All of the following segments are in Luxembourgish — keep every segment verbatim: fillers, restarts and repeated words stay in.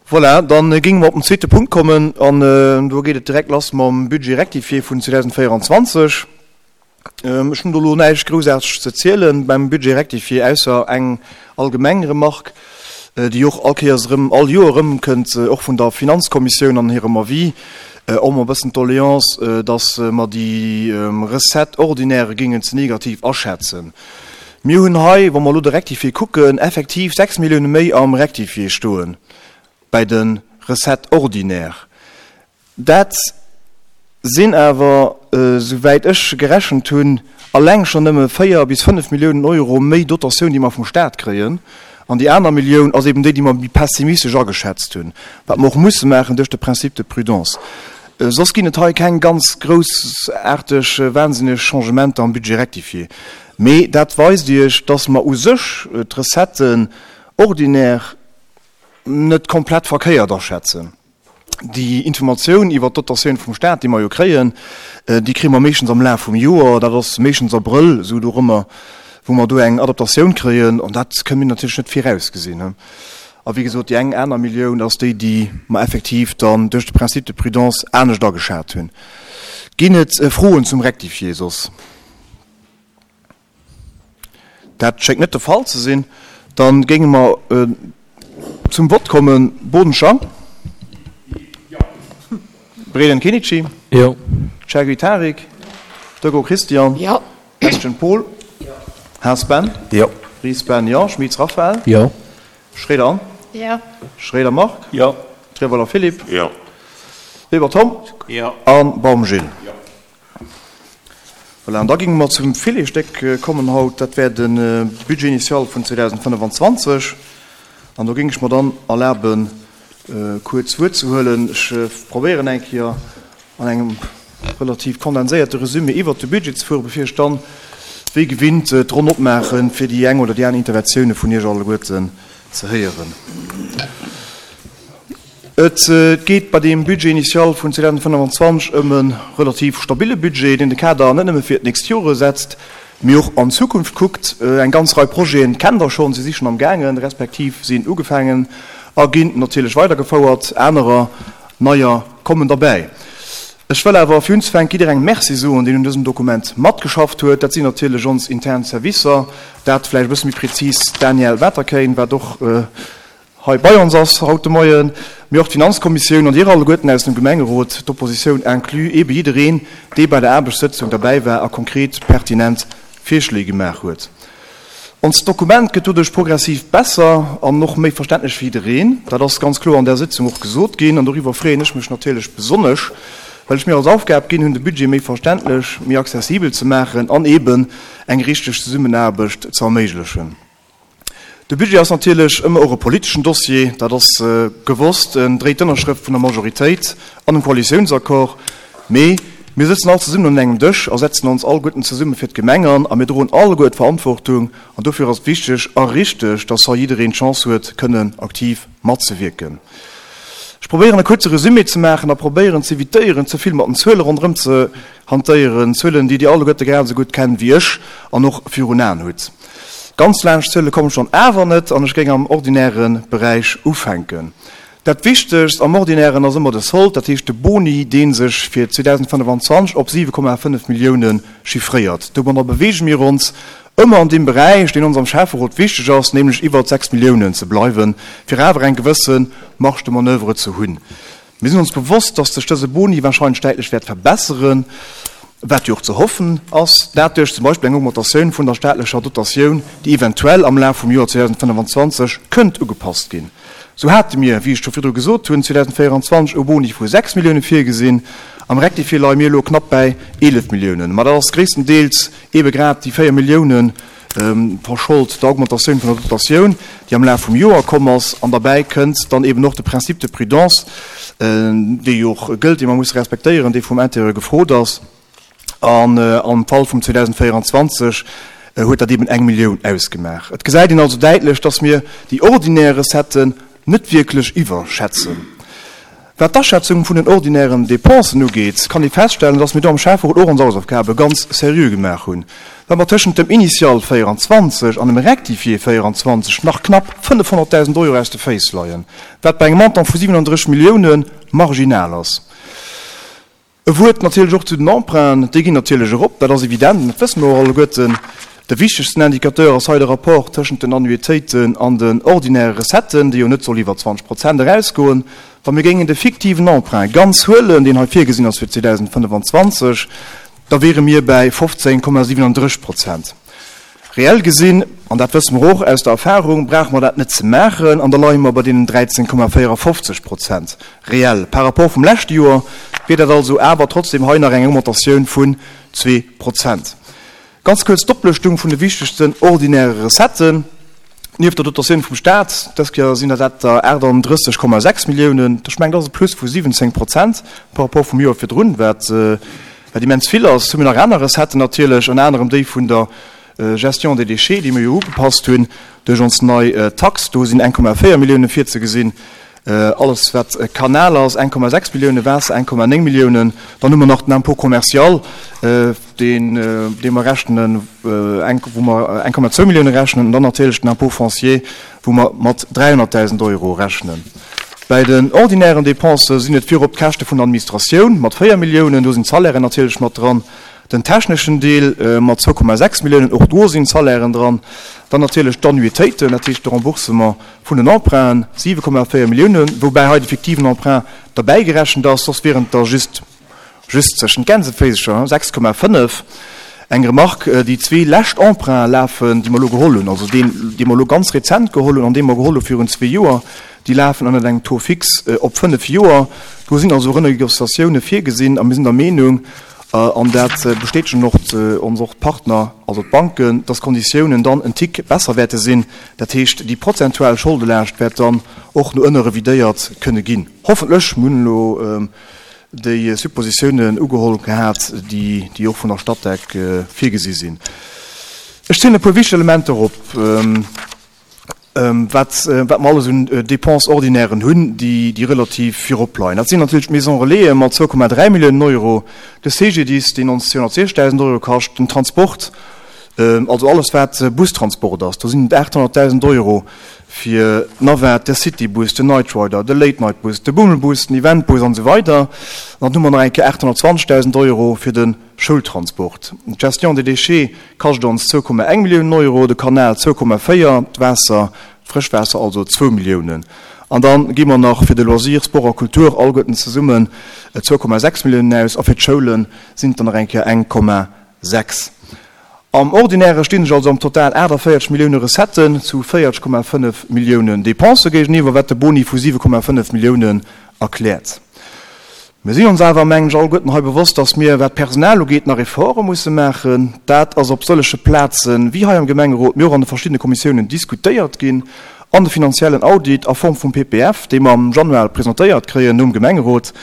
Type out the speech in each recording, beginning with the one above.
Voilà, dann géinge mer op den zweete Punkt kommen an do geet et direkt lass mam Budget rectifié vun zweedausendvéierenzwanzeg. Ech hunn do elo näischt Groussaarteges ze zielen beim Budget rectifié, ausser eng allgemeng Remarque, déi och all Kéiers erëm, all Joer erëmkënnt, och vun der Finanzkommissioun an hirem Avis, och emol e bëssen d'Doléance, dass mer déi Recettes ordinaires géingen ze negativ aschätzen. Mir hunn hei, wa mer elo de Rectifié kucken, effektiv sechs Milliounen méi am Rectifié stoen bäi de Recettes ordinaires. Dat sinn awer, souwäit ech gerechent hunn, alleng schonn nëmme véier bis fënnef Milliounen Euro méi Dotatioun, déi mer vum Stat kréien. An déi aner Millioun ass eben déi, déi mer méi pessimistesch ageschätzt hunn, wat mer och musse maachen duerch de Principe de prudence. Soss ginn et hei keng ganz groussaarteg, wahnsinneg Changementer am Budget rectifié. Mee dat weist Iech, dass mer u sech d'Recetten ordinaires net komplett verkéiert aschätzen. Déi Informatioun iwwert d'Dotatioun vum Staat, déi mer jo kréien, déi kréie mer meeschtens am Laf vum Joer, dat ass meeschtens Abrëll, esou dorëmmer, wou mer do eng Adaptatioun kréien, an dat kënne mir natierlech net virausgesinn. A wéi gesot, déi eng aner Millioun ass déi, déi mer effektiv dann duerch de Principe de prudence anescht ageschat hunn. Ginn et Froen zum Rectifié soss? Dat schéngt net de Fall ze sinn. Da géinge mer zum Vott kommen. Bodenschang? Jo. Breden Kenichi? Jo. Chergui Tarik? Doggo Christian? Jo. Bestgen Paul? Jo. Haas Ben? Jo. Ries Ben? Jo. Schmitz Raphaël? Jo. Schroeder Anne? Jo. Schroeder Marc? Jo. Treweiler Philippe? Jo. Weber Tom? Jo. A Baum Gilles? Jo. Voilà, an da géinge mer zum Filetsstéck kommen haut, dat wär de Budget initial vun zweedausendfënnefenzwanzeg. An do géing ech mer dann erlaben, kuerz Wuert ze huelen. Ech probéieren eng Kéier an engem relativ kondenséierte Resumé iwwert de Budget ze fueren, bevir ech dann, wéi gewinnt, d'Ronn opmaachen, fir déi eng oder déi aner Interventioune vun Iech alleguerten ze héieren. Et geet bei deem Budget initial vun zweedausendfënnefenzwanzeg ëm e relativ stabille Budget, deen de Kader net nëmme fir d'nächst Jore setzt, mee och an d'Zukunft kuckt. Eng ganz Rei Projete kennt Der schonn, si si schonn am gaangen, respektiv sinn ugefaangen a ginn natierlech weidergefouert. Anerer, neier kommen derbäi. Ech wëll awer fir unzefänken jidderengem Merci soen, deen un dësem Dokument matgeschafft huet. Dat sinn natierlech ons intern Servicer, dat vläicht e bësse méi prezis d'Danièle Waterkeyn, wat och hei bei ons ass haut de Moien, mee och d'Finanzkommissioun an Dir alleguerten aus dem Gemengerot, d'Oppositioun inclus, eebe jiddereen, dee bei der Aarbechtssëtzung derbäi war a konkret pertinent Virschléi gemaach huet. Onst Dokument gëtt doduerch progressiv besser an och méi verständlech fir jiddereen. Dat ass ganz kloer an där Sëtzung och gesot ginn an doriwwer freeën ech mech natierlech besonnesch, well ech mir als Aufgab ginn hunn, de Budget méi verständlech, méi accessibel ze maachen an eeben eng richteg Zesummenaarbecht ze erméiglechen. De Budget ass natierlech ëmmer och e politeschen Dossier, dat ass gewosst. En dréit d'Ënnerschrëft vun der Majoritéit an dem Koalitiounsaccord. Mee mir sëtzen all zesummen un engem Dësch a setzen ons alleguerten zesumme fir d'Gemeng an a mir droen alleguer d'Verantwortung. An dofir ass et wichteg a richteg, dass hei jiddereen d'Chance huet, kënnen aktiv matzewierken. Ech probéieren e kuerze Resumé ze maachen a probéieren z'evitéieren, ze vill mat den Zuele ronderëm ze hantéieren, Zuelen, déi Dir alleguerte grad esou gutt kennt wéi ech an och virun Aen hutt. Ganz laanscht d'Zuele kommen ech dann awer net an ech géing am ordinäre Beräich ufänken. Dat Wichtegst am Ordinären ass ëmmer de Sold, dat heescht de Boni, dee sech fir zweedausendfënnefenzwanzeg op siwe Komma fënnef Millioune chiffréiert. Domadder beweege mir ons ëmmer an deem Beräich, deen ons am Schäfferot wichteg ass, nämlech iwwert sechs Milliounen ze bleiwen, fir awer eng gewësse Marge de manoeuvre ze hunn. Mir sinn ons bewosst, dass sech dëse Boni wahrscheinlech däitlech wäert verbesseren, wat jo och ze hoffen ass, dat duerch zum Beispill eng Augmentatioun vun der staatlecher Dotatioun, déi eventuell am Laf vum Joer zweedausendfënnefenzwanzeg kënnt ugepasst ginn. Sou hate mir, wéi ech scho virdru gesot hunn, zweedausendvéierenzwanzeg e Boni vu sechs Milliounen virgesinn. Am Rectifié leie mir elo knapp bäi eelef Milliounen. Ma dat ass gréisstendeels eebe grad déi véier Milliounen verschold der Augmentatioun vun der Dotatioun, déi am Laf vum Joer komm ass. An derbäi kënnt dann eeben och de Principe de prudence, dee jo och gëllt, dee mer musse respektéieren, dee vum Intérieur gefrot ass. An am Fall vum zweedausendvéierenzwanzeg huet dat eeben eng Millioun ausgemaach. Et gesäit een also däitlech, dass mir déi ordinär Recetten net wierklech iwwerschätzen. Wat d'Aschätzung vun den ordinären Dépensen ugeet, kann ee feststellen, dass mir do am Schäfferot och ons Hausaufgabe ganz seriö gemaach hunn. well mer tëschent dem Initial véieranzwanzeg an dem Rectifié véieranzwanzeg nach knapp fënnefhonnertdausend Euro aus de Féiss leien, wat bei engem Montant vu siwenanddrësseg Millioune marginal ass. E Wuert natierlech och zu den Emprunten, déi ginn natierlech erop, dat ass evident an dat wësse mer och alleguerten. De wichtegsten Indicateur ass hei de Rapport tëschent den Annuitéiten an den ordinäre Recetten, dee jo net soll iwwer zwanzeg Prozent erausgoen. Wa mir géingen de fiktiven Emprunt ganz huelen, deen hei virgesinn ass fir zweedausendfënnefenzwanzeg, da wiere mir bäi fofzéng Komma siwenanddrësseg Prozent. Reell gesinn, an dat wësse mer och aus der Erfahrung, brauche mer dat net ze maachen an da leie mer bei deenen dräizéng Komma véierafofzeg Prozent reell. Par rapport vum leschte Joer wier dat also awer trotzdem hei nach eng Augmentatioun vun zwee Prozent. Ganz kuerz d'Oplëschtung vun de wichtegsten ordinäre Recetten. Nieft der Dotatioun vum Staat, dës Kéier sinn dat dat der achtandrësseg Komma sechs Milliounen, ech mengen, dat ass e Plus vu siwwenzéng Prozent par rapport vum Joer virdrun, wat wat immens vill ass. Hu mir nach aner Recetten natierlech, ënner anerem déi vun der Gestion des déchets, déi mir jo ugepasst hunn duerch ons nei Tax. Do sinn eng Komma véier Milliounen virzegesinn. Alles wat Kanal ass, eng Komma sechs Milliounen, Waasser eng Komma néng Milliounen. Dann hu mer nach den Impôt commercial, deen, dee mer rechnen, eng, wou mer eng Komma zwou Millioune rechnen, an dann natierlech den Impôt foncier, wou mer mat dräihonnertdausend Euro rechnen. Bäi den ordinären Dépensë sinn et virop d'Käschte vun der Administratioun mat véier Milliounen, do sinn d'Salairen natierlech mat dran, den techneschen Deel mat zwou Komma sechs Milliounen, och do sinn d'Salairen dran, dann natierlech d'Annuitéiten, dat heescht de Remboursement vun den Emprunten, siwe Komma véier Milliounen, woubäi hei de fiktiven Emprunt derbäigerechent ass, soss wieren et der just, just zwëschen d'Gänseféisercher, sechs Komma fënnef. Eng Remarque, déi zwee lescht Emprunte lafen, déi mer elo geholl hunn, also deen, dee mer elo ganz rezent geholl hunn an dee mer geholl hu virun zwee Joer, déi lafen ënnert engem Taux fixe op fënnef Joer. Do sinn also Renegociatioune virgesinn a mir sinn der Meenung, an dat bestätegen och ons och d'Partner, also d'Banken, dass d'Konditiounen dann en Tick besser wäerte sinn. Dat heescht, déi prozentual Scholdelaascht wäert dann och no ënne revidéiert kënne ginn. Hoffentlech. Mir hunn elo déi Suppositiounen ugeholl gehat, déi déi och vun der Statec virgesi sinn. Ech zielen e puer wichteg Elementer op, wat wat mer alles un Dépenses ordinairen hunn, déi déi relativ virop leien. Dat sinn natierlech d'Maisons Relaisen mat zwou Komma dräi Milliounen Euro, de C G D I S, deen ons zweehonnertsiechzegdausend Euro kascht, den Transport, also alles wat Bustransport ass, do sinn et aathonnertdausend Euro fir d'Navette, de Citybus, den Night Rider, de Late Night Bus, de Bummelbus, den Eventbus an esou weider. An dann hu mer nach eng Kéier aathonnertzwanzegdausend Euro fir de Schoultransport. D'Gestion des déchets kascht ons zwou Komma eng Milliounen Euro, de Kanal zwou Komma véier, d'Waasser, d'Frëschwaasser also zwou Milliounen. An da gi mer nach fir de Loisir, Sport a Kultur alleguerten zesummen zwou Komma sechs Milliounen aus a fir d'Schoule sinn et dann nach eng Kéier eng Komma sechs. Am Ordinäre stinn sech also am Total aachtavéierzeg Millioune Recetten zu véierzeg Komma fënnef Milliounen Dépensë géigeniwwer, wat de Boni vu siwe Komma fënnef Milliounen erkläert. Mir sinn ons awer, mengen ech, alleguerten hei bewosst, dass mir, wat d'Personal ugeet, nach Efforte musse maachen. Dat ass op sëllege Plazen, wéi hei am Gemengerot, mee och an de verschiddene Kommissiounen diskutéiert ginn. An de finanziellen Audit a Form vum P P F, dee mer am Januar presentéiert kréien nom Gemengerot,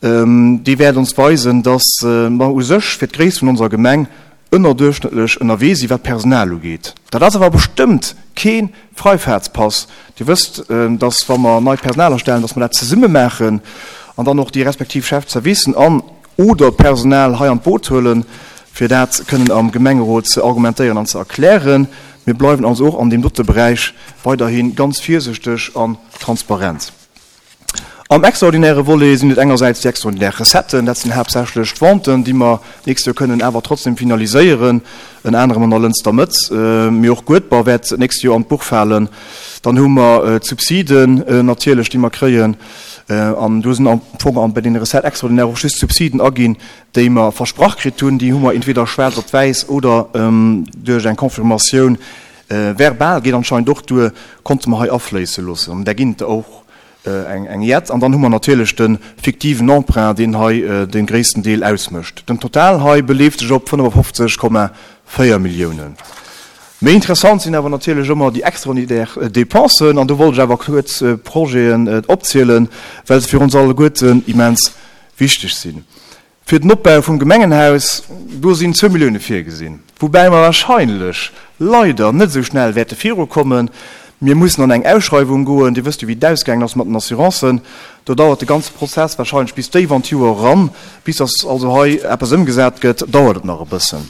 dee wäert ons weisen, dass mer u sech fir d'Gréisst vun onser Gemeng ënnerduerchschnëttlech ënnerwee sinn, wat d'Personal ugeet. Dat ass awer bestëmmt kee Freifahrtspass. Dir wësst, dass, wa mer neit Personal astellen, dass mer dat zesumme maachen an dann och déi respektiv Chef-de-servicen an oder d'Personal hei an d'Boot huelen, fir dat kënnen am Gemengerot ze argumentéieren an ze erklären. Mir bleiwen also och an deem dote Beräich weiderhi ganz virsichteg an transparent. Am extraordinäre Volet sinn et engersäits déi extraordinär Recetten, dat sinn haaptsächlech d'Venten, déi mer d'nächst Joer kënnen awer trotzdem finaliséieren, ënner anerem an der Lënster Mëtt, mee och Guedber wäert d'nächst Joer an d'Buch falen. Dann hu mer d'Subsiden natierlech, déi mer kréien, an do sinn am Fong bei deene Recettes extraordinaires och just d'Subsiden aginn, déi mer versprach kritt hunn. Déi hu mer entweder schwaarz op wäiss oder duerch eng Confirmatioun verbal, geet anscheinend och duer, konnte mer hei afléisse loossen. An där ginn et der och eng jett. An dann hu mer natierlech de fiktiven Emprunt, deen hei de gréissten Deel ausmécht. Den Total hei beleeft sech op fënnefafofzeg Komma véier Milliounen. Méi interessant sinn awer natierlech ëmmer déi extraordinaire Dépensen. An do wollt ech awer kuerz Projeten opzielen, well se fir ons alleguerten immens wichteg sinn. Fir den Opbau vum Gemengenhaus, do sinn zwou Millioune virgesinn, woubäi mer wahrscheinlech leider net esou schnell wäerte virukommen. Mir mussen an eng Ausschreiwung goen. Dir wësst jo, wéi et ausgaangen ass mat den Assurancen. Do dauert de ganze Prozess wahrscheinlech bis déif an d'Joer eran. Bis dass also hei eppes ëmgesat gëtt, dauert et nach e bëssen.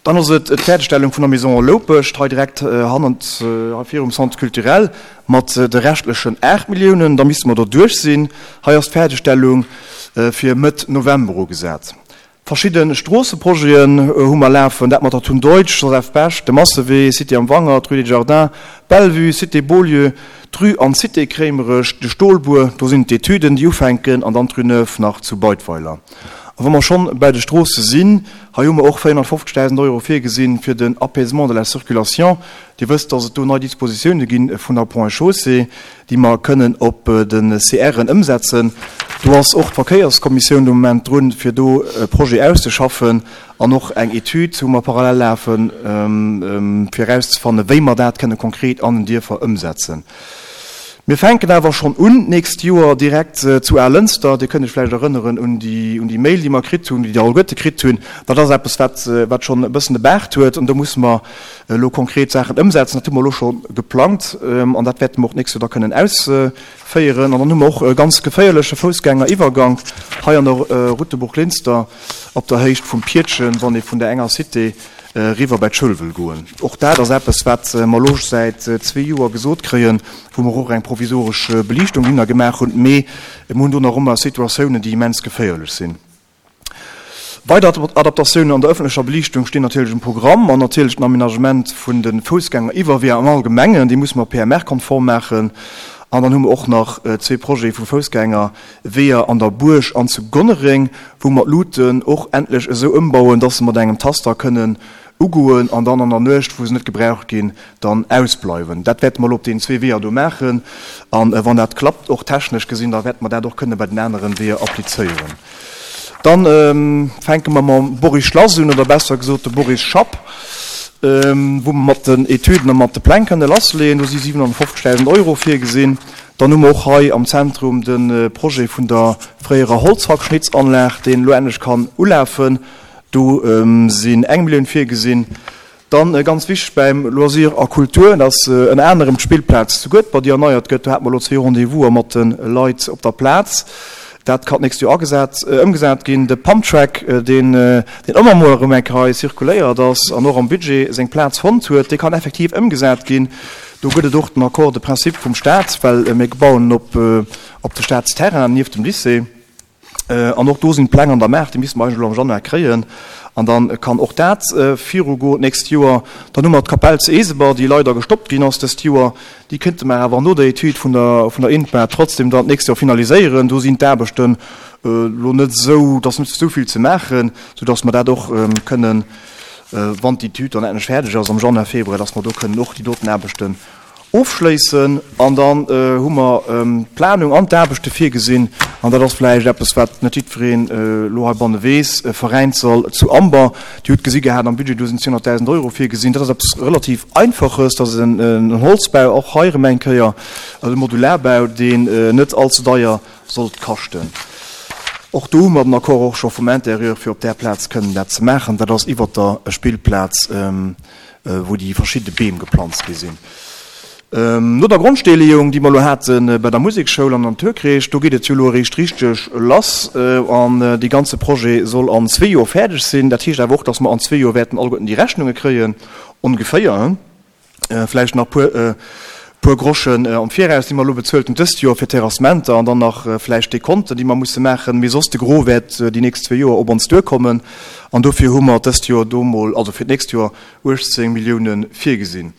Dann ass et d'Fäerdegstellung vun der Maison Loupescht, hei direkt hannert, hei virum Centre culturel, mat de reschtlechen aacht Milliounen. Da misste mer do duerch sinn. Hei ass d'Fäerdegstellung fir Mëtt November ugesat. Verschidde Stroosseprojeten hu mer lafen, dat mat der Thun Deutsch, Joseph Bech, de Massewee, Cité am Wangert, d'Rue des Jardins, Bellevue, Cité Beaulieu, d'Rue an d'Cité Kréimerech, de Stolbuer, do sinn d'Etüden, déi ufänken, an dann d'Rue Neuve nach zu Beidweiler. A wa mer schonn bei de Stroosse sinn, hei hu mer och véierhonnertfofzegdausend Euro virgesinn fir den Apaisement de la circulation. Dir wësst, dass et do nei Dispositioune gi vun der Ponts et Chaussées, déi mer kënnen op de C R'en ëmsetzen. Do ass och d'Verkéierskommissioun de Moment drun, fir do e Projet auszeschaffen, an och eng Etüd hu mer parallel lafen, fir erauszefannen, wéi mer dat kënne konkret an den Dierfer ëmsetzen. Mir fänken awer schonn un d'nächst Joer direkt zu Alënster. Dir kënnt Iech vläicht erënneren un déi, un déi Mail, déi mer kritt hunn, déi Dir alleguerte kritt hunn. Dat ass eppes, wat, wat schonn e bëssen e Baart huet, an do musse mer elo konkret Saachen ëmsetzen. Dat hu mer elo scho geplangt an dat wäerte mer och d'nächst Joer da kënnen ausféieren. An dann hu mer och e ganz geféierleche Foussgängeriwwergank hei an der Route de Bourglinster op der Héicht vum Pietchen, wann ee vun der enger Cité eriwwer bei d'Schoul wëll goen. Och dat ass eppes, wat mer elo säit zwee Joer gesot kréien, wou mer och eng provisoresch Beliichtung hinner gemaach hunn, mee mir hunn do nach ëmmer Situatiounen, déi immens geféierlech sinn. Weider Adaptatiounen an der ëffentlecher Beliichtung stinn natierlech um Programm an natierlech den Aménagement vun de Foussgängeriwwerweeër am Allgemengen, déi musse mer P M R-konform maachen. An dann hu mer och nach zwee Projete vu Foussgängerweeër an der Buerg an zu Gonnereng, wou mer d'Luuten och endlech esou ëmbauen, dass se mat engem Taster kënnen ugoen an dann an der Nuecht, wou se net gebraucht ginn, dann ausbleiwen. Dat wäerte mer elo op deenen zwee Weeër do maachen. A wann dat klappt, och technesch gesinn, da wäerte mer dat och kënne bei den aneren Weeër applizéieren. Dann fänke mer mam Boris Schlass un, oder besser gesot de Boris Schapp, wou mer mat den Etüden a mat de Pläng kënne lassleeën. Do si siwenhonnertfofzegdausend Euro virgesinn. Dann hu mer och hei am Zentrum de Projet vun der fréierer Holzhackschnitzanlag, deen elo endlech kann ulafen. Do sinn eng Millioun virgesinn. Dann, ganz wichteg beim Loisir a Kultur, dat ass ënner anerem d'Spillplaz zu Guedber, déi erneiert gëtt. Do hate mer elo zwee Rendez-vous'er mat de Leit op der Plaz. Dat kann d'nächst Joer agesat, ëmgesat ginn. De Pumptrack, deen, deen ëmmer emol erëm eng Kéier hei zirkuléiert ass an och am Budget seng Plaz fonnt huet, dee kann effektiv ëmgesat ginn. Do gëtt et och den Accord de principe vum Staat, well mir bauen op, op de Staatsterrain nieft dem Lycée. An och do sinn d'Pläng an der Maach, déi misste mer eigentlech elo am Januar kréien. An da kann och dat virugoen d'nächst Joer. Dann hu mer d'Kapell zu Eeseber, déi leider gestoppt ginn ass dëst Joer. Déi kéinte mer awer no der Etüd vun der vun der INPA trotzdem dann d'nächst Joer finaliséieren. Do sinn d'Aarbechten elo net esou, et ass net esou vill ze maachen, soudass mer dat och kënnen, wann d'Etüd dann endlech fäerdeg ass am Januar, Februar, dass mer do kënnen och déi doten Aarbechten ofschléissen. An dann hu mer d'Planung an d'Aarbechte virgesinn, an dat ass vläicht eppes, wat net jiddwereen elo heibanne weess, e Veräinssall zu Amber. Dir hutt gesi gehat am Budget, do sinn zweehonnertdausend Euro virgesinn. Dat ass eppes relativ Einfaches, dat ass en Holzbau, och hei erëm eng Kéier e Modularbau, deen net allze deier sollt kaschten. Och do hu mer den Accord och scho vum Intérieur, fir op där Plaz kënnen dat ze maachen. Dat ass iwwert der Spillplaz, wou déi verschidde Beem geplanzt gi sinn. No der Grondsteeleeung, déi mer elo hate bei der Musekschoul am Naturkreesch, do geet et jo elo eréischt richteg lass an dee ganze Projet soll an zwee Joer fäerdeg sinn. Dat heescht awer och, dass mer an zwee Joer wäerten alleguerten déi Rechnunge kréien, ongeféier, vläicht nach puer puer Groschen am Viraus, déi mer elo bezuelt hunn dëst Joer fir d'Terrassementer an dann nach vläicht Dekonten, déi mer musse maachen. Mee soss de Gros wäert déi nächst zwee Joer op ons duerkommen an dofir hu mer dëst Joer do mol, also fir d'nächst Joer, uechtzéng Milliounen virgesinn.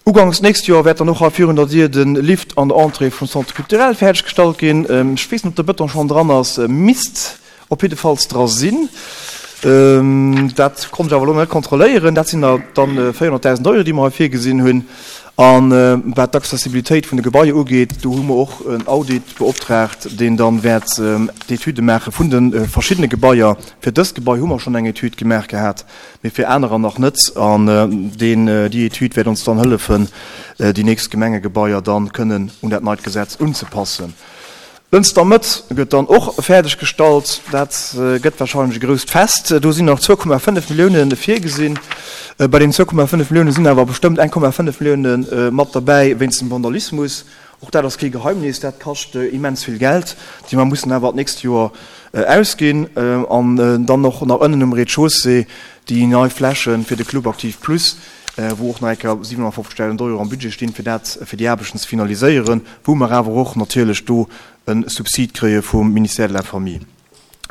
Uganks nächst Joer wäert dann och hei virun der Dier de Lift an der Entrée vum Centre culturel fäerdeg gestallt ginn. Ech weess net, ob de Bëton schonn dran ass, misst op jiddefalls dra sinn. Dat konnt ech awer elo net kontrolléieren. Dat sinn der dann véierhonnertdausend Euro, déi mer hei virgesinn hunn. A wat d'Accessibilitéit vun de Gebaier ugeet, do hu mer och en Audit beoptraagt, deen dann wäert d'Etüde maache vun de verschiddene Gebaier. Fir dëst Gebai hu mer schonn eng Etüd gemaach gehat, mee fir anerer nach net. An deen, déi Etüd wäert ons dann hëllefen, déi nächst Gemengegebaier dann kënnen un dat neit Gesetz unzepassen. Lënster Mëtt gëtt dann och fäerdeg gestallt. Dat gëtt wahrscheinlech e grousst Fest. Do sinn nach zwou Komma fënnef Millioune virgesinn. Bei deenen zwou Komma fënnef Millioune sinn awer bestëmmt eng Komma fënnef Millioune mat derbäi wéinst dem Vandalismus. Och dat ass kee Geheimnis, dat kascht immens vill Geld, déi mer mussen awer d'nächst Joer ausginn. An dann och nach ënnen um Rez-de-chaussée déi nei Fläche fir de Club Aktiv Plus, wou och nach eng Kéier siwenhonnertfofzegdausend Euro am Budget stinn, fir dat, fir déi Aarbechten ze finaliséieren, wou mer awer och natierlech do e Subsid kréie vum Ministère de la Famille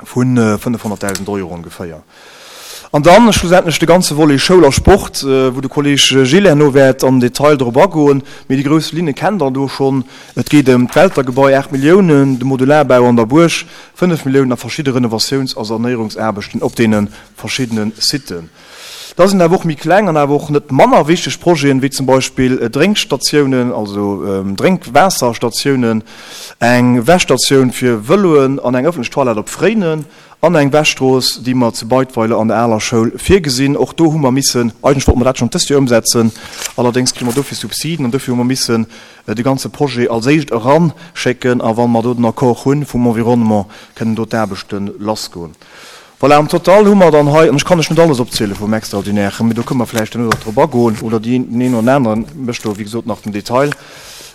vu fënnefhonnertdausend Euro ongeféier. An dann schlussendlech de ganze Volet Schoul a Sport, wou de Kolleg Gilles herno wäert am Detail drop agoen. Mee déi grouss Linne kennt Der do schonn. Et geet ëm d'Weltergebai, aacht Milliounen, de Modularbau an der Buerg, fënnef Milliounen, a verschidde Renovatiouns a Sanéierungsaarbechten op deene verschiddene Siten. Da sinn awer och méi kleng an awer och net manner wichteg Projeten, wéi zum Beispill Drénkstatiounen, also Drénkwaasserstatiounen, eng Wäschstatioun fir Vëloen an eng ëffentlech Toilette op Fréinen an eng Wäschstrooss, déi mer zu Beidweiler an der aler Schoul virgesinn. Och do hu mer missen, eigentlech wollte mer dat schonn dëst Joer ëmsetzen, allerdéngs kri mer dofir Subsiden an dofir hu mer missen de ganze Projet als éischt eranschécken a wa mer do den Accord hu vum Environnement, kënnen do d'Aarbechte lassgoen. Voilà, am Total hu mer dann hei, an ech kann lech net alles opziele vum Extraordinären, mee do kënne mer vläicht duerno nach drop agoen, oder deen een oder anere mécht do, wéi gesot, nach den Detail,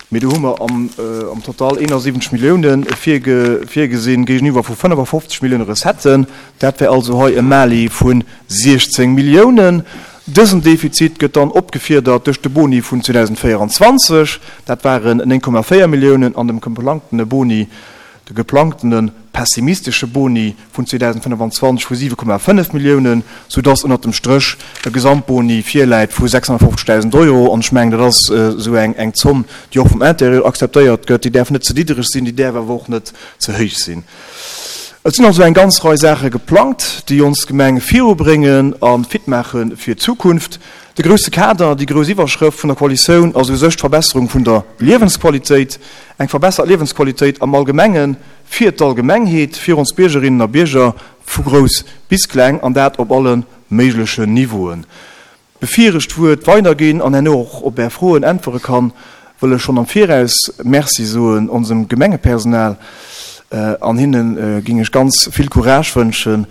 mee do hu mer am, am Total eenansiwwenzeg Milliounen virge, virgesinn géigeniwwer vu fënnefafofzeg Millioune Recetten. Dat wär also hei e Mali vu siechzéng Milliounen. Dësen Defizit gëtt dann opgefiedert duerch de Boni vun zweedausendvéieranzwanzeg, dat waren néng Komma véier Milliounen, an dem geplangtene Boni, de geplangtene pessimistesche Boni vun zweedausendfënnefanzwanzeg vu siwe Komma fënnef Milliounen, soudass ënnert dem Stréch e Gesamtboni virläit vu sechshonnertfofzegdausend Euro. An ech mengen, dat ass esou eng eng Zomm, déi och vum Intérieur akzeptéiert gëtt. Déi däerf net ze niddereg sinn, déi däerf awer och net ze héich sinn. Et sinn also eng ganz Rei Saache geplangt, déi ons Gemeng virubréngen a fit maache fir d'Zukunft. De grousse Kader, déi grouss Iwwerschrëft vun der Koalitioun ass u sech d'Verbesserung vun der Liewensqualitéit, eng verbessert Liewensqualitéit am Allgemenge fir d'Allgemengheet, fir ons Biergerinnen a Bierger vu grouss bis kleng, an dat op alle méiglechen Niveauen. Bevir ech d'Wuert weiderginn an herno och op Är Froen äntwere kann, wëll ech schonn am Viraus Merci soen onsem Gemengepersonal, an hinne géing ech ganz vill Courage wënschen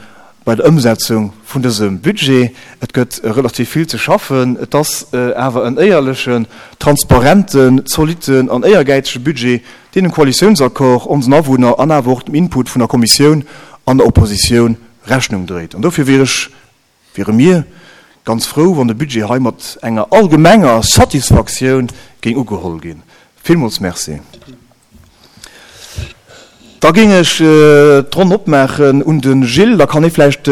bei der Ëmsetzung vun dësem Budget. Et gëtt relativ vill ze schaffen. Et ass awer en éierlechen, transparenten, zolitten an éiergäizege Budget, deen dem Koalitiounsaccord, onsen Awunner an awer och dem Input vun der Kommissioun an der Oppositioun Rechnung dréit. An dofir wier ech, wiere mir ganz frou, wann de Budget hei mat enger allgemenger Satisfaktioun géing ugeholl ginn. Villmools Merci. Da géing ech d'Ronn opmaachen un de Gilles, da kann hie vläicht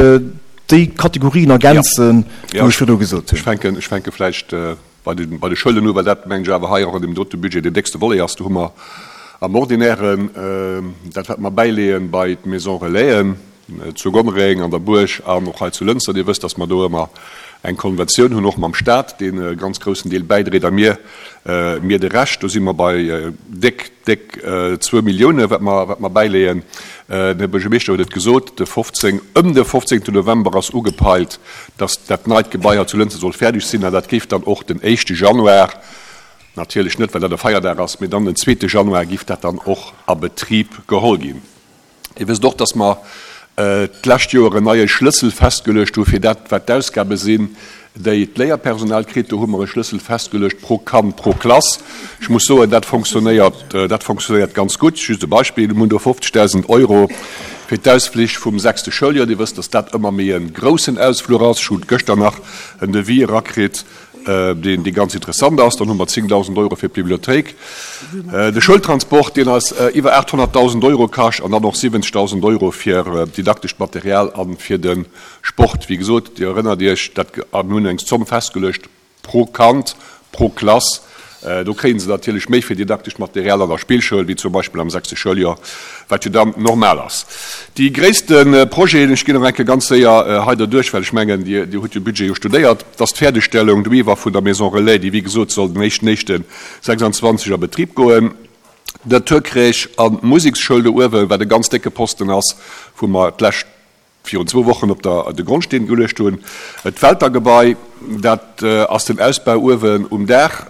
déi Kategorien ergänzen, wou ech virdru gesot hunn. Ech fänken, ech fänke vläicht bei de, bei de Schoulen u, well dat, mengen ech, awer hei och an deem dote Budget deen déckste Volet ass. Do hu mer am Ordinären dat, wat mer bäileeën bei d'Maison Relaisen zu Gonnereng, an der Buerg an och hei zu Lënster. Dir wësst, dass mer do ëmmer eng Konventioun hunn, och mam Stat, deen e ganz groussen Deel bäidréit, a mir, mir de Rescht. Do si mer bei déck, déck zwou Milliounen, wat mer, wat mer bäileeën. Den Här Buergermeeschter huet et gesot, de fofzéng, ëm de fofzéngten November ass ugepeilt, dass dat neit Gebai hei zu Lënster soll fäerdeg sinn, an dat géif dann och den éischte Januar, natierlech net, well dat e Feierdag ass, mee dann den zweete Januar géif dat dann och a Betrib geholl ginn. Dir wësst och, dass mer d'lescht Joer en neie Schlëssel festgeluecht hu fir dat, wat d'Ausgabe sinn, déi d'Léierpersonal kritt. Do hu mer e Schlëssel festgeluecht pro Kand, pro Klass. Ech muss soen, dat fonctionnéiert, dat fonctionnéiert ganz gutt. Just e Beispill, Mir hunn do fofzegdausend Euro fir d'Ausflich vum sechste Schouljoer. Dir wësst, dass dat ëmmer méi e groussen Ausfluch ass. Ech hu gëschter nach en Devis erakritt, deen dee ganz interessant ass. Dann hu mer zéngdausend Euro fir d'Bibliothéik, de Schoultransport, deen eis iwwer aathonnertdausend Euro kascht, an dann och siwwenzegdausend Euro fir didaktescht Material a fir de Sport. Wéi gesot, Dir erënnert Iech, dat mir hunn eng Zomm festgeluecht pro Kand, pro Klass. Do kréie se natierlech méi fir didaktescht Material an der Spillschoul, wéi zum Beispill am sechste Schouljoer, wat jo dann normal ass. Déi gréisste Projeten, ech ginn nach eng Kéier ganz séier hei derduerch, well ech mengen, Dir hutt de Budget jo studéiert, dat ass d'Fäerdegstellung doiwwer vun der Maison Relais, déi wéi gesot soll den éischten éischten sechsandzwanzeg a Betrib goen, d'Naturcrèche an d'Museksschoul do uewen, wat e ganz décke Posten ass, wou mer d'lescht virun zwou Wochen op der de Grondsteen geluecht hunn. D'Weltergebai, dat ass den Ausbau uewen um Daach.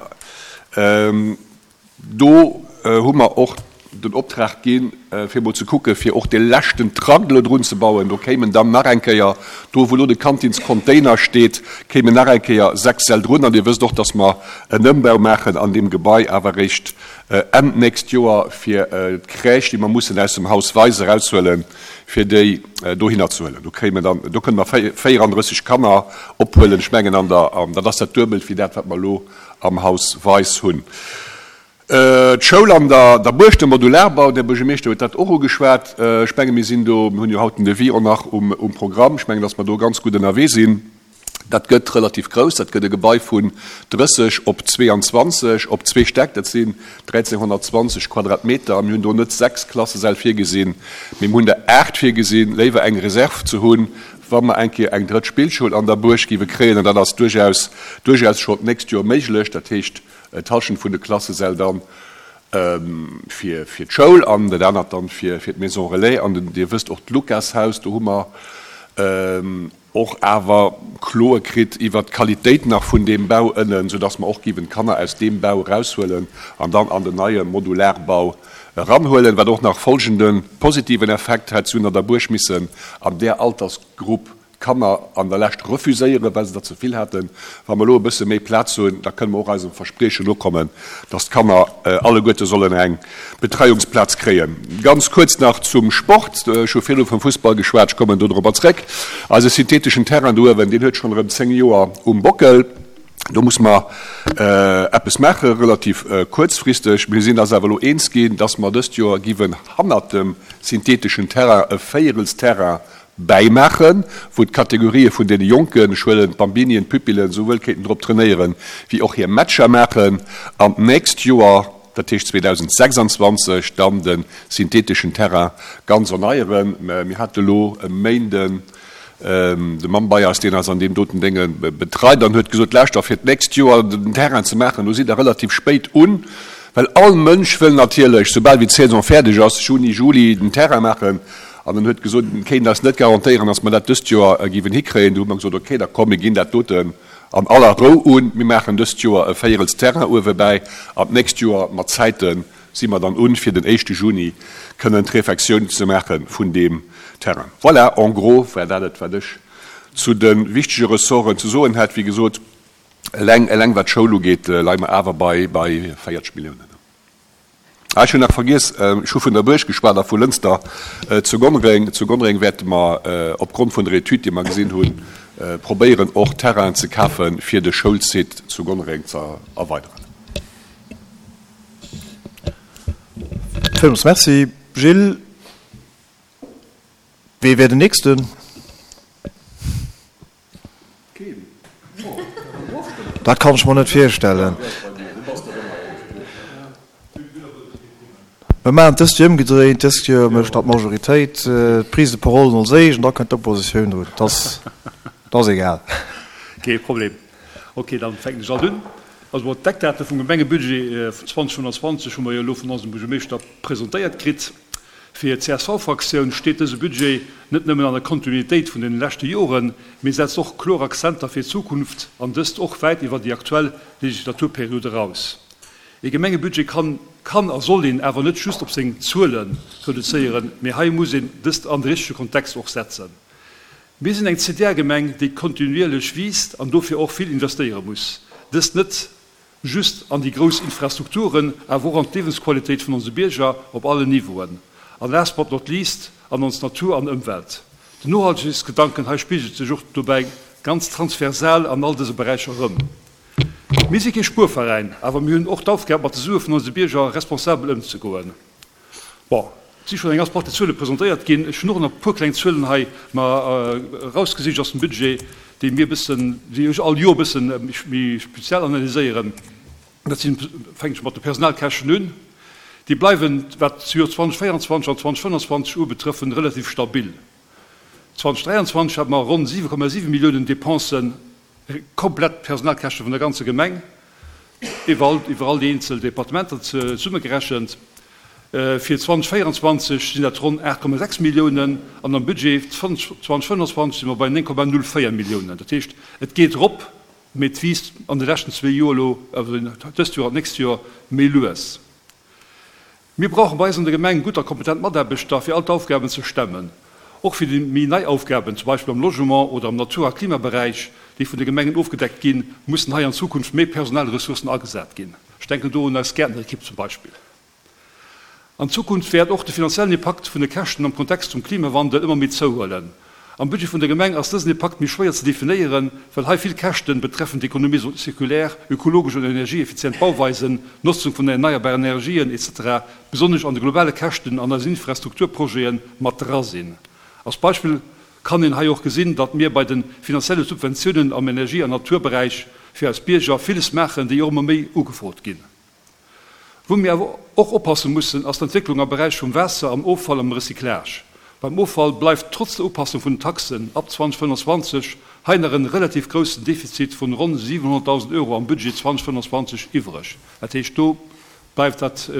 Do hu mer och den Optrag ginn, fir emol ze kucken, fir och dee leschten Trakt elo drun ze bauen. Do kéimen dann nach eng Kéier, do wou elo de Kantinscontainer steet, kéimen nach eng Kéier sechs Säll drun. An Dir wësst och, dass mer en Ëmbau maachen an deem Gebai awer eréischt Enn d'nächst Joer, fir d'Crèche, déi mer mussen aus dem Haus Weis eraushuelen, fir déi dohinner ze huelen. Do kéimen dann, do kënne mer véierandrësseg Kanner ophuelen. Ech mengen an der, an dat ass dat Duebelt wéi dat, wat mer elo am Haus Weis hunn. D'Schoul an der der Buerg, de Modularbau, den Här Buergermeeschter huet dat och ugeschwat. Ech menge mir sinn do, mir hunn jo haut den Devis och nach um um Programm, ech mengen, datt mer do ganz gutt ënnerwee sinn. Dat gëtt relativ grouss, dat gëtt e Gebai vun drësseg op zweeanzwanzeg op zwee Stäck, dat sinn dräizénhonnertzwanzeg Quadratmeter. A mir hunn do net sechs Klassesäll virgesinn, mee mir hunn der aacht virgesinn, léiwer eng Reserv ze hunn, wa mer eng Kéier eng drëtt Spillschoul an der Buerg géiwe kréien. An dat ass duerchaus duerchaus schonn d'nächst Joer méiglech. Dat heescht, d'Hallschent vun de Klassesäll dann fir fir d'Schoul an dat anert dann fir fir d'Maison relais. An Dir wësst och, d'Lukashaus, do hu mer och awer Kloe kritt iwwert d'Qualitéit nach vun deem Bau ënnen, soudass mer och géiwen d'Kanner aus deem Bau eraushuelen an dann an den neie Modularbau eranhuelen, wat och nach folgende positiven Effekt hätt, Si hunn an der Buerg missen an där Altersgrupp Kanner an der Lescht refuséieren, well se der ze vill haten. Wa mer elo e bësse méi Plaz hunn, da kënne mer och eisem Verspriechen nokommen, dass d'Kanner alleguerte sollen eng Betreiungsplaz kréien. Ganz kuerz nach zum Sport. Ech hu virdu vum Fussball geschwat, ech kommen do dorobber zréck. Eise syntheteschen Terrain do uewen, deen huet schonn erëm zéng Joer um Bockel. Do muss mer eppes maache relativ kuerzfristeg. Mir sinn eis awer elo eens ginn, dass mer dëst Joer giwen hannert dem syntheteschen Terrain e Véierelsterrain bäimaachen, wou d'Kategorië vun deene Jonken, ech huelen d'Bambinien, d'Pupillen, souwuel kéinten drop trainéieren, wéi och hir Matcher maachen, an d'nächst Joer, dat heescht zweedausendsechsandzwanzeg dann de syntheteschen Terrain ganz erneieren. Mir hate elo e Méinden de Mann bei eis, deen eis an deem doten Dénge betreit an huet gesot, Lauschter, fir d'nächst Joer den Terrain ze maachen, do sidd Der relativ spéit un, well all Mënsch wëll natierlech, soubal wéi d'Saison fäerdeg ass, Juni, Juli, den Terrain maachen. An en huet gesot, en kéint eis net garantéieren, datt mer dat dëst Joer géiwen hikréien. Du hu mer gesot, okay, da komm, mir ginn dat doten an aller Rou un. Mir maachen dëst Joer e Véierels Terrain uewe bäi an d'nächst Joer mat Zäite si mer dann un, fir den éischte Juni kënnen d'Refectioun ze maache vun deem Terrain. Voilà, en gros war dat et, wat ech zu de wichtege Ressorten ze soen hätt. Wéi gesot, eleng, eleng wat d'Schoul ugeet, leie mer awer bei, bei véierzeg Milliounen. Ah, ech hunn nach vergiess, ech hu vun der Buerg geschwat a vu Lënster zu Gonnereng. Zu Gonnereng wäerte mer opgrond vun der Etüd, déi mer gesinn hunn, probéieren och Terrainen ze kafen, fir de Schoulsite zu Gonnereng ze erweideren. Villmools Merci, Gilles. Wee wär den Nächsten? Dat kann ech mer net virstellen. Mir maachen et dëst Joer ëmgedréint. Dëst Joer mécht da d'Majoritéit d'Prise de parole als éischt an da kënnt d'Oppositioun drun. Dat ass egal. Kee Problem. Ok, dann fänken ech alt un. Also bon, d'Eckdate vum Gemengebudget vun zweitausendfënnfanzwanzeg hu mer jo elo vun eisem Buergermeeschter presentéiert kritt. Fir d'CSV-Fraktioun steet dëse Budget net nëmmen an der Kontinuitéit vun den leschte Joren, mee setzt och kloer Akzenter fir d'Zukunft, an dëst och wäit iwwer déi aktuell Legislaturperiod eraus. Ee Gemengebudget kann kann a soll een awer net just op seng Zuele reduzéieren, mee hei muss een dëst an de richtege Kontext och setzen. Mir sinn eng C D R-Gemeng, déi kontinuierlech wiisst an dofir och vill investéiere muss. Dëst net just an déi grouss Infrastrukturen, awer och an d'Liewensqualitéit vun onse Bierger op allen Niveauen. An last but not least an ons Natur an Ëmwelt. Den Nohaltegkeetsgedanken hei spigelt sech och dobäi ganz transversal an all dëse Beräicher erëm. Mir si kee Spuerveräin, awer mir hunn och d'Aufgab, mat de Sue vun onse Bierger responsabel ëmzegoen. Bon, et si schonn eng ganz Partie Zuele presentéiert ginn. Ech hunn och nach e puer kleng Zuelen hei mer erausgesicht aus dem Budget, déi mir e bëssen, déi ech all Joer e bësse méi speziell analyséieren. Dat sinn, fänken ech mat de Personalkäschten un, déi bleiwen, wat d'Joer zweitausendvéierundzwanzeg an zweitausendfënnfanzwanzeg ubetrëffen, relativ stabil. zweitausenddräianzwanzeg hate mer ronn siwe Komma siwe Milliounen Dépensen, komplett d'Personalkäschte vun der ganzer Gemeng, iwwer iwwer all déi eenzel Departementer zesummegerechent. Fir zweitausendvéierundzwanzeg sinn dat ronn aacht Komma sechs Milliounen an am Budget zweitausendfënnfanzwanzeg si mer bei néng Komma null véier Milliounen. Dat heescht, et geet erop, mee et wiisst an de leschten zwee Joer elo, also dëst Joer an d'nächst Joer, méi lues. Mir brauche bei eis an der Gemeng gutt a kompetent Mataarbechter, fir all d'Aufgaben ze stemmen. Och fir déi méi nei Aufgaben, zum Beispill am Logement oder am Natur a Klimaberäich, déi vun de Gemengen ofgedeckt ginn, mussen hei an Zukunft méi Personalressourcen agesat ginn. Ech denken do un eis Gäertnerekipp zum Beispill. An Zukunft wäert och de finanziellen Impakt vun de Käschten am Kontext vum Klimawandel ëmmer méi zouhuelen. Am Budget vun der Gemeng ass dësen Impakt méi schwéier ze definéieren, well hei vill Käschten betreffend Économie circulaire, ökologesch an energieeffizient Bauweisen, Notzung vun erneierbaren Energien, etc. Besonnesch an de globale Käschten an eisen Infrastrukturprojete mat dra sinn. Als Beispill kann een hei och gesinn, datt mir bei de finanzielle Subventiounen am Energie an Naturberäich fir eis Bierger villes maachen, déi och ëmmer méi ugefrot ginn. Wou mir awer och oppasse mussen, ass d'Entwécklung am Beräich vum Waasser, am Offall, am Recyclage. Beim Offall bleift trotz der Upassung vun den Taxen ab zweitausendfënnfundzwanzeg hei nach en relativ groussen Defizit vun ronn siwenhonnertdausend Euro am Budget zweitausendfënnfundzwanzeg iwwreg. Dat heescht, do bleift dat,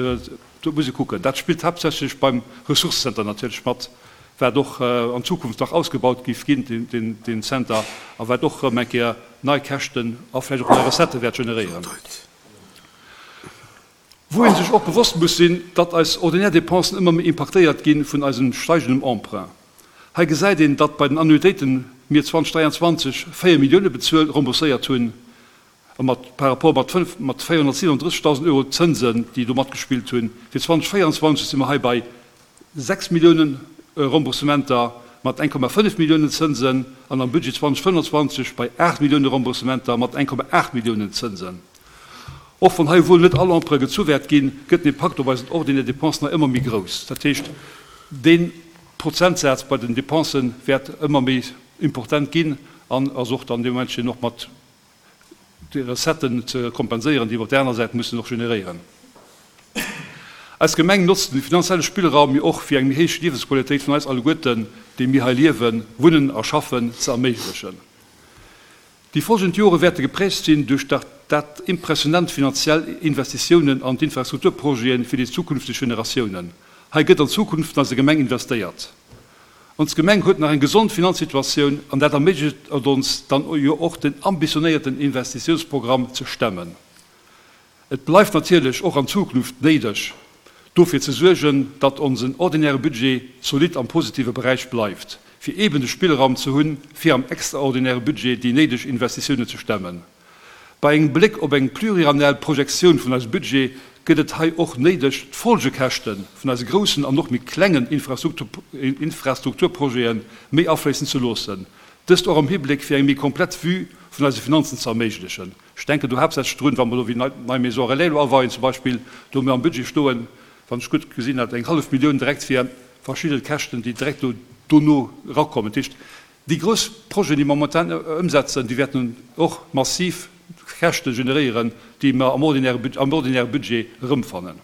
do muss ee kucken. Dat spillt haaptsächlech beim Ressourcecenter natierlech mat, wat och an Zukunft nach ausgebaut géif ginn, deen Center, a wat och erëm eng Kéier nei Käschten a vläicht och nei Recettë wäert generéieren. Wou ee sech och bewosst muss sinn, datt eis ordinär Dépensen ëmmer méi impaktéiert gi vun eisem steigendem Emprunt. Hei gesäit een, datt bei den Annuitéite mir zweitausenddräianzwanzeg véier Millioune bezuelt, rembourséiert hunn, a mat par rapport mat fënnf, mat véierhonnertsiwenunddrëssigdausend Euro Zënsen, déi do matgespillt hunn. Fir zweitausendvéieranzwanzeg si mer hei bei sechs Milliounen Remboursementer mat eng Komma fënnef Milliounen Zënsen an am Budget zweitausendfënnfundzwanzeg bei aacht Millioune Remboursementer mat eng Komma aacht Milliounen Zënsen. Och wann hei wuel net all Emprunt gezu wäert ginn, gëtt den Impakt op eisen ordinaire Dépensen nach ëmmer méi grouss. Dat heescht, dee Prozentsaz bei den Dépensen wäert ëmmer méi important ginn an ass och dann dee Momentchen och mat de Recetten ze kompenséieren, déi mer op där aner Säit mussen och generéieren. Eis Gemeng notzt de finanzielle Spillraum jo och fir eng méi héich Liewensqualitéit vun eis alleguerten, déi mir hei liewen, wunnen a schaffen, ze erméiglechen. Déi folgend Jore wäerte geprägt sinn duerch dat impressionant finanziell Investitiounen an d'Infrastrukturprojete fir déi zukünfteg Generatiounen. Hei gëtt an d'Zukunft vun eiser Gemeng investéiert. Ons Gemeng huet nach eng gesond Finanzsituatioun an dat erméiglecht et ons dann jo och den ambitionéierten Investitiounsprogramm ze stemmen. Et bleift natierlech och an Zukunft néideg, dofir ze suergen, datt onsen ordinäre Budget zolidd am positive Beräich bleift, fir eeben de Spillraum ze hunn, fir am extraordinäre Budget déi néideg Investitiounen ze stemmen. Bei engem Bléck op eng pluriannuell Projektioun vun eisem Budget gëtt et hei och néideg, d'Folgekäschte vun eise groussen an och méi klengen Infrastrukturprojete méi afléissen ze loossen, dëst och am Hibléck fir eng méi komplett Vue vun eise Finanzen ze erméiglechen. Ech denken do haaptsächlech drun, wa mer elo wéi nei Maison relais elo aweien zum Beispill, do hu mir am Budget stoen, wann ech gutt gesinn hat, eng hallef Millioun direkt fir verschidde Käschten, déi direkt do dono erakommen. Dat heescht, déi grouss Projeten, déi mer momentan ëmsetzen, déi wäerten och massiv Käschte generéieren, déi mer am ordinäre, am ordinäre Budget erëmfannen.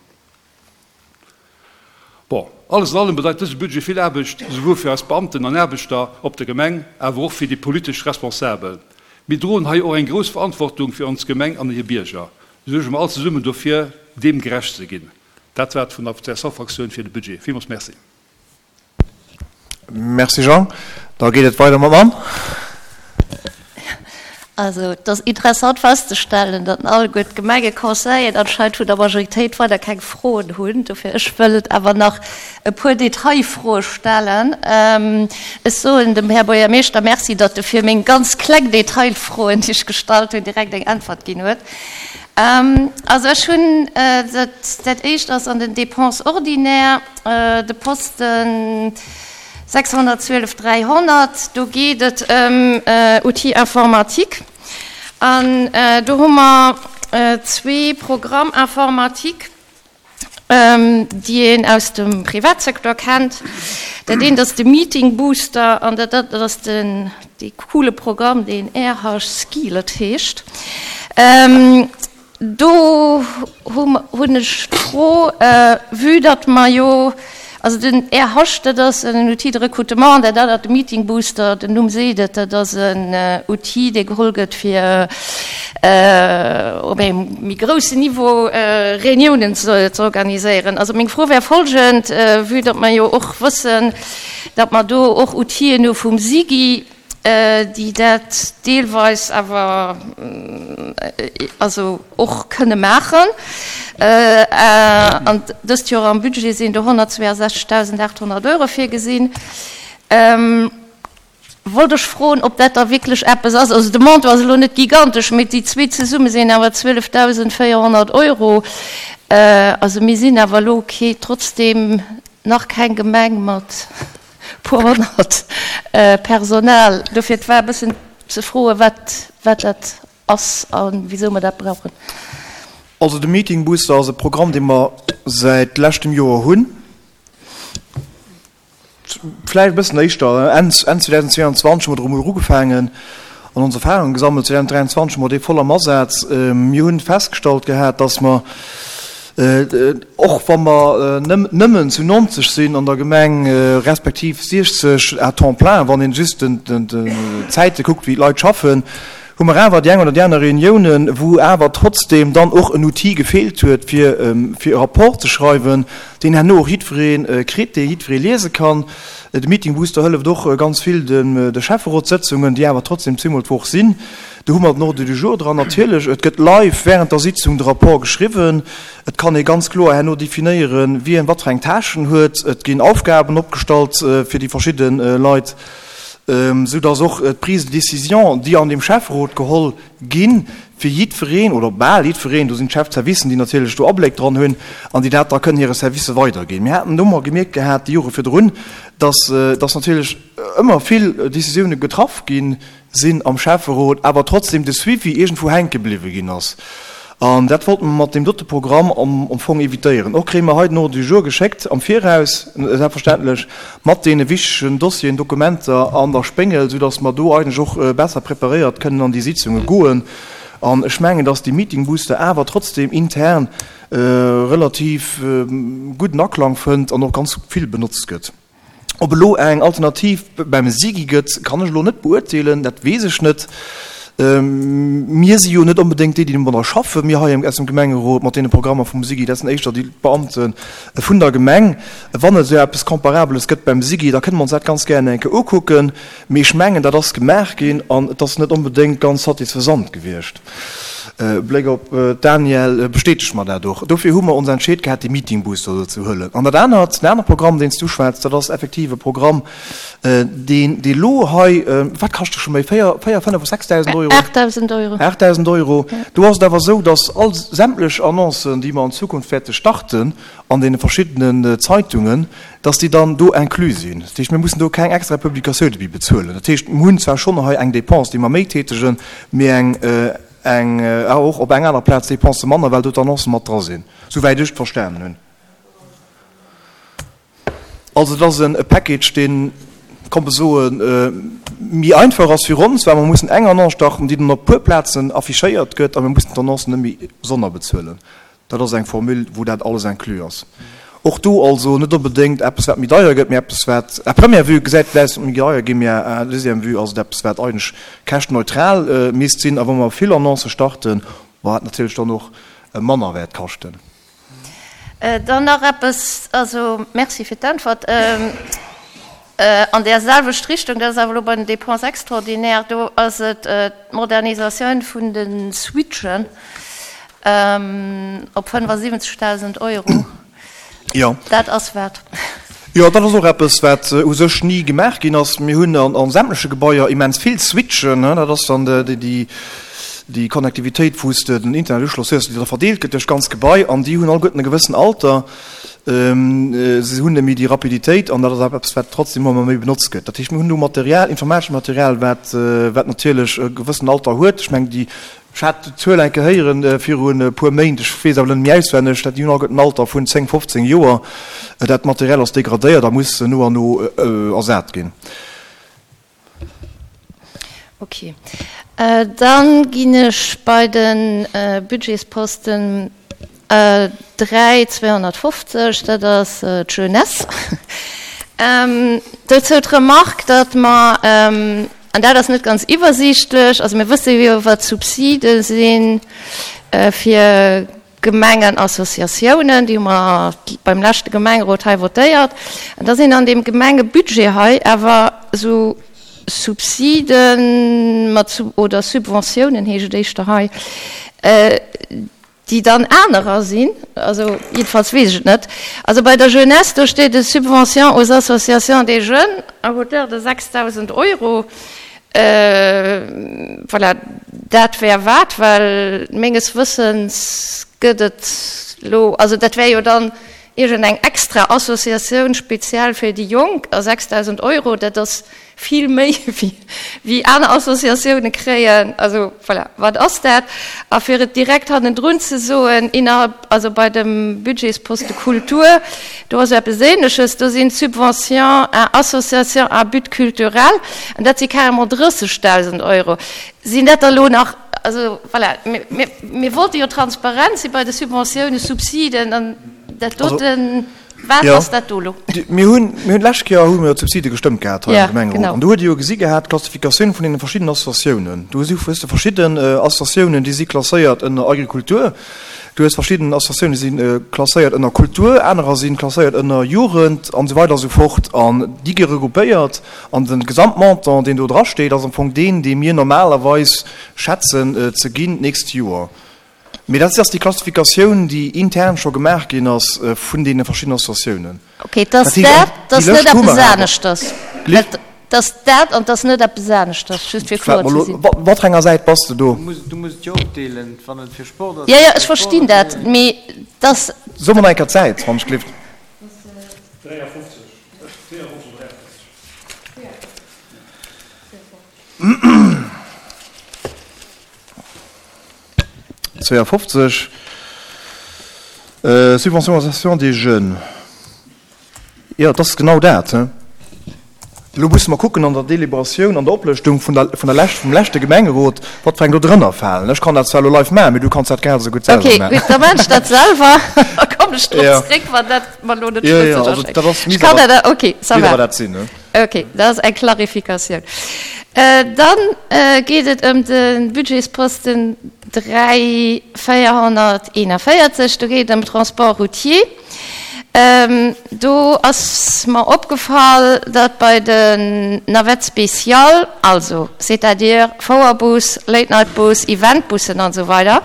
Bon, alles an allem bedeit dëse Budget vill Aarbecht, souwuel fir eis Beamten an Aarbechter op der Gemeng, awer och fir déi politesch Responsabel. Mir droen hei och eng grouss Verantwortung fir ons Gemeng an hir Bierger. Suerge mer all zesummen dofir, deem gerecht ze ginn. Dat war et vun der C S V-Fraktioun fir de Budget. Villmools Merci. Merci Jean. Da geet et weider mam Anne. Also et ass interessant festzestellen, datt alleguer d'Gemengeconseilleren anscheinend vun der Majoritéit weider keng Froen hunn. Dofir ech wëll awer nach e puer Detailfroe stellen. Ech soen dem Här Buergermeeschter Merci, datt e fir meng ganz kleng Detailfroen, déi ech gestallt hunn, direkt eng Äntwert ginn huet. Also ech hunn dat, dat éischt ass an den Dépenses ordinaires, de Posten sechshonnertzwielef dräihonnert, do geet et ëm Outils informatiques. An do hu mer zwee Programmes informatiques, déi een aus dem Privatsecteur kennt. Dat eent ass de Meeting Booster an dat anert ass den, dee coole Programm, deen R H Skillet heescht. Do hunn ech d'Fro, vue datt mer jo, also den R H, dat ass en Outil de recrutement, dat anert, de Meeting Booster, den Numm seet et, dat ass en Outil, dee geholl gëtt fir op engem méi groussen Niveau Reuniounen ze organiséieren. Also meng Fro wär folgend, vue datt mer jo och wëssen, datt mer do och Outile hu vum SIGI, déi dat deelweis awer also och kënne maachen. An dëst Joer am Budget sinn do honnertzweeasechzegdausendachthonnert Euro virgesinn. Wollt ech froen, ob dat da wierklech eppes ass. Also de Montant ass elo net gigantesch, mee déi zwee zesumme sinn awer zwielefdausendvéierhonnert Euro. Also mir sinn awer elo kee, trotzdem nach keng Gemeng mat puer honnert Personal. Dofir, et war e bëssen ze froen, wat, wat dat ass a wisou mer dat brauchen. Also de Meeting Booster ass e Programm, dee mer säit leschtem Joer hunn. Vläicht e bëssen éischter, Enn zweedausendzweianzwanzeg hu mer domat ugefaangen an ons Erfahrungen gesammelt. zweedausenddräianzwanzeg hu mer dee voll am Asaz. Mir hunn festgestallt gehat, dass mer, och wa mer nëmmen zu neunzeg sinn an der Gemeng, respektiv siechzeg à temps plein, wann een just d'Zäite kuckt, wéi d'Leit schaffen, hu mer awer déi eng oder déi aner Reuniounen, wou awer trotzdem dann och en Outil gefeelt huet, fir fir e Rapport ze schreiwen, deen herno och jiddweree kritt, dee jiddweree liese kann. De Meeting Booster hëlleft och ganz vill de Schäfferotssëtzungen, déi awer trotzdem zweemol d'Woch sinn. Do hu mer den Ordre du jour dran. Natierlech, et gëtt live während der Sitzung de Rapport geschriwwen. Et kann ee ganz kloer herno definéieren, wien wat fir eng Tâchen huet. Et ginn Aufgaben opgestallt fir déi verschidde Leit, sou dass och d'Prise de décision, déi an dem Schäfferot geholl ginn, fir jiddwereen oder bal jiddwereen, do sinn d'Chefservicen, déi natierlech do Abléck dran hunn an déi dat da kënnen hire Servicë weiderginn. Mir haten do mol gemierkt gehat déi Jore virdrun, dass, dass natierlech ëmmer vill Décisioune getraff gi sinn am Schäfferot, awer trotzdem de Suivi iergendwou hänke bliwwe ginn ass. An dat wollte mer mat deem dote Programm am Fong évitéieren. Och kréie mer hei den Ordre du jour geschéckt am Viraus, selbstverständlech, mat deene wichtegen Dossieren, Dokumenter an der Spéngel, soudass mer do eigentlech och besser preparéiert kënnen an déi Sitzunge goen. An ech mengen, dass dee Meeting Booster awer trotzdem intern relativ gudden Aklang fënnt an och ganz vill benotzt gëtt. Ob elo eng Alternativ beim SIGI gëtt, kann ech elo net beurteelen, dat weess ech net. Mir si jo net onbedéngt déi, déi domadder schaffen, mir hei aus dem Gemengerot mat deene Programmer vum SIGI, dat sinn éischter déi Beamte vun der Gemeng. Wann et esou eppes Comparabeles gëtt beim SIGI, da kënne mer ons dat ganz gären eng Kéier ukucken. Mee ech mengen, dat ass gemaach ginn an et ass net onbedéngt ganz satisfaisant gewiescht. Bléck op d'Danièle bestätegt mer dat och. Dofir hu mer ons entscheet gehat, dee Meeting Booster do ze huelen. An dat anert, den anere Programm, deen s du schwätz, dat ass effektiv e Programm, deen, dee lo hei, wat kascht e scho méi, véier, véier, fënnef, sechsdausend Euro? Aachtdausend Euro. Aachtdausend Euro. Do ass et awer esou, dass all sämtlech Annoncen, déi mer an Zukunft wäerte starten an deene verschiddenen Zeitungen, dass déi dann do inclus sinn. Dat heescht, mir mussen do keng extra Publikatioune méi bezuelen. Dat heescht, mir hunn zwar schonn hei eng Dépense, déi mer méi tätegen, mee eng, eng, och op eng aner Plaz Dépense manner, well do d'Annoncen mat dra sinn, souwäit ech et verstanen hunn. Also et ass e Package, deen, komm mer soen, méi einfach ass fir ons, well mer mussen eng Annonce starten, déi dann op e puer Plazen affichéiert gëtt, a mir mussen d'Annoncen net méi sonnerbezuelen. Dat ass eng Formule, wou dat alles inclus ass. Och do also net onbedéngt eppes, wat méi deier gëtt, mee eppes, wat à première vue gesäit vläicht méi deier ginn, mee à deuxième vue ass et eppes, wat eigentlech käschtneutral misst sinn. A wa mer vill Annoncë starten, wat natierlech dann och manner wäert kaschten. Dann nach eppes, also Merci fir d'Äntwert. An där selwecht Richtung, dat ass awer elo bei den Dépenses extraordinaires, do ass et d'Modernisatioun vun de Switchen op fënnefasiwwenzegdausend Euro. Jo. Dat ass wat? Jo, dat ass och eppes, wat u sech ni gemaach ginn ass. Mir hunn a sämtleche Gebaier immens vill Switchen. Dat ass dann déi Connectivitéit, wou s de den Internetuschloss hues, déi da verdeelt gëtt duerch d'ganz Gebai. An déi hunn alleguerten e gewëssen Alter. Se hunn net méi déi Rapiditéit. An dat ass awer eppes, wat trotzdem ëmmer méi benotzt gëtt. Dat heescht, mir hunn do Material, informatescht Material, wat natierlech e gewëssen Alter huet. Ech mengen, déi Ech hat d'Zuel eng Kéier héieren virun e puer Méint, ech weess awer net méi auswenneg, dat déi hunn alleguerten en Alter vun zéng, fofzéng Joer. Dat Material ass degradéiert a muss no an no ersat ginn. Ok. Dann ginn ech bei de Budgetsposten dräi zweehonnertfofzeg, dat ass d'Jeunesse. Dozou d'Remark, datt mer, an dat ass net ganz iwwersiichtlech, also mir wësse jo, wat d'Subside si fir Gemengenassociatiounen, déi hu mer beim leschte Gemengerot hei votéiert. An da sinn an deem Gemengebudget hei awer esou Subsiden mat oder Subventiounen heescht et éischter hei, déi dann anerer sinn, also jiddefalls weess ech et net. Also bei der Jeunesse, do steet e Subvention aux associations des jeunes à hauteur de sechstausend Euro. Voilà, dat wär wat, well menges Wëssens gëtt et elo, also dat wär jo dann iergendeng extra Associatioun speziell fir déi Jonk, a sechstausend Euro, dat ass vill méi wéi aner Associatioune kréien. Also voilà, wat ass dat? A fir et direkt hannendrun ze soen, innerhalb, also bei dem Budgetsposte Kultur, do ass eppes Ähnleches, do sinn d'Subventions à associations à but culturel, an dat si carrément drëssegdausend Euro. Sinn dat da elo nach, also voilà, mir, mir wollte jo transparent si bei de Subventiounen, Subsiden, an dat doten, wat ass dat do elo? Mir hunn, mir hunn d'lescht Kéier hu mir d'Subside gestëmmt gehat hei am Gemengerot. An do hutt Dir jo gesi gehat, d'Klassifikatioun vun deene verschiddenen Associatiounen. Do si hues de verschidden Associatiounen, déi si klasséiert ënner Agrikultur. Du hues verschidden Associatiounen, déi si klasséiert ënner Kultur, anerer si klasséiert ënner Jugend an esou weider a sou fort. An déi gi regroupéiert. An de Gesamtmontant, deen do drasteet, ass am Fong deen, dee mir normalerweis schätzen ze ginn d'nächst Joer. Mee dat ass déi Klassifikatioun, déi intern scho gemaach ginn ass vun deene verschiddenen Associatiounen. Ok, et ass dat, et ass net eppes aneschters. Et ass dat an et ass net eppes aneschters, just fir kloer ze sinn. Op wat fir enger Säit bass de do? Du muss et jo opdeelen, wann et fir Sport ass. Jo, jo, ech verstinn dat, mee et ass. So mer nach eng Kéier d'Säit, wann ech gelift. dräiafofzeg, véierafofzeg oder dräiafofzeg. zweeafofzeg, Subvention aux associations des jeunes. Jo, et ass genau dat. Elo musse mer kucken an der Deliberatioun, an der Oplëschtung vun der, vun der lescht, vum leschte Gemengerot, wat fir eng do drënner falen. Ech kann dat zwar elo live maachen, mee du kanns dat grad esou gutt selwer Okay, maachen. gutt, da maachen ech dat selwer. Da kommen ech drop Ja. zréck, wann dat mer elo net Ja, ja, schlësseg also erschéngt. dat ass, Ech misst kann awer, dat, okay, ça misst va. awer dat sinn, ne? Okay, dat ass eng Klarifikatioun. Dann geet et ëm de Budgetsposten dräi véierhonnerteenavéierzeg. Do geet et ëm Transport routier. Do ass mer opgefall, datt bei den Navettes spéciales, also c'est-à-dire Fouerbus, Late-Night-Bus, Eventbussen an esou weider,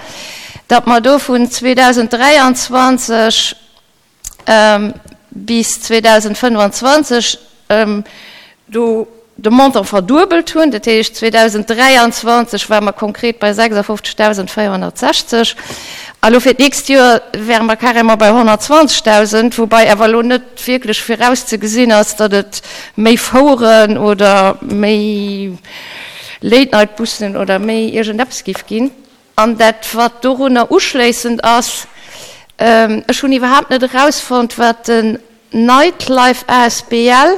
datt mer do vun zweedausenddräianzwanzeg bis zweedausendfënnefanzwanzeg do de Montant verduebelt hunn. Dat heescht, zweedausenddräianzwanzeg ware mer konkret bei sechsafofzegdausendvéierhonnertsechzeg a lo fir d'nächst Joer wäre mer carrément bei honnertzwanzegdausend, woubai awer elo net wierklech virauszegesinn ass, datt et méi Foueren oder méi Late-Night-Bussen oder méi iergendeppes géif ginn. An dat, wat dorunner uschléissend ass, ech hunn iwwerhaapt net erausfonnt, wat den Nightlife asbl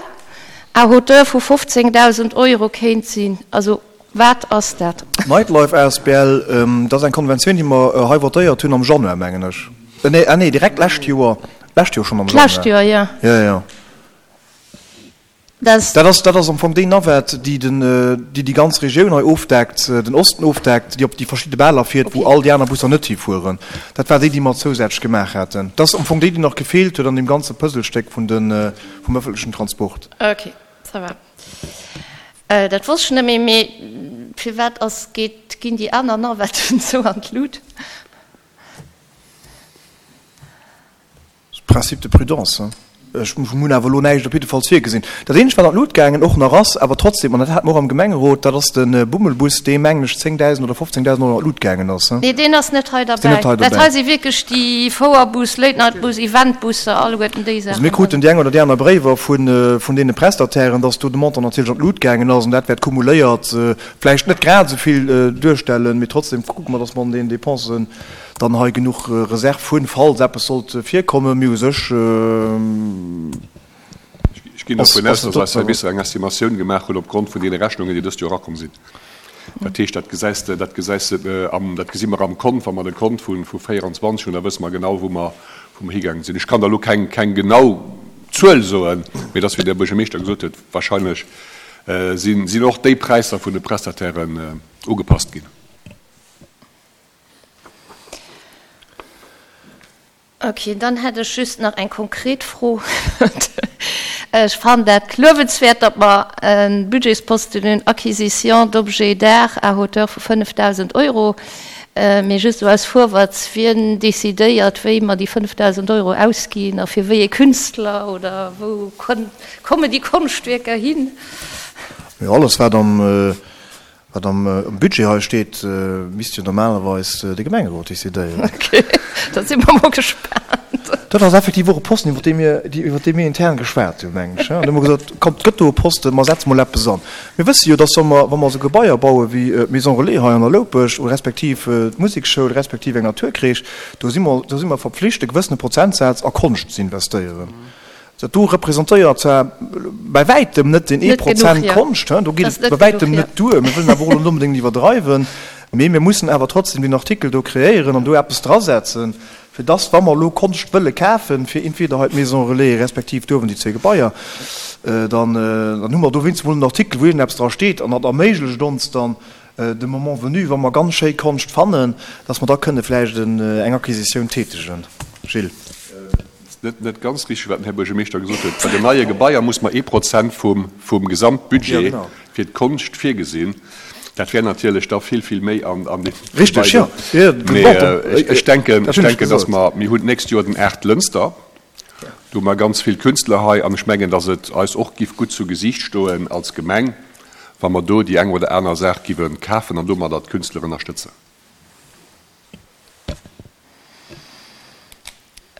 à hauteur vu fofzéngdausend Euro kéint sinn. Also wat ass dat? Nightlife asbl, dat ass eng Konventioun, déi mer hei votéiert hunn am Januar, mengen ech. Nee, ah nee, direkt d'lescht Joer, d'lescht Joer schonn am Januar. D'lescht Joer, jo. Jo, jo. Dat ass, dat ass am Fong déi Navette, déi den, déi déi ganz Regioun hei ofdeckt, den Osten ofdeckt, déi op déi verschidde Baler fiert, wou all déi aner Busser net hifueren. Dat war déi, déi mer zousätzlech gemaach haten. Dat ass am Fong déi, déi nach gefeelt huet an deem ganze Puzzlestéck vun de, vum öffentlechen Transport. Okay, ça va. Dat wosst ech net méi. Mee firwat ass, geet, ginn déi aner Navetten esou an d'Lut? Principe de prudence, hein. Ech hunn awer elo näischt op jiddefalls virgesinn. Dat eenzegt, wat an d'Lut gaangen och nach ass, awer trotzdem, an dat hate mer och am Gemengerot, dat ass de Bummelbus, dee, mengen ech, zéngdausend oder fofzéngdausend Euro an d'Lut gaangen ass, hein. Nee, deen ass net hei Ass deen derbäi. net hei Dat dobäi? hei si wierklech déi Fouerbus, Late-Night-Bus, Eventbusser, alleguerten déi Also Saachen. mir kruten déi eng oder déi aner Bréiwer vun, vun deene Prestatairen, dass do de Montant natierlech an d'Lut gaangen ass, an dat wäert cumuléiert vläicht net grad esou vill duerstellen, mee trotzdem kucke mer, dass mer an deenen Dépensen dann hei genuch Reserv hunn, falls eppes sollt virkommen. Mee u sech Ech ginn ass dovun aus, ass dass eis dat Servicer eng Estimatioun gemaach hunn opgrond vun deene Rechnungen, déi dëst Joer erakomm sinn. Dat heescht, dat gesäis de, dat gesäis de am, dat gesi mer am Kont, wa mer de Kont vu vu véierundzwanzeg hunn, da wësse mer genau, wou mer, wou mer higaangen sinn. Ech kann der elo keng, keng genau Zuel soen, mee et ass, wéi de Här Buergermeeschter gesot huet, wahrscheinlech sinn, sinn och déi Präisser vun de Prestatairen ugepasst ginn. Ok, dann hätt ech just nach eng konkret Fro. Ech fannen dat luewenswäert, datt mer e Budgetsposten hunn, Acquisition d'objets d'art à hauteur vu fënnefdausend Euro. Mee just esou aus Vorwärts, wien decidéiert, wéi mer déi fënnefdausend Euro ausginn a fir wéi ee Künstler oder wou kommen déi Konschtwierker hin? Jo, alles wat am Wat am Budget hei steet, misst jo normalerweis de Gemengerot decidéieren. Ok, da si mer mol gespaant. Dat ass effektiv och e Posten, iwwer dee mir, iwwer dee mir intern geschwat hunn, mengen ech. An da hu mer gesot, Kommt, et gëtt do e Posten, mer setze mol eppes an. Mir wësse jo, dass wa mer, wa mer esou Gebaier baue wéi d'Maison Relais hei an der Loupescht oder respektiv d'Musekschoul respektiv eng Naturcrèche, do si mer, do si mer verpflicht, e gewëssene Prozentsaz a Konscht ze investéieren. Dat do representéiert zwar bäi wäitem net deen ee Prozent Konscht, do geet et bei wäitem net duer, mir wëllen awer och elo net onbedéngt iwwerdreiwen, mee mir mussen awer trotzdem deen Artikel do kreéieren an do eppes drasetzen, fir dass, wa mer elo Konscht wëlle kafen, fir entweder hei d'Maison Relais respektiv do uewen déi zwee Gebaier, dann hu mer do wéinstens emol en Artikel, wou iergendeppes dra steet an dat erméiglecht ons dann, de Moment venu, wa mer ganz schéi Konscht fannen, dass mer da kënne vläicht eng Acquisitioun tätegen. Gilles. Net, net ganz richteg, wat den Här Buergermeeschter gesot huet. Bei den neie Gebaier muss mer ee Prozent vum, vum Gesamtbudget fir d'Konscht virgesinn. Dat wär natierlech da vill, vill méi an, an deem Richtig, jo. Mee ech, ech denken, ech denken, dass mer, mir hunn d'nächst Joer den Art Lënster, do hu mer ganz vill Künstler hei an ech mengen, dass et eis och giff gutt zu Gesiicht stoen als Gemeng, wa mer do déi eng oder aner Saach giwe kafen an domadder d'Künstler ënnerstëtzen.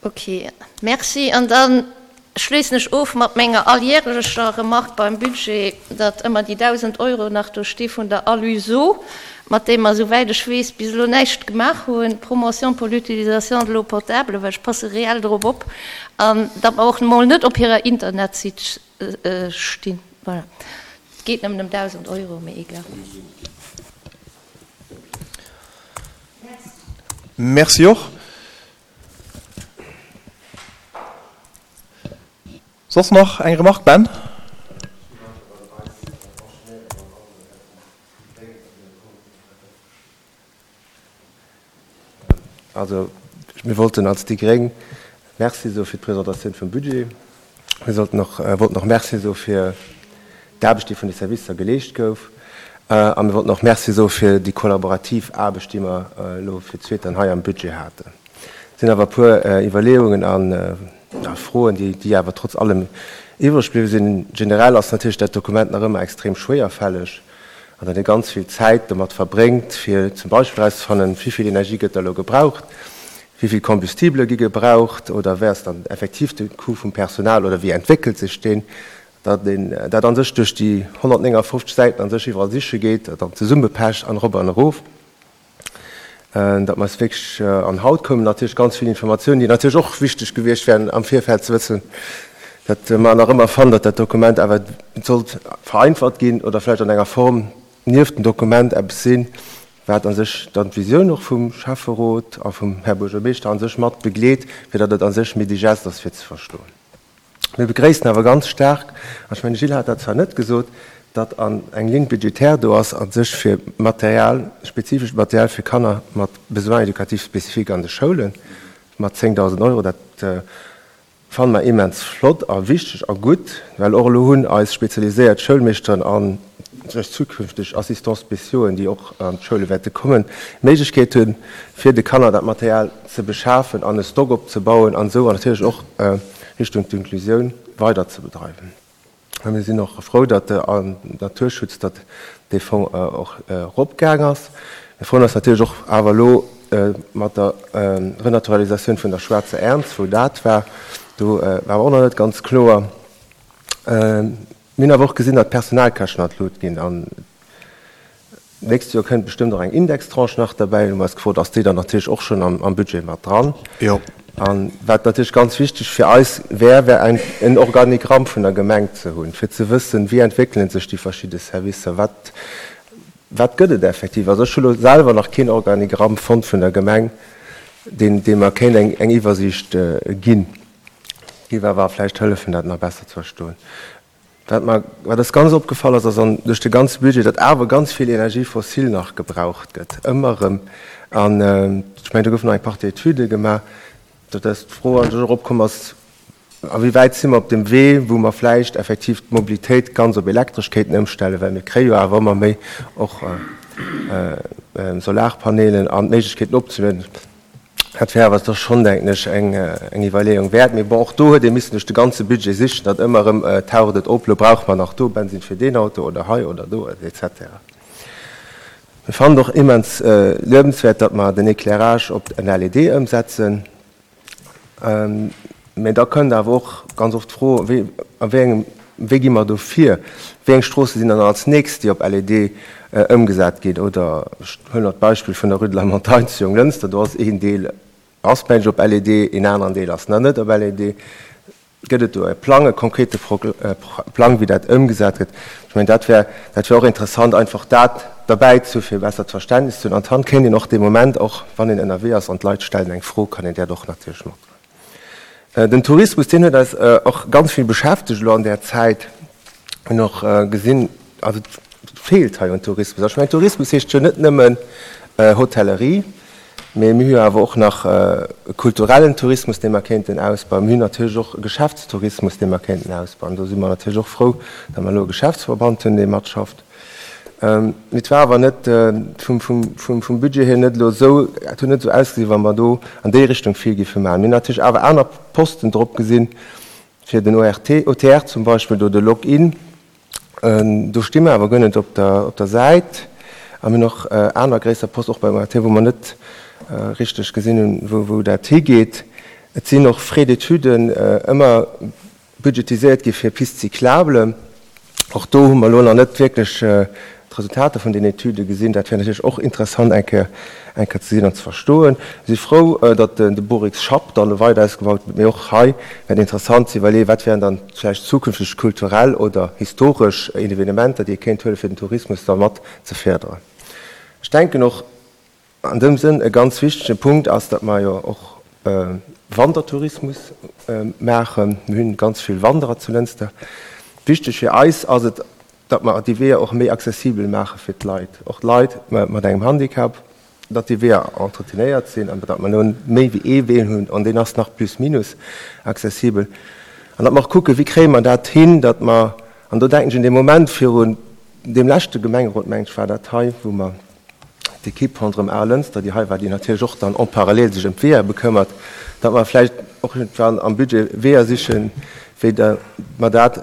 Ok, merci. An da schléissen ech of mat menger alljährlecher Remarque beim Budget, datt ëmmer déi dausend Euro nach do sti vun der Aluseau, mat deem mer, souwäit ech weess, bis elo näischt gemaach hunn, Promotion pour l'utilisation de l'eau potable, well ech passe reell drop op, an datt mer och emol net op hirer Internetsitt stinn. Voilà. Et geet nëmmen ëm dausend Euro, mee egal. Merci och. Soss nach eng Remarque, Ben? Also, mir wollten als déi gréng Merci soe fir d'Presentatioun vum Budget. Mir sollten och, wollten och Merci soe fir d'Aarbecht, déi vun de Servicer geleescht gouf. A mir wollten och Merci soe fir déi kollaborativ Aarbecht, déi mer elo fir d'zweet dann hei am Budget haten. Et sinn awer e puer Iwwerleeungen a Froen, déi awer trotz allem iwwreg bliwwe sinn. Generell ass natierlech dat Dokument nach ëmmer extrem schwéierfälleg an datt ee ganz vill Zäit domat verbréngt, fir zum Beispill erauszefannen, wéi vill Energie gëtt da elo gebraucht, wéi vill Combustible gi gebraucht oder wéi ass dann effektiv de Coût vum Personal oder wéi entwéckelt sech deen. Datt een dat a sech duerch déi honnertnéngafofzeg Säiten a sech iwwerall siche geet, dat dann zesummepecht an erop an erof, datt mer es wierklech, an haut koumen natierlech ganz vill Informatiounen, déi natierlech och wichteg gewiescht wären am Virfeld ze wëssen, datt mer nach ëmmer fannen, datt dat Dokument awer sollt vereinfacht ginn oder vläicht an enger Form nieft dem Dokument eppes sinn, wat a sech dann d'Visioun och vum Schäfferot a vum Här Buergermeeschter a sech mat begleet, fir datt et a sech méi digest ass fir ze verstoen. Mir begréissen awer ganz staark, an ech mengen, de Gilles hat dat zwar net gesot, datt an eng Ligne budgétaire do ass a sech fir Material, spezifescht Material fir Kanner mat Besoins éducatifs spécifiques an de Schoulen, mat zéngdausend Euro. Dat fanne mer immens flott a wichteg a gutt, well och elo hunn eis spezialiséiert Schoulmeeschteren a sech zukünfteg Assistants spéciauxen, déi och an d'Schoule wäerte kommen, d'Méiglechkeet hunn, fir de Kanner dat Material ze beschafen an e Stock opzebauen an esou natierlech och Richtung d'Inklusioun weider ze bedreiwen. A mir sinn och frou, datt de Naturschutz, datt dee Fong och eropgaang ass. Mir freuen eis natierlech och awer elo mat der Renaturalisatioun vun der Schwaarzer Ernz, wou dat war. Do war awer och nach net ganz kloer. Mir hunn awer och gesinn, datt d'Personalkäschten an d'Lut ginn. An d'nächst Joer kënnt bestëmmt och eng Indextranche nach derbäi. Hu mer eis gefrot, ass déi dann natierlech och schonn am Budget mat dran? Jo. A wat natierlech ganz wichteg fir eis wär, wär eng, en Organigramm vun der Gemeng ze hunn, fir ze wëssen, wéi entwéckele sech déi verschidde Servicer, wat, wat gëtt et effektiv. Also ech hu lo selwer nach keen Organigramm fonnt vun der Gemeng, deen, dee mer kéint eng, eng Iwwersiicht ginn. Géif awer vläicht hëllefen, dat nach besser ze verstoen. Wat mer, wat eis ganz opgefall ass, ass an duerch de ganze Budget, datt awer ganz vill Énergie fossile nach gebraucht gëtt, ëmmer erëm. An ech mengen, do goufen nach eng Partie Etüde gemaach, datt eis d'Fro an sech och opkomm ass, A wéi wäit si mer op dem Wee, wou mer vläicht effektiv d'Mobilitéit ganz op elektresch kéinten ëmstellen, well mir kréie jo awer ëmmer méi och Solarpanelen an d'Méiglechkeeten opzelueden. Dat wär awer da schonn, denken ech, eng Iwwerleeung wäert. Mee bon, och do huet ee missen duerch de ganze Budget sichen, datt ëmmer erëm taucht et op, lo brauche mer nach do Bensinn fir deen Auto oder hei oder do, et cetera. Mir fannen et och immens luebenswäert, datt mer den Éclairage op en L E D ëmsetzen. Mä da kënnt awer och ganz oft d'Fro, wéi, a wéi engem, wéi gi mer do vir? Wéi eng Stroosse sinn dann als nächst, déi op L E D ëmgesat ginn? Oder ech huelen nach d'Beispill vun der Rue de la Montagne zu Jonglënster, do ass een Deel ass mensch op L E D, een aneren Deel ass nach net op L E D. Gëtt et do e Plang, e konkrete Plang, wéi dat ëmgesat gëtt? Ech mengen, dat wär, dat wär och interessant, einfach dat derbäi ze hu fir e bessert Verständnis ze hunn. An dann kéint een och dee Moment, och wann een ënnerwee ass an d'Leit stellen eng Fro, kann een dat och natierlech matdroen. Den Tourismus, deen huet eis och ganz vill beschäftegt elo an där Zäit. Mir hunn och gesinn, also et feelt hei un Tourismus. Ech mengen, Tourismus heescht jo net nëmmen Hotellerie, mee mir hu jo awer och nach e kulturellen Tourismus, dee mer kéinten ausbauen. Mir hunn natierlech och e Geschäftstourismus, dee mer kéinten ausbauen. Do si mer natierlech och frou, datt mer elo e Geschäftsverband hunn, dee matschafft. Mee et war awer net vum Budget hier net elo esou, et huet net esou ausgesinn, wa mer do an déi Richtung vill géife maachen. Mir hunn natierlech awer aner Posten drop gesinn, fir den O R T, O T R zum Beispill, do de Login. Do sti mer awer guer net op der, op der Säit. A mir hunn och aner gréisser Posten, och beim O R T, wou mer net richteg gesinn hunn, wou, wou dat higeet. Et sinn och Frais d'études ëmmer budgetiséiert gi fir Pistes cyclables. Och do hu mer elo nach net wierklech d'Resultater vun den Etüde gesinn. Dat wär natierlech och interessant eng Kéier, eng Kéier ze sinn an ze verstoen. Mir si frou, datt de Borix Schapp dann weider ausgebaut gëtt, mee och hei wär et interessant ze iwwerleeën, wat wären dann vläicht zukünfteg kulturell oder historesch Evenementer, déi ee kéint huelen, fir den Tourismus da mat ze férderen. Ech denken och an dem Sënn e ganz wichtege Punkt ass, datt mer jo och Wandertourismus maachen. Mir hunn ganz vill Wanderer zu Lënster. Wichteg fir eis ass et, datt mer déi Weeër och méi accessibel maache fir d'Leit, och d'Leit mat engem Handicap, datt déi Weeër entretenéiert sinn an datt mer elo méi wéi ee Wee hunn an deen ass nach plus minus accessibel. An datt mer och kucken, wéi kréie mer dat hin, datt mer, an do denken ech un dee Moment virun deem leschte Gemengerot, mengen ech war dat hei, wou mer d'Equipe ronderëm A Lënster, déi hei war, déi natierlech och dann en parallèle sech ëm d'Weeër bekëmmert, datt mer vläicht och iergendwann am Budget Weeër sichen, wéi mer dat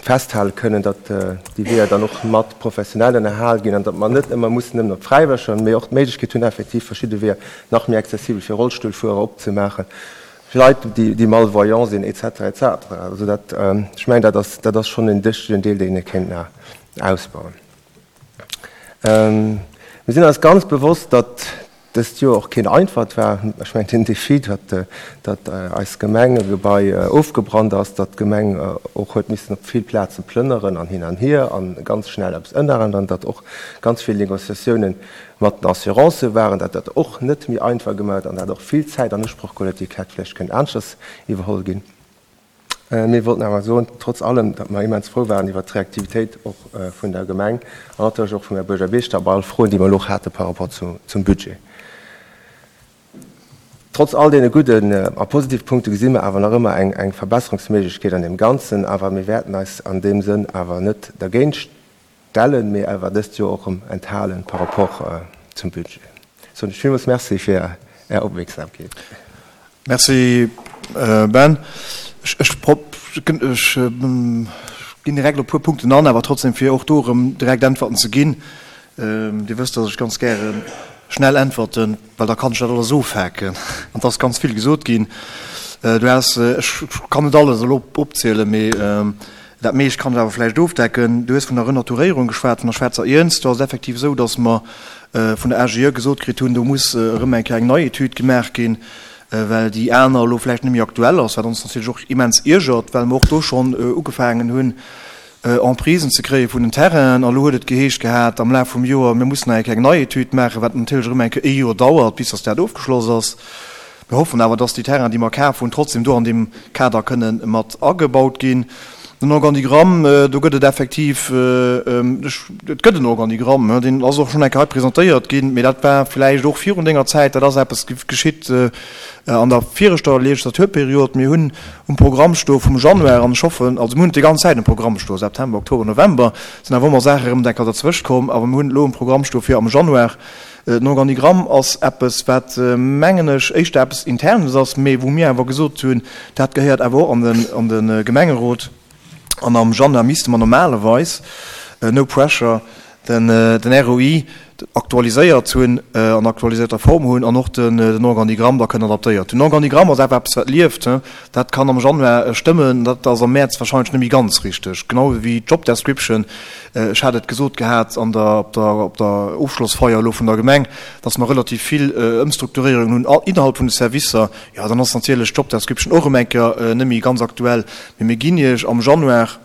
festhale kënnen, datt déi Weeër dann och mat Professionellen erhal ginn an datt mer net ëmmer mussen nëmmen op d'Fräiwëlleger, mee och d'Méiglechkeet hunn, effektiv verschidde Weeër nach méi accessibel fir Rollstullfuerer opzemaachen, fir Leit, déi malvoyant sinn, et cetera, et cetera. Also dat, ech mengen, dat ass, dat ass schonn en wichtegen Deel, deen ee kéint nach ausbauen. Mir sinn eis ganz bewosst, datt dëst Joer och keen einfacht war. Ech mengen, den Défi, datt, datt eis Gemeng e Gebai ofgebrannt ass, datt d'Gemeng och huet missen op vill Plaze plënneren an hin an hier an ganz schnell eppes ënnerännern, datt och ganz vill Négociatiounen mat den Assurancë waren, datt dat och net méi einfach gemaach huet an dat och vill Zäit an Usproch geholl huet, déi hätt vläicht kënnen aneschters iwwerholl ginn. Mir wollten awer soen, trotz allem, datt mer immens frou waren iwwert d'Reaktivitéit och vun der Gemeng an natierlech och vum Här Buergermeeschter bei all Froen, déi mer elo och hate par rapport zum Budget. Trotz all deene gudden a positive Punkte gesi mer awer nach ëmmer eng Verbesserungsméiglechkeet an deem Ganzen. Awer mir wäerten eis an deem Sënn awer net dergéint stellen, mee awer dëst Joer och erëm enthalen par rapport zum Budget. Soen ech villmools Merci fir Är Opmierksamkeet. Merci Ben. Ech ginn direkt op e puer Punkten an, awer trotzdem fir och do erëm direkt Äntwerten ze ginn. Dir wësst, datt ech ganz gäre schnell äntwerten, well da kann ech dat alles ofhaken. An et ass ganz vill gesot ginn. Du has, ech kann net alles elo opzielen, mee dat meescht kann ech awer vläicht ofdecken. Du hues vun der Renaturéierung geschwat, vun der Schwaarzer Iernz. Do ass et effektiv esou, datt mer vun der A G E gesot kritt hunn, do muss erëm eng Kéier eng nei Etüd gemaach ginn, well déi aner elo vläicht net méi aktuell ass, wat ons natierlech och immens iergert, well mer och do schonn ugefaangen hunn, Emprisen ze kréie vun den Terrainen. An elo huet et geheescht gehat am Laf vum Joer, mir mussen nach eng Kéier eng nei Etüd maachen, wat natierlech erëm eng Kéier ee Joer dauert, bis datt dat ofgeschloss ass. Mir hoffen awer, datt déi Terrainen, déi mer kaf hunn, trotzdem do an deem Kader kënnen mat agebaut ginn. Den Organigramm, do gëtt et effektiv, et gëtt en Organigramm, deen ass och schonn eng Kéier hei presentéiert ginn, mee dat war vläicht och virun denger Zäit, dat ass eppes geschitt an der viregter Legislaturperiod. Mir hunn um Programm stoe vum Januar, an ech hoffen, also mir hunn et déi ganz Zäit um Programm stoe, September, Oktober, November, sinn awer ëmmer Saache erëm eng Kéier derzwëscht komm, awer mir hunn et elo um Programm stoe fir am Januar. Den Organigramm ass eppes, wat, mengen ech, éischter eppes Internes ass, mee wou mir awer gesot hunn, dat gehéiert awer och an de Gemengerot. An am Januar misste mer normalerweis, no pressure, den R O I aktualiséiert hunn, an aktualisierter Form hunn an och den Organigramm da kënnen adaptéiert hunn. Den Organigramm ass awer eppes, wat lieft. Dat kann am Januar stëmmen, dat ass am Mäerz wahrscheinlech net méi ganz richteg. Genau wéi d'Job Description. Ech hat et gesot gehat an der, op der, op der Ofschlossfeier elo vun der Gemeng, dass mer relativ vill Ëmstrukturéierungen hunn innerhalb vun de Servicer. Jo, dann ass natierlech d'Job Description och erëm eng Kéier net méi ganz aktuell. Mee mir ginn Iech am Januar,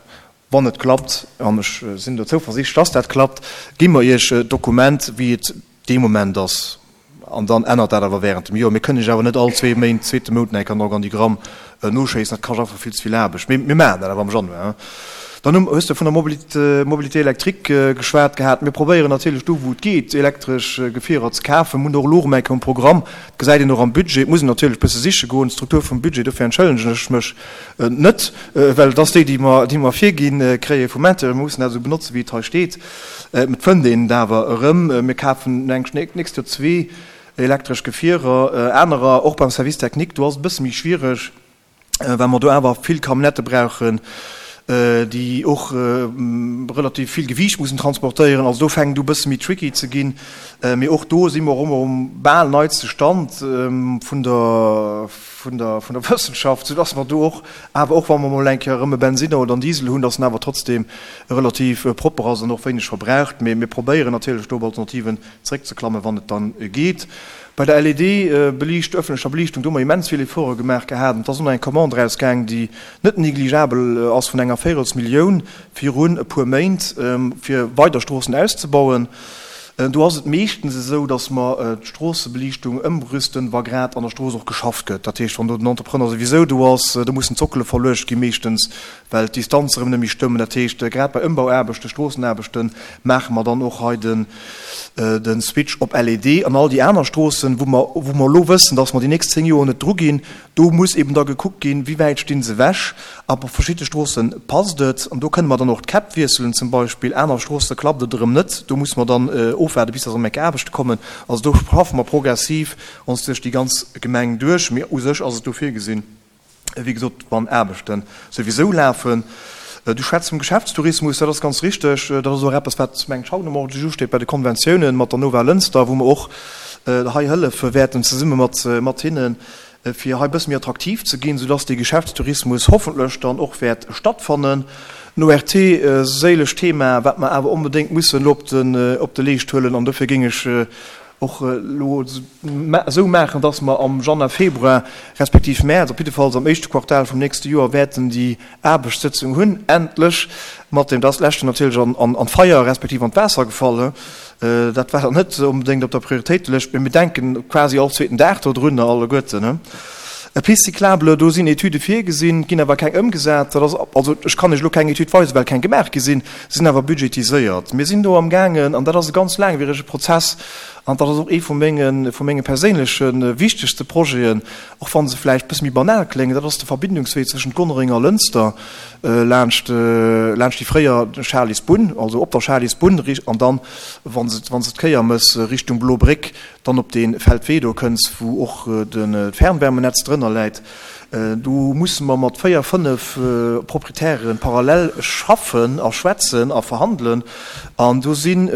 wann et klappt, an ech sinn do zouversiichtlech, dass dat klappt, gi mer Iech d'Dokument, wéi et dee Moment ass. An dann ännert dat awer während dem Joer. Mir kënnen Iech awer net all zwee Méint, zweete Mount eng Kéier an Organigramm noschéissen. Dat kascht einfach vill ze vill Aarbecht. Mee mir maachen dat awer am Januar. Dann hues de vun der Mobilité électrique geschwat gehat. Mir probéieren natierlech do, wou et geet, elektresch Gefierer ze kafen. Mir hunn och elo erëm eng Kéier um Programm. Dat gesäit een och am Budget. Et muss een natierlech e bësse siche goen. D'Struktur vum Budget, dofir entschëllegen ech mech net, well et ass déi, déi mer, déi mer virginn kréie vum Intérieur. Mir mussen dat esou benotzen, wéi et hei steet. Et fënnt een et awer erëm. Mir kafen nächst Joer zwee elektresch Gefierer. Anerer, och beim Service technique, do ass et e bësse méi schwiereg, well mer do awer vill Camionnette brauchen, déi och relativ vill Gewiicht mussen transportéieren. Also do fänkt u bësse méi tricky ze ginn. Mee och do si mer ëmmer um bal neiste Stand vun der, vun der, vun der Wëssenschaft, sodass mer do och, awer och wa mer mol eng Kéier erëm e Bensiner oder en Diesel hunn, dass en awer trotzdem relativ propper ass an och wéineg verbraucht. Mee mir probéieren natierlech do op Alternativen zréckzeklammen, wann et dann geet. Bei der L E D-Beliicht, öffentlecher Beliichtung, do hu mer immens vill Efforte gemaach gehat. Et ass och nach eng Commande rausgaang, déi net negligeabel ass, vun enger Véierelsmillioun virun e puer Méint, fir weider Stroossen auszebauen. Do ass et meeschtens esou, datt mer d'Stroossebeliichtung ëmrüsten, wa grad an der Strooss och geschafft gëtt. Dat heescht, wann do den Entrepreneur souwisou do ass, do mussen d'Sockele verluecht gi meeschtens, well d'Distanze erëm net méi stëmmen. Dat heescht, grad bei Ëmbauaarbechten, Stroossenaarbechten, maache mer dann och hei den, den Switch op L E D. An all déi aner Stroossen, wou mer, wou mer elo wëssen, datt mer déi nächst zéng Joer net dru ginn, do muss eben da gekuckt ginn, wéi wäit stinn se ewech. A bei verschiedene Stroossen passt et. An do kënne mer dann och d'Käpp wiesselen zum Beispill. Aner Stroosse klappt et erëm net. Do muss mer dann ofwaarden, bis dass erëm eng Aarbechte kommen. Also do schaffen mer progressiv ons duerch déi ganz Gemeng duerch. Mee u sech ass et do virgesinn, wéi gesot, wann Aarbechten souwisou lafen. Du schwätzt vum Geschäftstourismus, dat ass ganz richteg. Dat ass och eppes, wat mengt haut am Ordre du jour steet bei de Konventiounen mat der Nova Lënster, wou mer och hei hëllefe wäerten zesumme mat, mat hinnen, fir hei e bësse méi attraktiv ze ginn, sodass de Geschäftstourismus hoffentlech dann och wäert stattfannen. Den O R T, séilecht Thema, wat mer awer onbedéngt mussen elo op den, op de Leescht huelen, an dofir géing ech och elo esou maachen, dass mer am Januar, Februar respektiv März, op jiddefalls am éischte Quartal vum nächste Joer, wäerten déi Aarbechtssëtzung hunn, endlech mat dem, dat leschte natierlech an, an, an d'Feier respektiv an d'Waasser gefall. Dat war dann net onbedéngt op der Prioritéitelëscht, mee mir denken quasi all zweeten Dag do drunner alleguerten. E Piste cyclable, do sinn Etüde virgesinn, ginn awer keng ëmgesat. Dat ass, also ech kann iech elo keng Etüd weisen, well keng gemaach gi sinn, sinn awer budgetiséiert. Mir sinn do am gaangen, an dat ass e ganz laangwierege Prozess, an dat ass och ee vu mengen, vu menge perséinleche wichtegste Projeten, och wann se vläicht bësse méi banal kléngen, dat ass de Verbindungswee zwëschen Gonnereng a Lënster, laanscht, laanscht déi fréier Charlysbunn, also op der Charlysbunn, an dann, wann se, wann se d'Kéier mëss Richtung Blobréck, dann op de Feldwee do kënns, wou och de Fernwärmenetz drënner läit. Do musse mer mat véier, fënnef Proprietären parallel schaffen a schwätzen a verhandelen. An do sinn,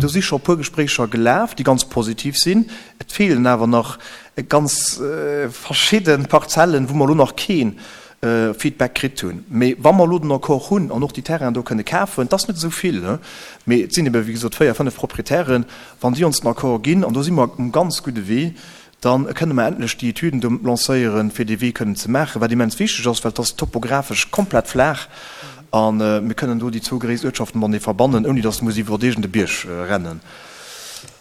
do si scho puer Gespréicher gelaf, déi ganz positiv sinn. Et feelen awer nach ganz verschidden Parzellen, wou mer elo nach keen Feedback kritt hunn. Mee wa mer elo den Accord hunn an och déi Terrainen do kënne kafen, dat ass net esou vill, he? Mee et sinn eben, wéi gesot, véier, fënnef Proprietären, wann déi ons den Accord ginn, an do si mer um ganz gudde Wee, dann kënne mer endlech déi Etüden do lancéieren, fir dee Wee kënnen ze maachen, wat immens wichteg ass, well et ass topographesch komplett flaach a mir kënnen do déi zwou gréisst Uertschaften matenee verbannen, ouni datt muss iwwer iergende Bierg rennen.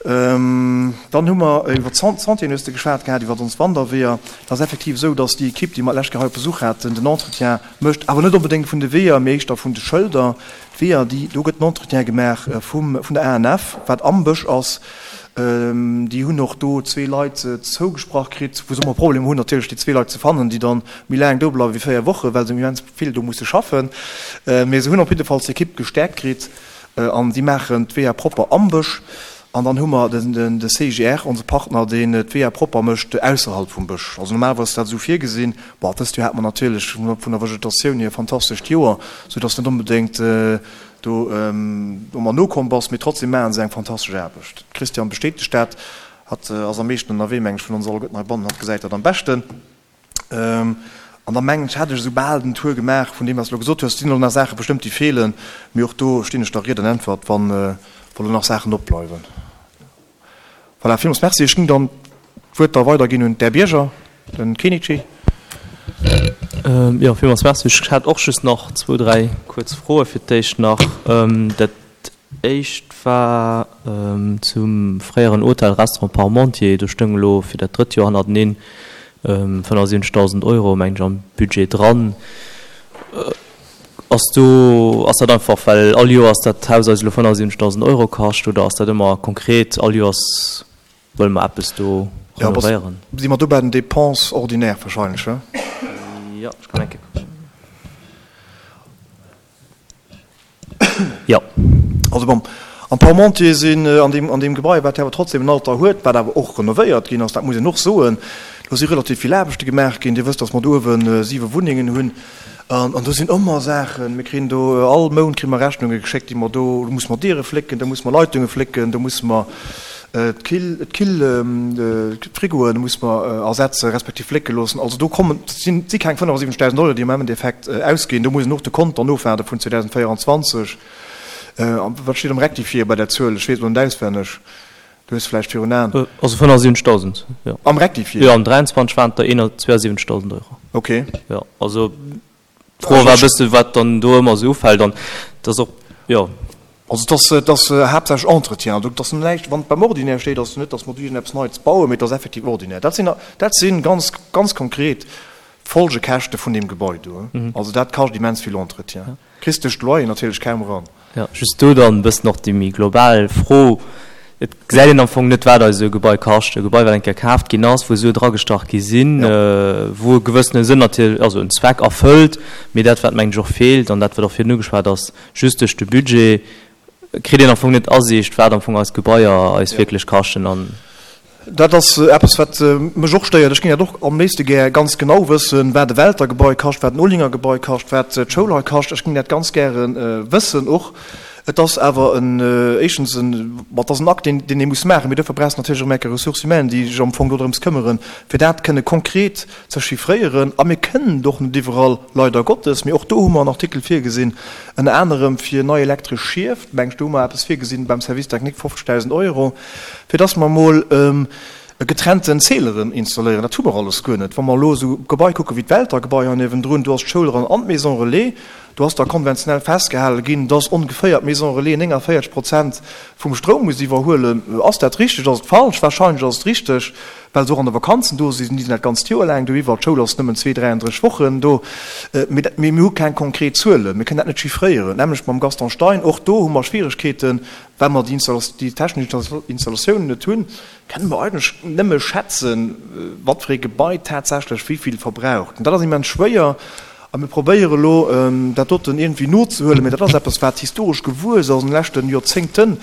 Dann hu mer iwwer d'Sentieren, hues de geschwat gehat, iwwer ons Wanderweeër. Et ass effektiv esou, dass déi Ekipp, déi mer d'lescht Kéier hei op Besuch haten, den Entretien mécht, awer net onbedéngt vun de Weeër, mee éischter vun de Schëlder. D'Weeër, déi, do gëtt den Entretien gemaach vum, vun der A N F, wat am Bësch ass. Déi hunn och do zwee Leit zougesprach kritt, wou se ëmmer Problemer hunn, natierlech déi zwee Leit ze fannen, déi dann méi laang do bleiwe wéi véier Wochen, well se immens vill do musse schaffen. Mee se hunn op jiddefalls d'Ekipp gestäerkt kritt an déi maachen d'Weeër propper am Bësch. An dann hu mer de C I G R, onse Partner, deen d'Weeër propper mécht ausserhalb vum Bësch. Also normalerweis ass dat esou virgesinn. Bon, dëst Joer hat mer natierlech vun der Vegetatioun hier e fantastescht Joer, soudass net onbedéngt do ëmmer nokomm bass, mee trotzdem maache se eng fantastesch Aarbecht. D'Christiane bestätegt dat. Hatt ass am meeschten ënnerwee, meng ech, vun ons alleguerten heibannen. Hatt gesäit dat am beschten. An da mengen ech, hätt ech esou bal den Tour gemaach vun deem, wat s de elo gesot hues. Et sinn elo nach Saache bestëmmt, déi feelen, mee och do stinn ech der Ried an Äntwert, wann elo nach Saachen opbleiwen. Voilà, villmools Merci. Ech géing dann d'Wuert da weiderginn un d'Här Bierger, den Kenichi. Jo, villmools Merci. Ech hätt och just nach zwou, dräi kuerz Froe fir d'éischt nach. Dat éischt war zum fréieren Hotel Restaurant Parmentier. Do stoung elo fir dat drëtt Joer hannerteneen fënnefasiwwenzegdausend Euro, mengen ech, am Budget dran. Ass do, ass dat einfach, well all Joers dat Haus eis elo fënnefasiwwenzegdausend Euro kascht, oder ass dat ëmmer konkret, all Joers wëlle mer eppes do renovéieren? Si mer do bei den Dépenses ordinaires wahrscheinlech, he? Jo, ech kann eng Kéier kucken. Jo. Also bon, am Parmentier sinn an deem, an deem Gebai, wat awer trotzdem en Alter huet, wat awer och renovéiert ginn ass, dat muss een och soen, do si relativ vill Aarbechte gemaach ginn. Dir wësst, datt mer do uewe siwe Wunnengen hunn an, an do sinn ëmmer Saachen. Mir kriegen do all Mount kriege mer Rechnunge geschéckt, déi mer do, do musse mer Diere flécken, do musse mer Leitunge flécken, do musse mer d'Kill, d'Kill, d'Frigoen musse mer ersetze respektiv flécke loossen. Also do kommen, sinn, si keng fënnefasiwwenzegdausend Euro, déi am Endeffekt ausginn. Do muss een och de Konto nofwaarde vun zweedausendvéierundzwanzeg. Wat steet am Rectifié bei där Zuel? Ech weess et elo net auswenneg. Du hues vläicht virun Aen. Also fënnefasiwwenzegdausend, jo. Am Rectifié? Jo, am dräianzwanzeg waren et der zwouasiwwenzegdausend Euro. Okay. Jo, also d'Fro war e bësse wat dann do ëmmer esou ufält an et ass och, jo. Also et ass, et ass haaptsächlech Entretien. Also et ass näischt, wann et beim Ordinaire steet, ass et net, datt mer do iergendeppes Neits bauen, mee et ass effektiv Ordinaire. Dat sinn, dat si ganz, ganz konkret Folgekäschte vun deem Gebai do. Also dat kascht immens vill Entretien. Kriss duerch d'Loyer natierlech kaum eran. Jo, just do dann e bëssen och déi méi global Fro. Et gesäit een am Fong net, wat eis esou e Gebai kascht. E Gebai, wat eng Kéier kaaft ginn ass, wou Sue dragestach gi sinn, wou e gewëssene Sënn natierlech, also en Zweck erfëllt. Mee dat, wat mengen ech och feelt an dat, wat och virun ugeschwat ass, just duerch de Budget kritt een am Fong net Asiicht, wat am Fong eis Gebaier eis wierklech kaschten. An Dat ass eppes, wat mech och stéiert. Ech géing dat och am léifste gär ganz genau wëssen, wat e Welter Gebai kascht, wat en Olinger Gebai kascht, wat d'Schoul hei kascht. Ech géing dat ganz gäre wëssen och. Et ass awer en, éischtens en, ma et ass en Akt, deen, deen ee muss maachen. Mee dofir brauchst de natierlech och eng Ressources humaines, déi sech am Fong dodrëms këmmeren, fir dat kënne konkret ze chiffréieren. A mir kënnen et och net iwwerall, leider Gottes. Mee och do hu mer en Artikel virgesinn, ënner anerem fir nei elektresch Schief, meng ech, do hu mer eppes virgesinn beim Service technique, fofzegdausend Euro, fir dass mer emol getrennten Zähleren installéieren. Dat hu mer alles guer net. Wa mer elo esou Gebai kucke wéi d'Welter-Gebai hei niewendrun, do ass d'Schoul eran an d'Maison Relais, do ass da konventionell festgehale ginn, dass ongeféier d'Maison Relais nénganvéierzeg Prozent vum Stroum muss iwwerhuelen. Ass dat richteg? Ass et falsch? Wahrscheinlech ass et richteg, well se och an de Vakanzen do sinn. Déi sinn dat ganzt Joer laang do iwwer. D'Schoul ass nëmmen zwee, dräiandrësseg Wochen do. Mee mir hu keng konkret Zuelen. Mir kënnen dat net chiffréieren. D'nämmlecht mam Gaston Stein. Och do hu mer Schwieregkeeten, well mer déi technesch Installatiounen net hunn. Kënne mer eigentlech nëmme schätzen, wat fir ee Gebai tatsächlech wéi vill verbraucht. An dat ass immens schwéier. A mir probéiere elo, dat doten iergendwéi nozehuelen. Mee dat ass eppes, wat historesch gewuess ass an de leschte Joerzéngten,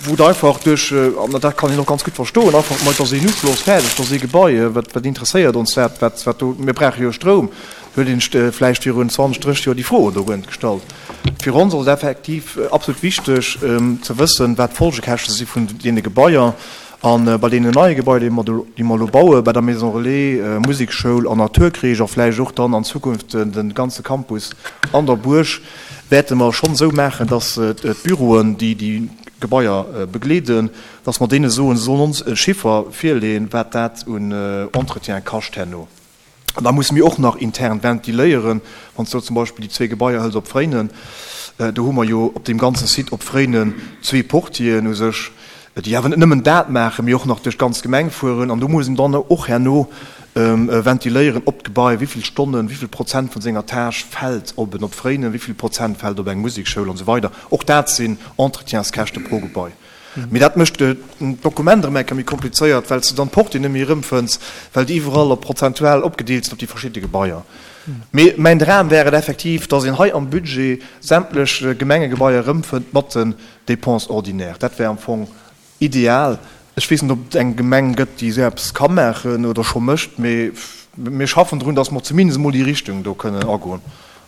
wou et einfach duerch, an dat kann een och ganz gutt verstoen, einfach, ma et ass een Uschloss, fäerdeg, et ass ee Gebai, wat, wat interesséiert ons dat, wat, wat do, mir brauche jo Stroum. Huet een vläicht virun zwanzeg, drësseg Joer déi Fro do guer net gestallt. Fir ons ass et effektiv absolut wichteg ze wëssen, wat d'Folgekäschte si vun deene Gebaier. A bei deenen neie Gebaier, déi mer do, déi mer elo bauen, bei der Maison Relais, Musekschoul an Naturkreesch a vläicht och dann an Zukunft de ganze Campus an der Buerg, wäerte mer schonn esou maachen, dass d'Büroen, déi déi Gebaier begleeden, dass mer deene soen, se sollen ons e Chiffer virleeën, wat dat un Entretien kascht herno. An da musse mir och nach intern ventiléieren. Wann s de elo zum Beispill déi zwee Gebaier hëls op Fréinen, do hu mer jo op deem ganze Site op Fréinen zwee Portieren u sech. déi awer net nëmmen dat maachen, mee och nach duerch d'ganz Gemeng fueren. An do muss een dann och herno ventiléieren, ob d'Gebai, wéi vill Stonnen, wéi vill Prozent vun senger Tâche fält op en Opfréinen, wéi vill Prozent fält op eng Musekschoul an esou weider. Och dat sinn Entretienskäschte pro Gebai. Mee dat mécht d'Dokument erëm eng Kéier méi komplizéiert, well s de dann d'Portée net méi erëmfënns, well déi iwwerall op prozentual opgedeelt sinn op déi verschidde Gebaier. Mee mäin Dram wär et effektiv, dass een hei am Budget sämtlech Gemengegebaier erëmfënnt mat den Dépenses ordinaires. Dat wär am Fong ideal. Ech weess net, ob et eng Gemeng gëtt, déi esou eppes ka maachen oder scho mécht, mee mir schaffen drun, dass mer zumindest emol déi Richtung do kënnen agoen.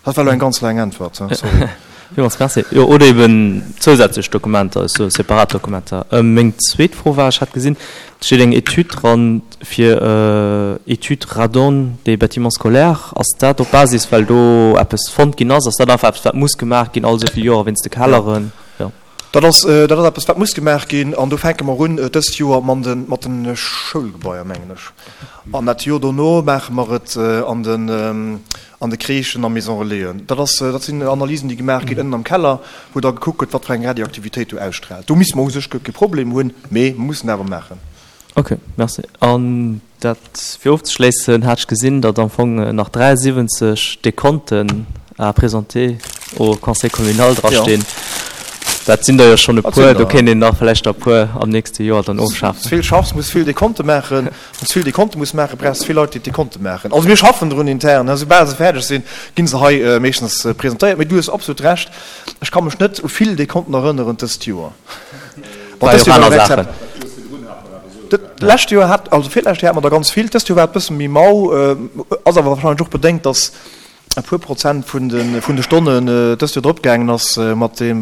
Dat war elo eng ganz laang Äntwert, sorry. Villmools Merci. Jo, oder eben zousätzlech Dokumenter, esou separat Dokumenter. Meng zweet Fro war, ech hat gesinn, et steet eng Etüd dran fir Étude radon des bâtiments scolaires. Ass dat op Basis, well do eppes fonnt ginn ass? Ass dat einfach eppes, wat muss gemaach ginn all esou vill Joer wéinst de Kelleren? Jo. Dat ass, dat ass eppes, wat muss gemaach ginn. An do fänke mer un dëst Joer mat de, mat de Schoulgebaier, mengen ech. An dat Joer dono maache mer et an den, an de Crèchen a Maison Relaisen. Dat ass, dat sinn Analysen, déi gemaach ginn ënnen am Keller, wou da gekuckt gëtt, wat fir eng Radioaktivitéit do ausstraalt. Do misste mer u sech guer kee Problem hunn, mee mer mussen awer maachen. Ok, merci. An dat fir ofzeschléissen, hat ech gesinn, datt am Fong nach dräiasiwwenzeg Dekonten à présenter au Conseil communal drastinn. Dat sinn der jo schonn e puer. Do kéint een nach vläicht der e puer am nächste Joer dann ofschafen. Wann s vill schaffs, muss vill Dekonte maachen. Wann s vill Dekonte muss maachen, brauchs de vill Leit, déi d'Dekonte maachen. Also mir schaffen drun intern. Soubal se fäerdeg sinn, gi se hei meeschtens presentéiert. Mee du hues absolut Recht, ech ka mech net u vill Dekonten erënneren dëst Joer. Bon, dëst Joer war och exzep. D'lescht Joer hat, also virlescht Joer hate mer der ganz vill. Dëst Joer war et e bësse méi mau. Ass awer warscheinlech och bedéngt, datt e puer Prozent vun de vun de Stonnen dëst Joer drop gaangen ass mat deem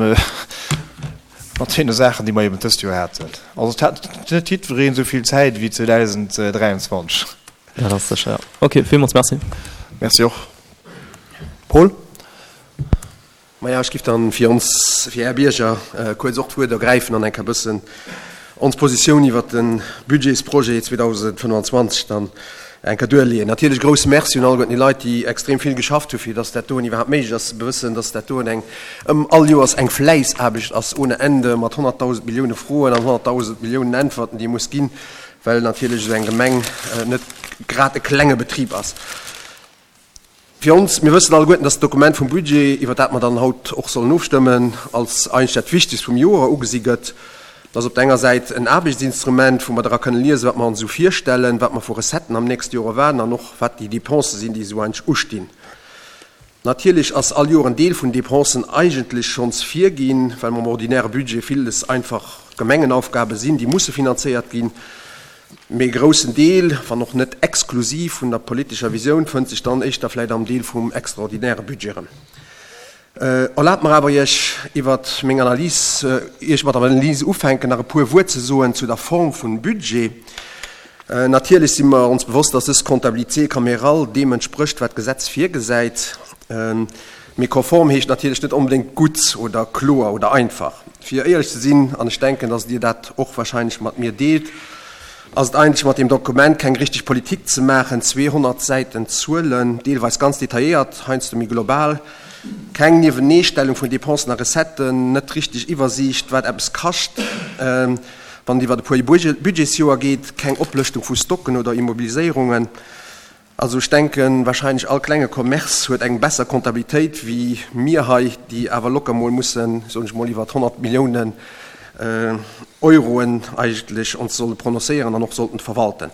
mat deene Saachen, déi mer eben dëst Joer haten. Also et hat net jiddwereen esou vill Zäit wéi zweedausenddräianzwanzeg. Dat ass sécher, jo. Ok, villmools Merci. Merci och. Paul? Maja, ech giff dann fir ons, fir Är Bierger kuerz och d'Wuert ergräifen an eng Kéier bëssen ons Positioun iwwert de Budgetsprojet zweedausendfënnefanzwanzeg dann eng Kéier duerleeën. Natierlech e grousse Merci un alleguerten déi Leit, déi extrem vill geschafft hu fir dass dat doen iwwerhaapt méiglech ass. Ze bewëssen, dass dat doen eng ëm all Joers eng Fläissaarbecht ass ohne Ende mat honnertdausend Millioune Froen an honnertdausend Milliounen Äntwerten, déi ee muss ginn, well natierlech esou eng Gemeng net grad e klenge Betrib ass. Fir ons, mir wëssen alleguerten, dass d'Dokument vum Budget, iwwer dat mer dann haut och sollen ofstëmmen, als eigentlech dat Wichtegst vum Joer ugesi gëtt. Dat ass op der enger Säit en Aarbechtsinstrument, wou mer dra kënnen liesen, wat mer ons esou virstellen, wat mer vu Recetten am nächste Joer erwaarden an och wat déi Dépensen sinn, déi esou eigentlech ustinn. Natierlech ass all Joer en Deel vun Dépensen eigentlech schonns virginn, well mam ordinäre Budget villes einfach Gemengenaufgabe sinn, déi musse finanzéiert ginn. Mee e groussen Deel, wann och net exklusiv, vun der politescher Visioun fënnt sech dann éischter vläicht am Deel vum extraordinäre Budget erëm. Erlaabt mer awer, Iech iwwer meng Analys, ier ech mat der Analys ufänken, nach e puer Wuert ze soen zu der Form vum Budget. Natierlech si mer ons bewosst, dass dës Comptabilité camérale deem entsprécht, wat d'Gesetz virgesäit. Mee konform heescht natierlech net onbedéngt gutt oder kloer oder einfach. Fir éierlech ze sinn, an ech denken, dass Dir dat och wahrscheinlech mat mir deelt, ass et eigentlech mat deem Dokument keng richteg Politik ze maachen. zweehonnert Säiten Zuelen, deelweis ganz detailléiert, heiansdo méi global, keng Nieweneestellung vun Dépensen a Recetten, net richteg Iwwersiicht, wat eppes kascht, wann et iwwer e puer Budgetsjoer geet, keng Oplëschtung vu Stocken oder Immobiliséierungen. Also ech denken, wahrscheinlech all klenge Commerce huet eng besser Comptabilitéit wéi mir hei, déi awer locker mol mussen, soen ech mol, iwwert honnert Milliounen Euroen eigentlech ons solle prononcéieren an och sollten verwalten.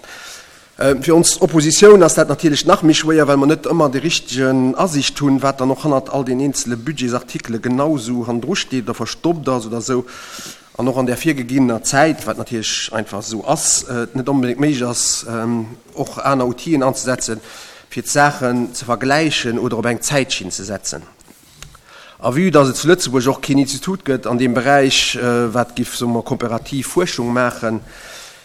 Fir ons Oppositioun ass dat natierlech nach méi schwéier, well mer net ëmmer déi richtegen Asiicht hunn, wat dann och hannert all den eenzele Budgetsartikele genau esou hannendru steet oder verstoppt ass oder esou. An och an där virgeginner Zäit, wat natierlech einfach esou ass, et net onbedéngt méiglech ass, och aner Outiller anzesetzen, fir d'Saachen ze vergläichen oder op eng Zäitschinn ze setzen. A vue dass et zu Lëtzebuerg och keen Institut gëtt an deem Beräich, wat giff, soe mer, komparativ Fuerschung maachen,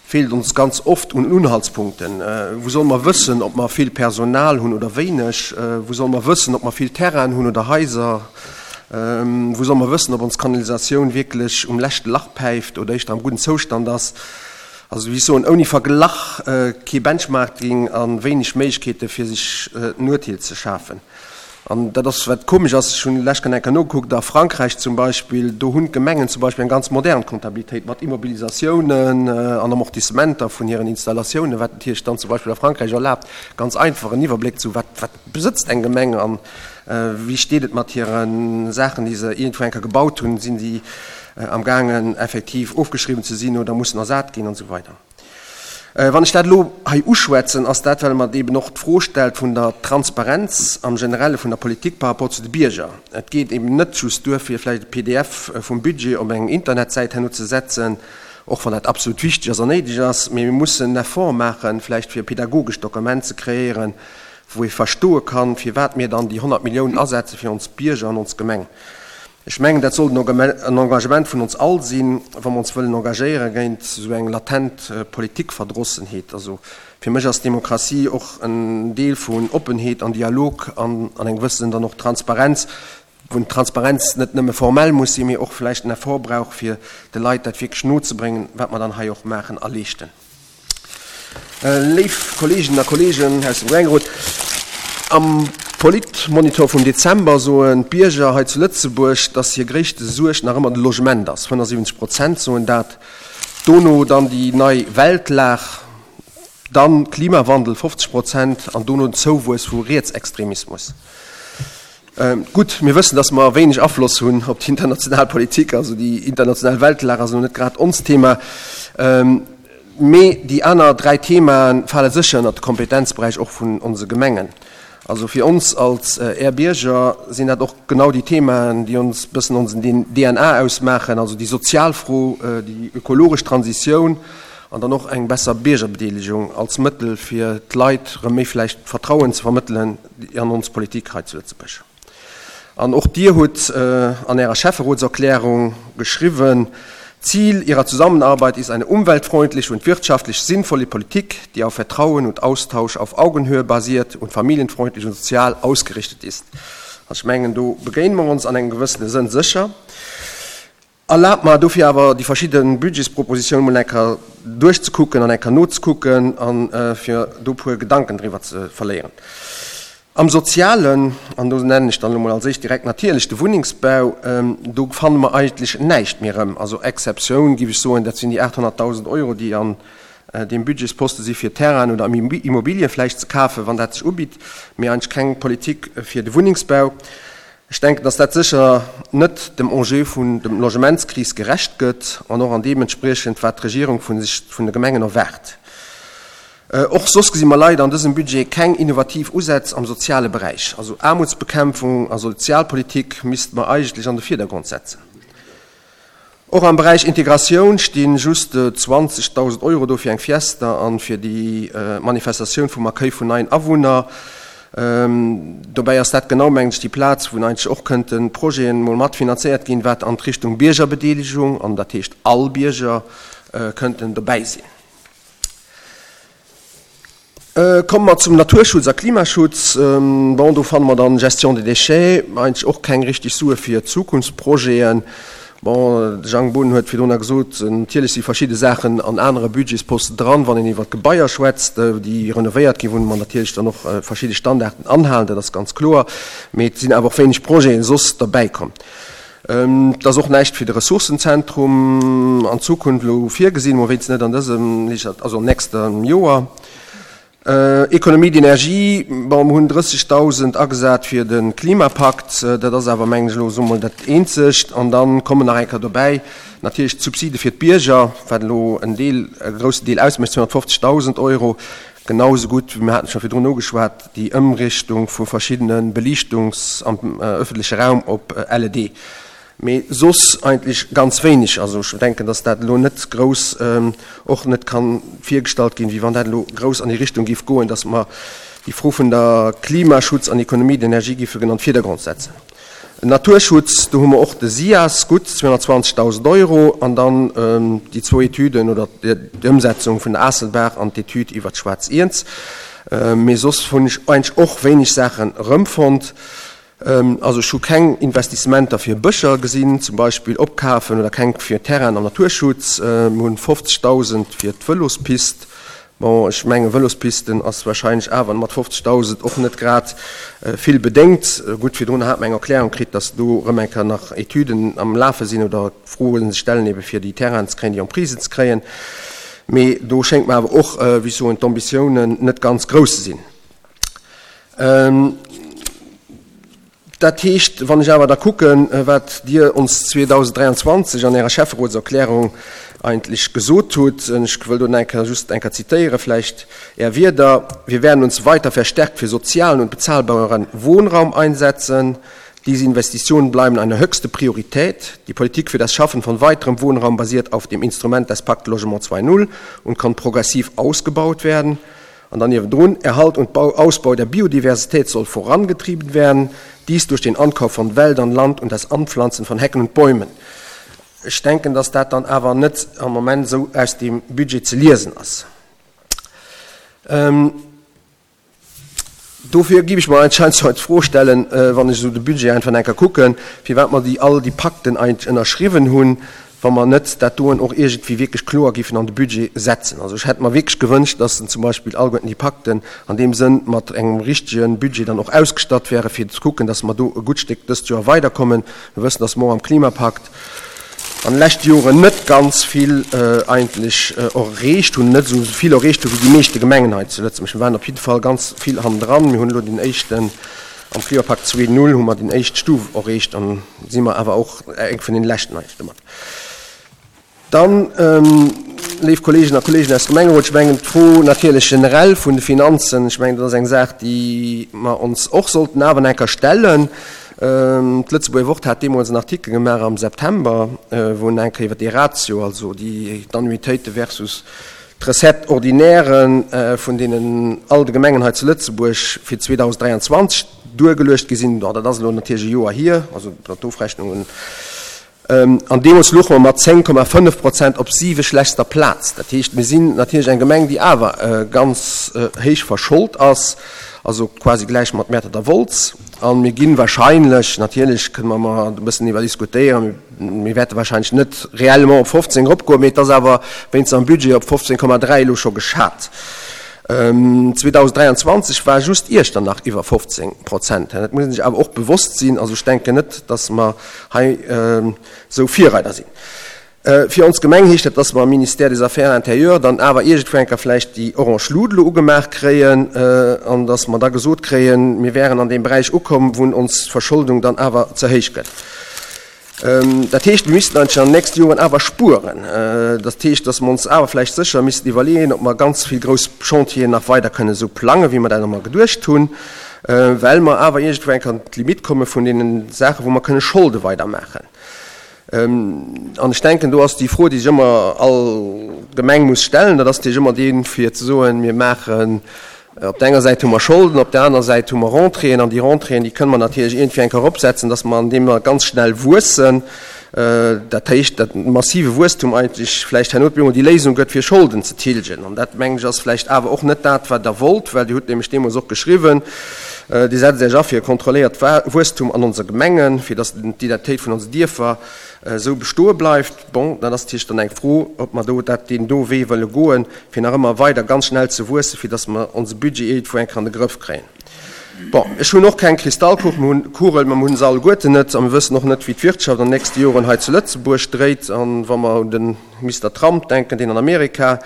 feelt ons ganz oft un Unhaltspunkten. Wou solle mer wëssen, ob mer vill Personal hunn oder wéineg? Wou solle mer wëssen, ob mer vill Terrainen hunn oder Haiser? Wou solle mer wëssen, ob ons Kanalisatioun wierklech um leschte Lach päift oder éischter am gudden Zoustand ass? Also, wéi ech soen, ouni Verglach kee Benchmarking a wéineg Méiglechkeete fir sech en Urteel ze schafen. An dat ass, wat komesch ass, ech hunn lech eng Kéier nogekuckt, a Frankräich zum Beispill, do hunn d'Gemengen zum Beispill eng ganz modern Comptabilitéit mat Immobilisatiounen an Amortissementer vun hiren Installatiounen, wat natierlech dann zum Beispill a Frankräich erlaabt, ganz einfach en Iwwerbléck zu, wat, wat besëtzt eng Gemeng an wéi steet et mat hire Saachen, déi se iergendwou eng Kéier gebaut hunn, sinn déi amgaangen effektiv ofgeschriwwen ze sinn oder mussen ersat ginn an esou weider. Wann ech dat elo hei uschwätzen, ass dat, well mer eben och d'Fro stellt vun der Transparenz am Generelle vun der Politik par rapport zu de Bierger. Et geet eben net just duer, fir vläicht e P D F vum Budget op eng Internetsäit herno ze setzen, och wann dat absolut wichteg ass an néideg ass, mee mir mussen en Effort maachen, vläicht fir e pädagogescht Dokument ze kreéieren, wou ee verstoe kann, firwat mir dann déi honnert Milliounen asetze fir ons Bierger an ons Gemeng. Ech mengen, dat sollt en Engagement vun ons all sinn, wa mer ons wëllen engagéiere géint esou eng latent Politikverdrossenheet. Also fir mech ass Demokratie och en Deel vun Oppenheet an Dialog an an engem gewëssenen dann och Transparenz, wou d'Transparenz net nëmme formell muss sinn, mee och vläicht en Effort brauch, fir de Leit dat wierklech nozebréngen, wat mer dann hei och maachen a leeschten. Léif Kolleeginnen a Kolleegen aus dem Gemengerot, am Politmonitor vum Dezember soen d'Bierger hei zu Lëtzebuerg, dass hir gréisste Suerg nach ëmmer de Logement ass. fënnefensiwwenzeg Prozent soen dat. Dono dann déi nei Weltlag, dann Klimawandel, fofzeg Prozent, an dono den Zouwuess vu Rietsextremismus. Gutt, mir wëssen, dass mer wéineg Afloss hunn op déi international Politik, also déi international Weltlag ass elo net grad onst Thema. Mee déi aner dräi Themae fale sécher ënnert de Kompetenzberäich och vun onse Gemengen. Also fir ons als Är Bierger sinn dat och genau déi Themaen, déi ons bëssen onsen D N A ausmaachen, also déi sozial Fro, déi ökologesch Transitioun an dann och eng besser Biergerbedeelegung als Mëttel fir d'Leit erëm méi vläicht Vertrauen ze vermëttelen an ons Politik hei zu Lëtzebuerg. An och Dir hutt an Ärer Schäfferotserklärung geschriwwen: „Ziel ihrer Zusammenarbeit ist eine umweltfreundliche und wirtschaftlich sinnvolle Politik, die auf Vertrauen und Austausch auf Augenhöhe basiert und familienfreundlich und sozial ausgerichtet ist.“ Also ech mengen, do begéine mer ons an engem gewëssene Sënn sécher. Erlaabt mer dofir awer, déi verschidde Budgetspropositiounen mol eng Kéier duerchzekucken an eng Kéier nozekucken a fir do e puer Gedanken driwwer ze verléieren. Am Sozialen, an do nennen ech dann elo mol als éischt direkt natierlech de Wunnengsbau, do fanne mer eigentlech näischt méi erëm. Also Exceptioun, géif ech soen, dat sinn déi aathonnertdausend Euro, déi an deem Budgetsposte si fir Terrainen oder Immobilie vläicht ze kafen, wann dat sech ubitt, mee eigentlech keng Politik fir de Wunnengsbau. Ech denken, dass dat sécher net dem Enjeu vun dem Logementskris gerecht gëtt an och an deem entspriechend, wat d'Regierung vu sech vun de Gemengen erwaart. Och soss gesi mer leider an dësem Budget keng innovativ Usätz am soziale Beräich. Also Aarmutsbekämpfung a Sozialpolitik misste mer eigentlech an de Virdergrond setzen. Och am Beräich Integratioun sti just zwanzegdausend Euro do fir eng Fiesta an fir déi Manifestatioun vum Accueil vun neien Awunner. Dobäi ass dat genau, mengen ech, déi Plaz, wou eigentlech och kënnte Projeten mol matfinanzéiert ginn, wat an d'Richtung Biergerbedeelegung, an dat heescht all Bierger kënnten dobäi sinn. Komme mer zum Naturschutz a Klimaschutz. Bon, do fanne mer dann Gestion des déchets, eigentlech och keng richtig Sue fir Zukunftsprojeten. Bon, de Jang Boden huet virdrun gesot, natierlech si verschidde Saachen an anere Budgetsposten dran, wann een iwwer d'Gebaier schwätzt, déi renovéiert ginn, wou mer natierlech dann och verschidde Standarden anhalen, dat ass ganz kloer, mee et sinn awer och wéineg Projeten soss derbäikomm. Et ass och näischt fir de Ressourcenzentrum an Zukunft elo virgesinn, mol wéinstens net an dësem, also am nächste Joer. Économie d'énergie, bon, mer hunn drëssegdausend agesat fir de Klimapakt, dat ass awer, mengen ech, elo soe mol dat Eenzegt. An da kommen nach eng Kéier dobäi natierlech d'Subside fir d'Bierger, wat elo en Deel, e groussen Deel ausmécht, zweehonnertfofzegdausend Euro. Genau esou gutt, wéi mir haten scho virdrun ugeschwat, déi Ëmrichtung vu verschiddene Beliichtungs am öffentleche Raum op L E D. Mee soss eigentlech ganz wéineg. Also ech denken, dass dat elo net grouss och net ka virgestallt ginn, wéi wann dat elo grouss an déi Richtung géif goen, dass mer déi Fro vun der Klimaschutz an Économie d'énergie géifen an den Virdergrond setzen. Naturschutz, do hu mer och de SIAS, gutt zweehonnertzwanzegdausend Euro, an dann déi zwou Etüden oder d'Ëmsetzung vun der Aasselbaach an d'Etüd iwwer d'Schwaarz Iernz. Mee soss hunn ech eigentlech och wéineg Saachen erëmfonnt. Also ech hu keng Investissementer fir Bëscher gesinn, zum Beispill opkafen, oder keng fir Terrainen am Naturschutz. Mir hunn fofzegdausend fir d'Vëlospist. Bon, ech mengen, Vëlospisten ass wahrscheinlech awer mat fofzegdausend och net grad vill bedéngt. Gutt, virdrun hat mer eng Erklärung kritt, dass do erëm eng Kéier nach Etüden am Lafe sinn oder Froe sech stellen, ebe fir déi Terrainen ze kréien, déi Emprisen ze kréien. Mee do schéngt mer awer och, wéi ech soen, d'Ambitiounen net ganz grouss ze sinn. Dat heescht, wann ech awer da kucken, wat Dir ons zweedausenddräianzwanzeg an Ärer Schäfferotserklärung eigentlech gesot hutt, ech wëll do eng Kéier just eng Kéier zitéiere vläicht Är Wierder, Wir werden uns weiter verstärkt für sozialen und bezahlbaren Wohnraum einsetzen. Diese Investitionen bleiben eine höchste Priorität. Die Politik für das Schaffen von weiterem Wohnraum basiert auf dem Instrument des Pakt Logement zwei Punkt null und kann progressiv ausgebaut werden. An dann niewendrun, Erhalt und Bau, Ausbau der Biodiversität soll vorangetrieben werden, dies durch den Ankauf von Wäldern, Land und das Anpflanzen von Hecken und Bäumen. Ech denken, dass dat dann awer net am Moment esou aus deem Budget ze liesen ass. Dofir géif ech mer anscheinend hei d'Fro stellen, wann ech esou de Budget einfach eng Kéier kucken, firwat mer déi all déi Pakten eigentlech ënnerschriwwen hunn, wa mer net dat doen och iergendwéi wierklech kloer géifen an de Budget setzen. Also ech hätt mer wierklech gewënscht, dass zum Beispill alleguerten déi Pakten an deem Sënn mat engem richtege Budget dann och ausgestatt wären, fir ze kucken, dass mer do e gutt Stéck dëst Joer weiderkommen. Mir wëssen, dass mer och am Klimapakt an de leschte Joren net ganz vill eigentlech erreecht hunn, net esou vill erreecht hu wéi déi meeschte Gemengen hei zu Lëtzebuerg. Mir waren op jidde Fall ganz vill hannendran. Mir hunn elo den éischten, am Klimapakt zwee Null hu mer déi éischt Stuf erreecht an si mer awer och eng vun den leschten eigentlech domat. Dann, léif Kolleegen a Kolleegen aus dem Gemengerot, ech mengen d'Fro natierlech generell vun de Finanzen, ech mengen dat ass eng Saach, déi mer ons och sollten awer eng Kéier stellen. D'Lëtzebuerger Wort hat deemools en Artikel gemaach am September, wou en eng Kéier iwwer dee Ratio, also déi d'Annuitéite versus d'Recettes ordinaires vun deenen all de Gemengen hei zu Lëtzebuerg fir zweedausenddräianzwanzeg duergeluecht gi sinn. Bon, dat ass elo natierlech e Joer hier, also d'Ofrechnungen. An deemools louche mer mat zéng Komma fënnef Prozent op siweschlechtster Plaz. Dat heescht, mir sinn natierlech eng Gemeng, déi awer ganz héich verscholt ass, also quasi gläich mat Mäertert a Wolz. A mir gi wahrscheinlech, natierlech kënne mer mar e bëssen iwwer diskutéieren, mir wäerte wahrscheinlech net réellement op fofzéng eropgoen, mee et ass awer wéinst am Budget op fofzéng Komma dräi elo scho geschat. zweedausenddräianzwanzeg war just Iechternach iwwer fofzéng Prozent. Dat muss een sech awer och bewosst sinn. Also ech denken net, datt mer hei esou Virreider sinn. Fir ons Gemeng heescht dat, datt mer am Ministère des Affaires intérieures dann awer iergendwou eng Kéier vläicht déi orange Lut elo ugemaach kréien an datt mer da gesot kréien, mir wären an deem Beräich ukomm, wou ons Verscholdung dann awer ze héich gëtt. Dat heescht, mir missten eigentlech an den nächste Joren awer spueren. Dat heescht, datt mer ons awer vläicht sécher missten iwwerleeën, ob mer ganz vill grouss Chantieren nach weider kënnen esou plangen, wéi mer dat ëmmer geduecht hunn, well mer awer iergendwou eng Kéier an d'Limite komme vun deene Saachen, wou mer kënne Scholde weidermaachen. An ech denken, do ass déi Fro, déi sech ëmmer all Gemeng muss stellen, dat ass natierlech ëmmer déi, fir ze soen, mir maachen, op der enger Säit hu mer Scholden, op der aner Säit hu mer Rentréeën, an déi Rentréeën, déi kënne mer natierlech iergendwéi eng Kéier eropsetzen, dass mer an deem mer ganz schnell wuessen, dat heescht, dat massive Wuesstum eigentlech vläicht herno op eemol déi Léisung gëtt, fir Scholden ze tilgen. An dat, mengen ech, ass vläicht awer och net dat, wat Der wollt, well Dir hutt nämlech deemools och geschriwwen, Dir setzt Iech a fir e kontrolléiert Wuesstum an onse Gemengen, fir dass d'Identitéit vun onse Dierfer esou bestoe bleift. Bon, dat ass natierlech dann eng Fro, ob mer do dat deen do Wee wëlle goen, fir nach ëmmer weider ganz schnell ze wuessen, fir dass mer onse Budget iergendwou eng Kéier an de Grëff kréien. Bon, ech hunn och keng Kristallkugel, mir hunn Kugel, mä mir hunn se alleguerten net a mir wëssen och net, wéi d'Wirtschaft an den nächste Joren hei zu Lëtzebuerg dréit. A wa mer un de Mister Trump denken, deen an Amerika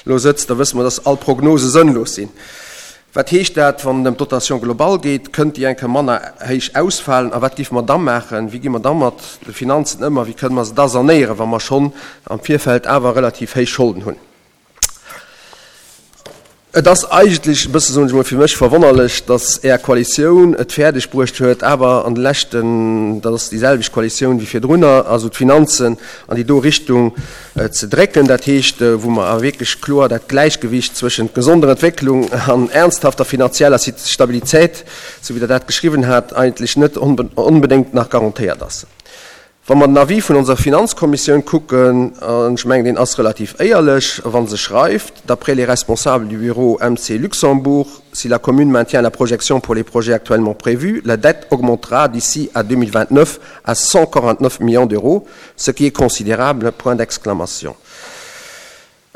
elo sëtzt, da wësse mer, dass all Prognose sënnlos sinn. Wat heescht dat, wann et ëm d'Dotation globale geet? Kënnt déi eng Kéier manner héich ausfalen? A wat géife mer da maachen? Wéi gi mer da mat de Finanzen ëm a wéi kënne mer se da sanéieren, wa mer schonn am Virfeld awer relativ héich Scholden hunn? Et ass eigentlech e bësse, soen ech emol, fir mech verwonnerlech, datt Är Koalitioun et fäerdeg bruecht huet, awer an de leschten, dat ass déi selwecht Koalitioun wéi virdrunner, also d'Finanzen an déi do Richtung ze drécken, dat heescht, wou mer awer wierklech kloer dat Gläichgewicht zwëschent gesonder Entwécklung an ernsthafter finanzieller Stabilität, sou wéi Der dat geschriwwen hat, eigentlech net onbedéngt nach garantéiert ass. Wa mer den Avis vun onser Finanzkommissioun kucken, an ech mengen, deen ass relativ éierlech, wa se schreift, D'après les responsables du bureau M C Luxembourg, si la commune maintient la projection pour les projets actuellement prévus, la dette augmentera d'ici à deux mille vingt-neuf à cent quarante-neuf millions d'euros, ce qui est considérable, point d'exclamation.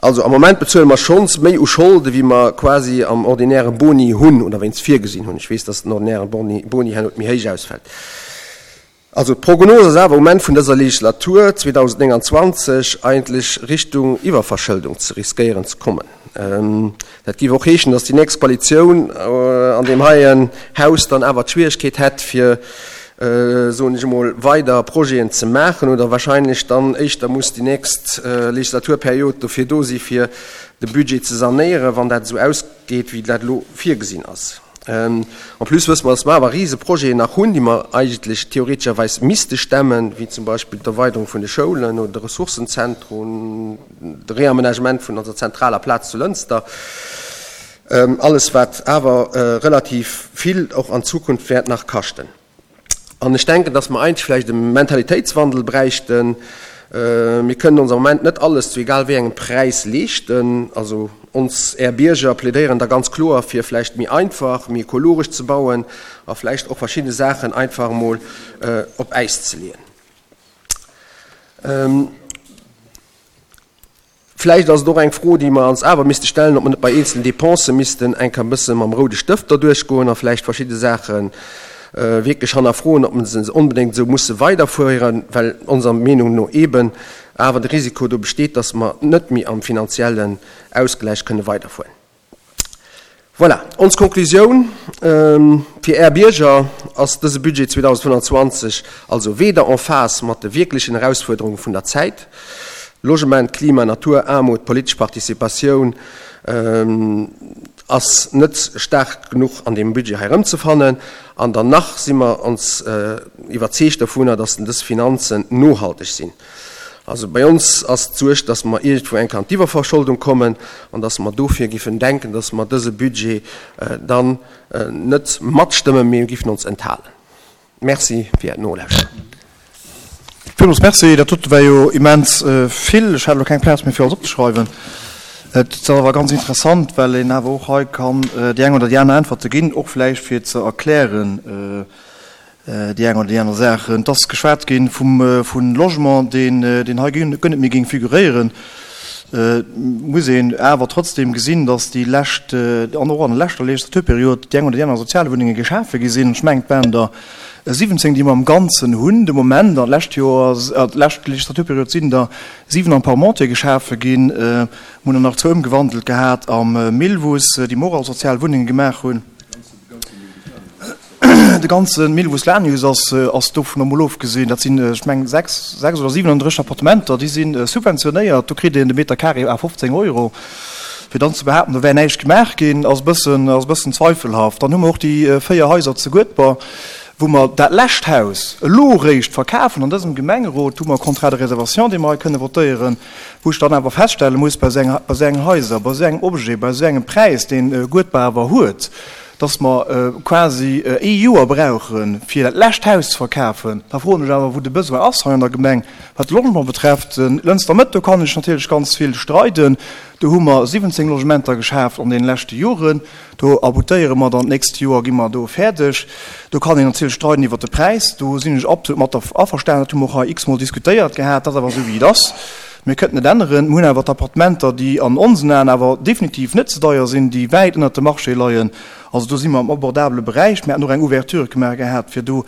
Also am Moment bezuele mer schonns méi u Scholde wéi mer quasi am ordinäre Boni hunn oder wéinst virgesinn hunn. Ech weess, dass den ordinäre Boni, Boni herno méi héich ausfält. Also d'Prognos ass awer um Enn vun dëser Legislatur zweedausendnénganzwanzeg eigentlech Richtung Iwwerverschëldung ze riskéieren ze kommen. Dat géif och heeschen, dass déi nächst Koalitioun an deem heien Haus dann awer d'Schwieregkeet hätt, fir, soen ech emol, weider Projeten ze maachen oder wahrscheinlech dann éischter muss déi nächst Legislaturperiod dofir do si fir de Budget ze sanéieren, wann dat esou ausgeet, wéi dat elo virgesinn ass. En plus wësse mer, dass mer awer rise Projeten nach hunn, déi mer eigentlech theoretescherweis misste stemmen, wéi zum Beispill d'Erweiderung vun de Schoulen oder de Ressourcenzentrum, de Réaménagement vun onser zentraler Plaz zu Lënster. Alles, wat awer relativ vill och an Zukunft wäert nach kaschten. An ech denken, dass mer eigentlech vläicht e Mentalitéitswandel bräichten. Mir kënnen ons am Moment net alles zu egal wéi engem Präis leeschten. Also ons, Är Bierger, plädéieren da ganz kloer, fir vläicht méi einfach, méi ekologesch ze bauen a vläicht och verschidde Saachen einfach emol op Äis ze leeën. Vläicht ass et och eng Fro, déi mer ons awer misste stellen, ob mer net bei eenzelen Dépensen missten eng Kéier e bësse mam roude Stëft derduerch goen a vläicht verschidde Saache wierklech hannerfroen, ob mer se onbedéngt esou musse weiderfueren, well onser Meenung no eeben awer de Risiko do besteet, dass mer net méi am finanziellen Ausgläich kënne weiderfueren. Voilà, ons Konklusioun, Fir Är Bierger ass dëse Budget zweedausendfënnanzwanzeg also weder en phase mat de wierklechen Erausfuerderunge vun der Zäit, Logement, Klima, Natur, Aarmut, politesch Participatioun, ass net staark genuch an deem Budget hei erëmzefannen. An dann nach si mer ons iwwerzeegt dovunner, dass dës Finanzen nohalteg sinn. Also bei ons ass d'Suerg, dass mer iergendwou eng Kéier an d'Iwwerverscholdung kommen an dass mer dofir giffen denken, dass mer dëse Budget dann net matstëmmen, mee mir giffen ons enthalen. Merci fir Äert Nolauschteren. Villmools Merci. Dat dote war jo immens vill. Ech hat elo keng Plaz méi fir alles opzeschreiwen. Et ass awer ganz interessant, well een awer och hei kann déi eng oder déi aner Äntwerte ginn, och vläicht fir ze erklären, déi eng oder déi aner Saach. Et ass geschwat gi vum vu Logement, deen deen hei guer net méi géing figuréieren. Et muss een awer trotzdem gesinn, datt déi lescht, an och an der leschter Legislaturperiod, déi eng oder déi aner Sozialwunnenge geschafe gi sinn. Ech mengen, et waren der siwwenzéng, déi mer am Ganzen hunn de Moment. An d'lescht Joer, d'lescht Legislaturperiod sinn der siwen am Parmentier geschafe ginn. Mir hunn der nach zwou ëmgewandelt gehat am Millwuss, déi mer och als Sozialwunnenge gemaach hunn. De ganze Milvus Lanius ass, ass dovun emol ofgesinn. Dat sinn, ech mengen, sechs, sechs oder siwenunddrësseg Appartementer, déi si subventionéiert. Do kritt een de Meter carré à fofzéng Euro. Fir dann ze behaapten, do wär näischt gemaach ginn, ass e bëssen, ass e bëssen zweifelhaft. Dann hu mer och déi véier Haiser zu Guedber, wou mer dat lescht Haus elo eréischt verkafen an dësem Gemengerot. Do hu mer e Contrat de réservation, dee mer hei kënne votéieren, wou ech dann awer feststelle muss, bei esou enger, bei esou engen Haiser, bei esou engem Objet, bei esou engem Präis, deen Guedber awer huet, dass mer quasi ee Joer brauchen, fir dat lescht Haus ze verkafen, da froen ech awer, wou de Besoin ass hei an der Gemeng, wat de Logement betrefft. Lënster Mëtt, do kann ech natierlech ganz vill streiden. Do hu mer siwwenzéng Logementer geschaaft an deene leschte Joren. Do aboutéiere mer dann d'nächst Joer, gi mer do fäerdeg. Do kann een natierlech streiden iwwert de Präis. Do sinn ech absolut mat der averstanen. Dat hu mer och hei x-mol diskutéiert gehat. Dat ass awer esou, wéi et ass. Mir kënnten et änneren. Mir hunn awer d'Appartementer, déi an onsen Aen awer definitiv net ze deier sinn, déi wäit ënnert dem Marché leien. Also do si mer am abordabele Beräich. Mir haten och eng Ouverture gemaach gehat, fir do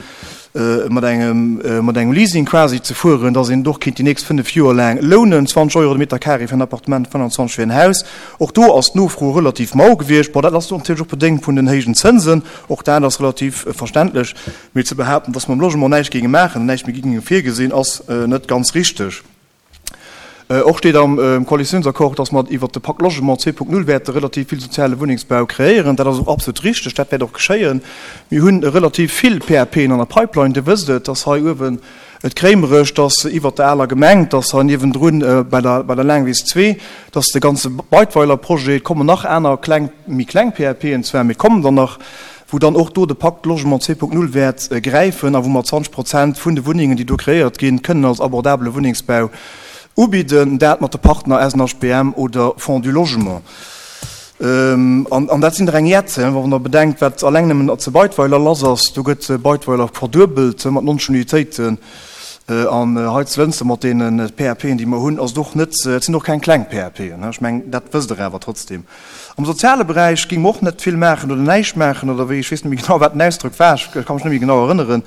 mat engem, mat engem Leasing quasi ze fueren, dass een et och kéint déi nächst fënnef Joer laang lounen, zwanzeg Euro de Meter carré fir en Appartement, fënnanzwanzeg fir en Haus. Och do ass d'Nofro relativ mau gewiescht. Bon, dat ass natierlech och bedéngt vun den héijen Zënsen. Och dat ass relativ verständlech. Mee ze behaapten, dass mer am Logement näischt géinge maachen an näischt méi géinge virgesinn, ass net ganz richteg. Och steet am Koalitiounsaccord, dass mer iwwert de Pacte Logement zwee Punkt null wäerte relativ vill soziale Wunnengsbau kreéieren. Dat ass och absolut richteg, dat wäert och geschéien. Mir hunn relativ vill PAPen an der Pipeline. Dir wësst et, dass hei uewen et Kréimerech, dass iwwert der aler Gemeng, dass hei niewendrun bei der bei der Laangwiss zwee, dass de ganze Beidweiler Projet, et kommen nach aner kleng, méi kleng PAPen zwar, mee et kommen der nach, wou dann och do de Pacte Logement zwee Punkt null wäert gräifen a wou mer zwanzeg Prozent vun de Wunnengen, déi do kreéiert ginn, kënnen als abordabele Wunnengsbau ubidden, dat mat de Partner S N H B M oder Fonds du Logement. An dat sinn der eng Jetze, wann Der bedenkt, wat alleng nëmmen zu Beidweiler lass ass. Do gëtt Beidweiler verduebelt mat neunzeg Unitéiten. An hei zu Lënster mat deene PAPen, déi mer hunn, ass et och net, et sinn och keng kleng PAPen. Ech mengen, dat wësst Der awer trotzdem. Am soziale Beräich géinge mer och net vill maachen oder näischt maachen oder wéi, ech weess net méi genau, wat den Ausdrock war, ech ka mech net méi genau erënneren.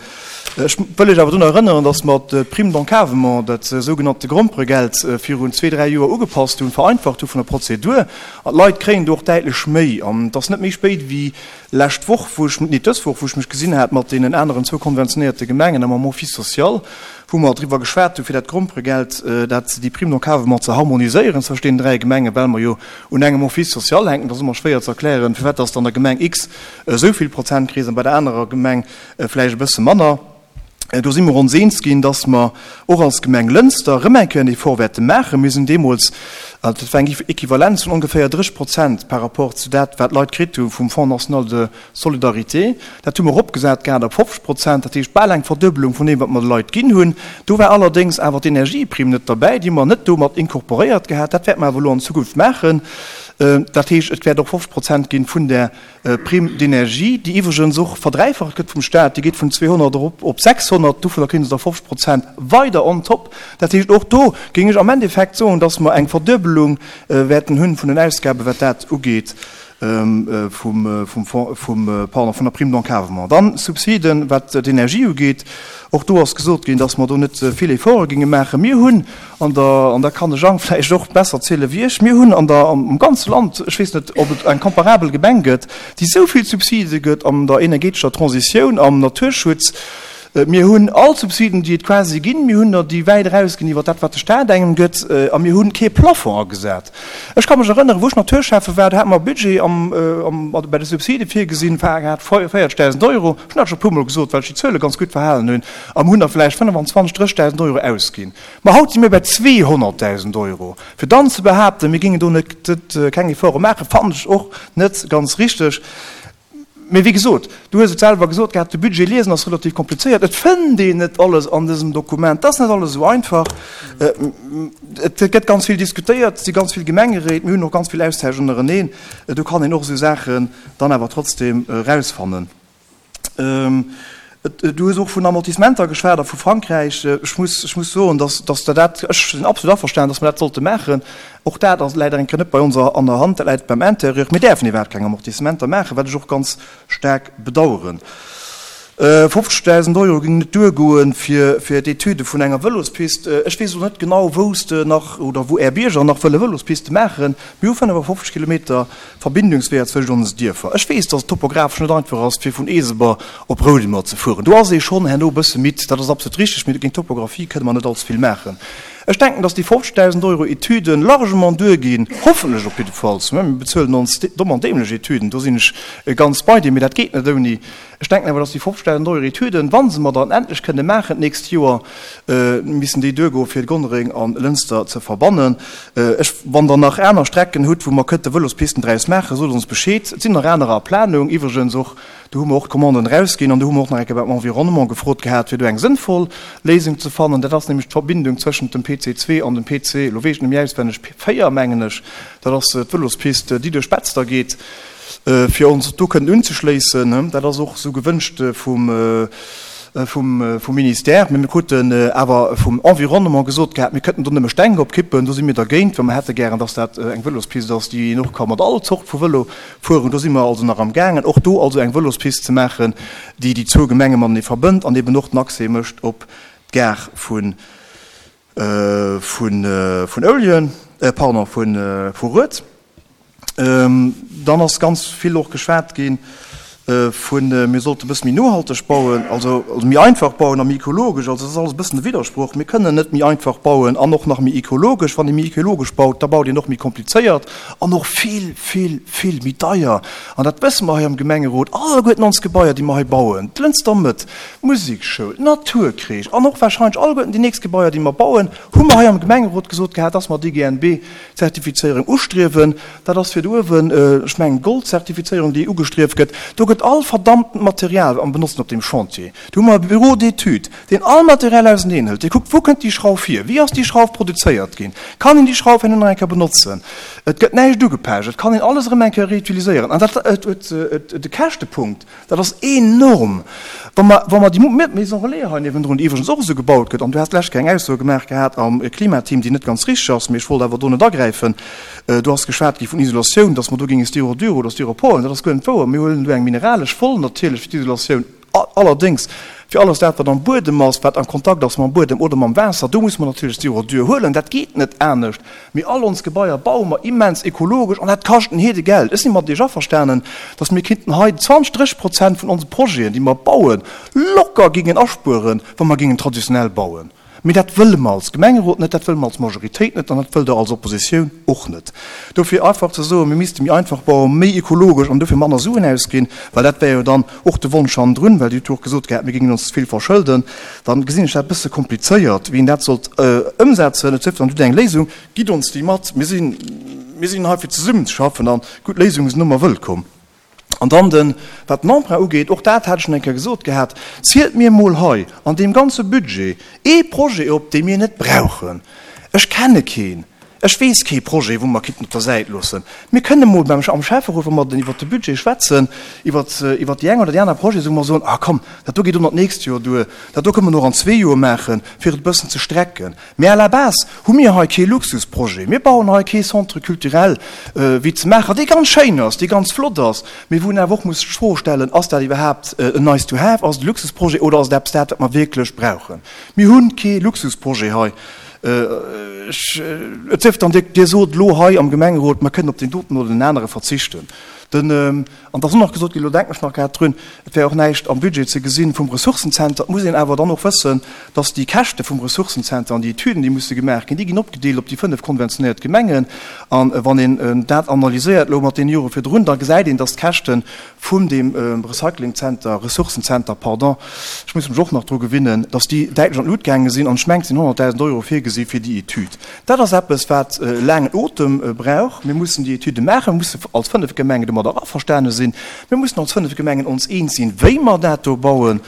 Ech wëll lech awer drun erënneren, dass mer d'Prime d'encadrement, dat sougenannte Gromperegeld, virun zwee, dräi Joer ugepasst hunn, vereinfacht hu vun der Prozedur. An d'Leit kréien do och däitlech méi. An et ass net méi spéit wéi lescht Woch, wou ech, nee, dës Woch, wou ech mech gesinn hat mat deenen aneren zwou konventionéierte Gemengen a mam Office social, wou mer driwwer geschwat hu fir dat Gromperegeld, dat, déi Prime d'encadrement ze harmoniséieren zwëscht deenen dräi Gemengen, well mer jo un engem Office social hänken. Dat ass ëmmer schwéier ze erklären, firwat dass de an der Gemeng X esou vill Prozent kriss an bei der anerer Gemeng vläicht e bësse manner. Do si mer ons eens ginn, dass mer och als Gemeng Lënster erëm eng Kéier en Effort wäerte maachen. Mir sinn deemools, dat war eng Equivalenz vun ongeféier drécheg Prozent par rapport zu dat, wat d'Leit kritt hu vum Fonds national de solidarité. Dat hu mer eropgesat gehat op fofzeg Prozent, dat heescht bal eng Verduebelung vun deem, wat mer de Leit ginn hunn. Do war allerdéngs awer d'Energieprimm net derbäi, déi hu mer net do mat incorporéiert gehat. Dat wäerte mer awer elo an Zukunft maachen. Dat heescht, et wäert och fofzeg Prozent ginn vun där Prime d'énergie, déi iwwregens och verdräifacht gëtt vum Staat. Déi geet vun zweehonnert erop op sechshonnert. Dovunner kréie se da fofzeg Prozent weider on top. Dat heescht, och do géing ech am Endeffekt soen, dass mer eng Verduebelung wäerten hunn vun den Ausgaben, wat dat ugeet, vum, vum Fonds, vum, pardon, vun der Prime d'encadrement. Dann Subsiden, wat d'Energie ugeet. Och do ass gesot ginn, dass mer do net vill Efforte géinge maachen. Mir hunn an der, an da kann de Jang vläicht och besser ziele wéi ech, mir hunn an der, am ganze Land, ech weess net, ob et eng comparabel Gemeng gëtt, déi esou vill Subside gëtt an der energetescher Transitioun, am Naturschutz. Mir hunn all Subsiden, déi et quasi ginn. Mir hunn der, déi wäit erausginn iwwer dat, wat de Staat engem gëtt. A mir hunn kee Plafond agesat. Ech ka mech erënneren, wou ech Naturschäffe war, do hate mer e Budget am, am, bei de Subside virgesinn, war grad véierzegdausend Euro. Ech hunn dat scho e puermol gesot, well ech déi Zuele ganz gutt verhalen hunn. A mir hunn der vläicht fënnefenzwanzeg, drëssigdausend Euro ausginn. Ma haut si mir bei zweehonnertdausend Euro. Fir dann ze behaapten, mir géingen do net, keng Efforte maachen, fannen ech och net ganz richteg. Mee wéi gesot, du hues et selwer gesot gehat, de Budget liesen ass relativ komplizéiert. Et fënnt een net alles an dësem Dokument. Et ass net alles esou einfach. Et gëtt ganz vill diskutéiert, et si ganz vill Gemengeréit, mir hunn och ganz vill Austausch ënnereneen. Do kann een och esou Saachen dann awer trotzdem erausfannen. Du hues och vun Amortissementer geschwat a vu Frankräich. Ech muss, ech muss soen, dass, dass der dat, ech sinn absolut averstanen, dass mer dat sollte maachen. Och dat ass, läit eng Kéier net bei ons an der Hand, dat läit beim Intérieur. Mir däerfen iwwerhaapt keng Amortissementer maachen, wat ech och ganz staark bedauern. fofzegdausend Euro géingen net duergoen fir, fir d'Etüde vun enger Vëlospist. Ech weess elo net genau, wou s de nach oder wou Är Bierger nach wëlle Vëlospiste maachen. Mir hu fënnefafofzeg Kilometer Verbindungsweeër zwëscht onse Dierfer. Ech weess, dass et topographesch net einfach ass, fir vun Eeseber op Roudemer ze fueren. Do ass ee schonn herno e bësse midd, dat ass absolut richteg, mee géint d'Topographie kënne mer net allze vill maachen. Ech denken, dass déi fofzegdausend Euro Etüden largement duerginn, hoffentlech op jiddefalls. Mir bezuelen ons domm an dämlech Etüden, do sinn ech ganz bei dir, mee dat geet net ouni. Ech denken awer, dass déi fofzegdausend Euro Etüden, wa se mer dann endlech kënne maachen d'nächst Joer, missen déi duergoen, fir Gonnereng a Lënster ze verbannen. Ech, wann Der nach aner Strecken hutt, wou mer kënnte Vëlospisten draus maachen, sot ons Bescheed. Et sinn nach anerer a Planung iwwregens och. Do hu mer och d'Commanden erausginn an do hu mer och nach eng Kéier beim Environnement gefrot gehat, fir do eng sënnvoll Léisung ze fannen. Dat ass nämlech d'Verbindung zwëschent dem P C zwee an dem P C, elo weess ech net méi auswenneg, véier mengen ech. Dat ass d'Vëlospist, déi duerch Betzder geet, fir ons do kënnen unzeschléissen. Dat ass och esou gewënscht vum, vum, vum Ministère. Mee mir kruten awer vum Environnement gesot gehat, mir kënnten do nëmme Steng opkippen. Do si mir dergéint, well mir hätte gären, dass dat eng Vëlospist ass, déi een och ka mat all Zort vu Vëlo fueren. Do si mer also nach am gaangen, och do also eng Vëlospist ze maachen, déi déi zwou Gemenge matenee verbënnt an eben och den Accès mécht op d'Gare vun, vun, vun Ouljen, pardon, vun, vu Rued. Dann ass ganz vill och geschwat gi vun, mir sollte e bësse méi nohalteg bauen, also méi einfach bauen a méi ekologesch. Also dat ass alles e bëssen e Widdersproch. Mir kënnen net méi einfach bauen an och nach méi ekologesch. Wann ee méi ekologesch baut, da baut een och méi komplizéiert an och vill, vill, vill méi deier. An dat wësse mer hei am Gemengerot. Alleguerten ons Gebaier, déi mer hei bauen, d'Lënster Mëtt, d'Musekschoul, d'Naturkreesch an och wahrscheinlech alleguerten déi nächst Gebaier, déi mer bauen, hu mer hei am Gemengerot gesot gehat, dass mer D G N B Zertifizéierung ustriewen. Dat ass fir do uewen, ech mengen, d'Gold-Zertifizéierung, déi ugestrieft gëtt. Do gëtt gëtt all verdammtent Material am benotzen op deem Chantier. Do hu mer e Bureau d'études, deen all Material auseneen hëlt, dee kuckt, wou kënnt déi Schrauf hier, wéi ass déi Schrauf produzéiert ginn, kann een déi Schrauf herno nach eng Kéier benotzen, et gëtt näischt ugepecht, et kann een alles erëm eng Kéier reutiliséieren. An dat huet de Käschtepunkt, dat ass enorm. Wa mer, wa mer déi Maison relais hei niewendrun, déi iwwregens och esou gebaut gëtt, an du has d'lescht Kéier eng Ausso gemaach gehat am Klimateam, déi net ganz richteg ass, mee ech wollt awer do net agräifen, do ass geschwat gi vun Isolatioun, dass mer do géinge Styrodur oder Styropor huelen, dat ass guer net wouer. Mir huelen do eng mineralesch Woll natierlech fir d'Isolatioun. Allerdéngs, fir alles dat, wat am Buedem ass, wat am Kontakt ass mam Buedem oder mam Waasser, do muss mer natierlech Styrodur huelen. Dat geet net anescht. Mee all ons Gebaier baue mer immens ekologesch an dat kascht en Heedegeld. Ech si mat Iech averstanen, dass mir kinnten hei zwanzeg, dréisseg Prozent vun onse Projeten, déi mer bauen, locker gingen aspueren, wa mer gingen traditionell bauen. Mee dat wëlle mer als Gemengerot net, dat wëlle mer als Majoritéit net an dat wëllt Der als Oppositioun och net. Dofir einfach ze soen, mir misste méi einfach bauen, méi ekologesch an dofir manner Suen ausginn, well dat wär jo dann och de Wonsch hannendrun, well Dir hutt jo och gesot gehat, mir géingen ons ze vill verschëlden, dann gesinn ech dat e bësse komplizéiert, wéi een dat sollt ëmsetzen. Et sief dann, Dir hutt eng Léisung, gitt ons déi mat. Mir sinn, mir sinn hei fir zesummenzeschaffen a gutt Léisunge sinn ëmmer wëllkomm. An dann den, wat den Emprunt ugeet, och dat hat ech schonn eng Kéier gesot gehat, zielt mir emol hei an deem ganze Budget ee Projet op, dee mir net brauchen. Ech kenne keen, ech weess kee Projet, wou mer kinnten op der Säit loossen. Mir kënnen emol beim, am Schäfferot, wa mer den iwwert de Budget schwätzen, iwwert, iwwert déi eng oder déi aner Projete, wou mer soen, ah komm, dat do geet och nach d'nächst Joer duer, dat do kënnen mer och an zwee Joer maachen, fir et e bëssen ze strecken. Mee à la base hu mir hei kee Luxusprojet. Mir bauen hei kee Centre culturel wéi ze Maacher, dee ganz schéin ass, dee ganz flott ass, mee wou een awer och muss sech d'Fro stellen, Ass dat iwwerhaapt en nice to have, ass et e Luxusprojet oder ass et eppes dat, wat mer wierklech brauchen? Mir hu kee Luxusprojet hei. Ech, et sief dann, Dir, Dir sot elo hei am Gemengerot, mer kënnen op deen doten oder deen anere verzichten. Den, an da ass och nach gesot ginn, elo denken ech nach grad drun, et wär och näischt am Budget ze gesinn vum Ressourcenzenter. Et muss een awer dann och wëssen, dass déi Käschte vum Ressourcenzenter an déi Etüden, déi musse gemaach ginn, déi ginn opgedeelt op déi fënnef konventionéiert Gemengen. A wann een dat analyséiert elo mat deene Jore virdrun, da gesäit een, dass d'Käschte vun deem Recyclingzenter, Ressourcenzenter, pardon, ech muss mech och nach dru gewinnen, dass déi däitlech an d'Lut gaange sinn. An ech mengen, et sinn honnertdausend Euro virgesi fir déi Etüd. Dat ass eppes, wat e laangen Otem brauch. Mir mussen déi Etüde maachen. Mir musse als fënnef Gemengen domadder averstane sinn. Mir mussen als fënnef Gemengen ons eens sinn, wéi mer dat do bauen.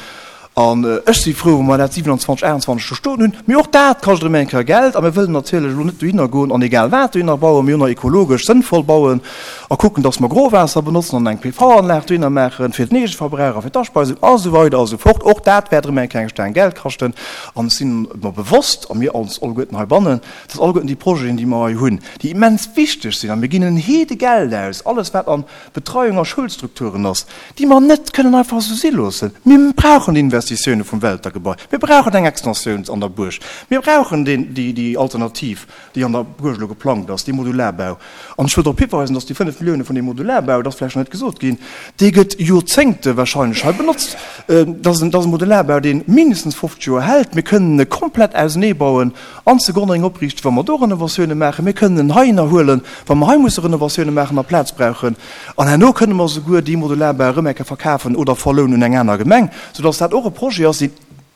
An ech si frou, wa mer dat siewenundzwanzeg, aachtundzwanzeg do stoen hunn. Mee och dat kascht erëm eng Kéier Geld. A mir wëllen natierlech elo net dohinner goen an egal wat dohinner bauen. Mir hunn nach ekologesch sënnvoll bauen a kucken, dass mer Growaasser benotzen an eng P V-Anlag dohinner maachen fir den Eegeverbrauch a fir d'Aspeisung a sou weider a sou fort. Och dat wäert erëm eng Kéier eng Staang Geld kaschten. An ech sinn mer bewosst, a mir ons alleguerten heibannen, dass alleguerten déi Projeten, déi mer hei hunn, déi immens wichteg sinn, a mir ginn en Heedegeld aus, alles wat an Betreiung a Schoulstrukturen ass, déi mer net kënnen einfach esou si loossen. Mir brauchen déi Investitioune vum Welter-Gebai, mir brauchen eng Extensioun an der Buerg, mir brauchen déi Alternativ, déi an der Buerg elo geplangt ass, dee Modularbau. An ech wëll drop hiweisen, dass déi fënnef Millioune vun deem Modularbau, dat ass vläicht nach net gesot ginn, dee gëtt Joerzéngte wahrscheinlech hei benotzt. Dat ass e Modularbau, dee mindestens fofzeg Joer hält. Mir kënnen e komplett auseneebauen an zu Gonnereng opriichten, wa mer do Renovatioune maachen. Mir kënnen en heihinner huelen, wa mer hei musse Renovatioune maachen a Plaz brauchen. An herno kënne mer souguer dee Modularbau erëm eng Kéier verkafen oder verlounen un eng aner Gemeng, soudass dat och e Projet ass, deen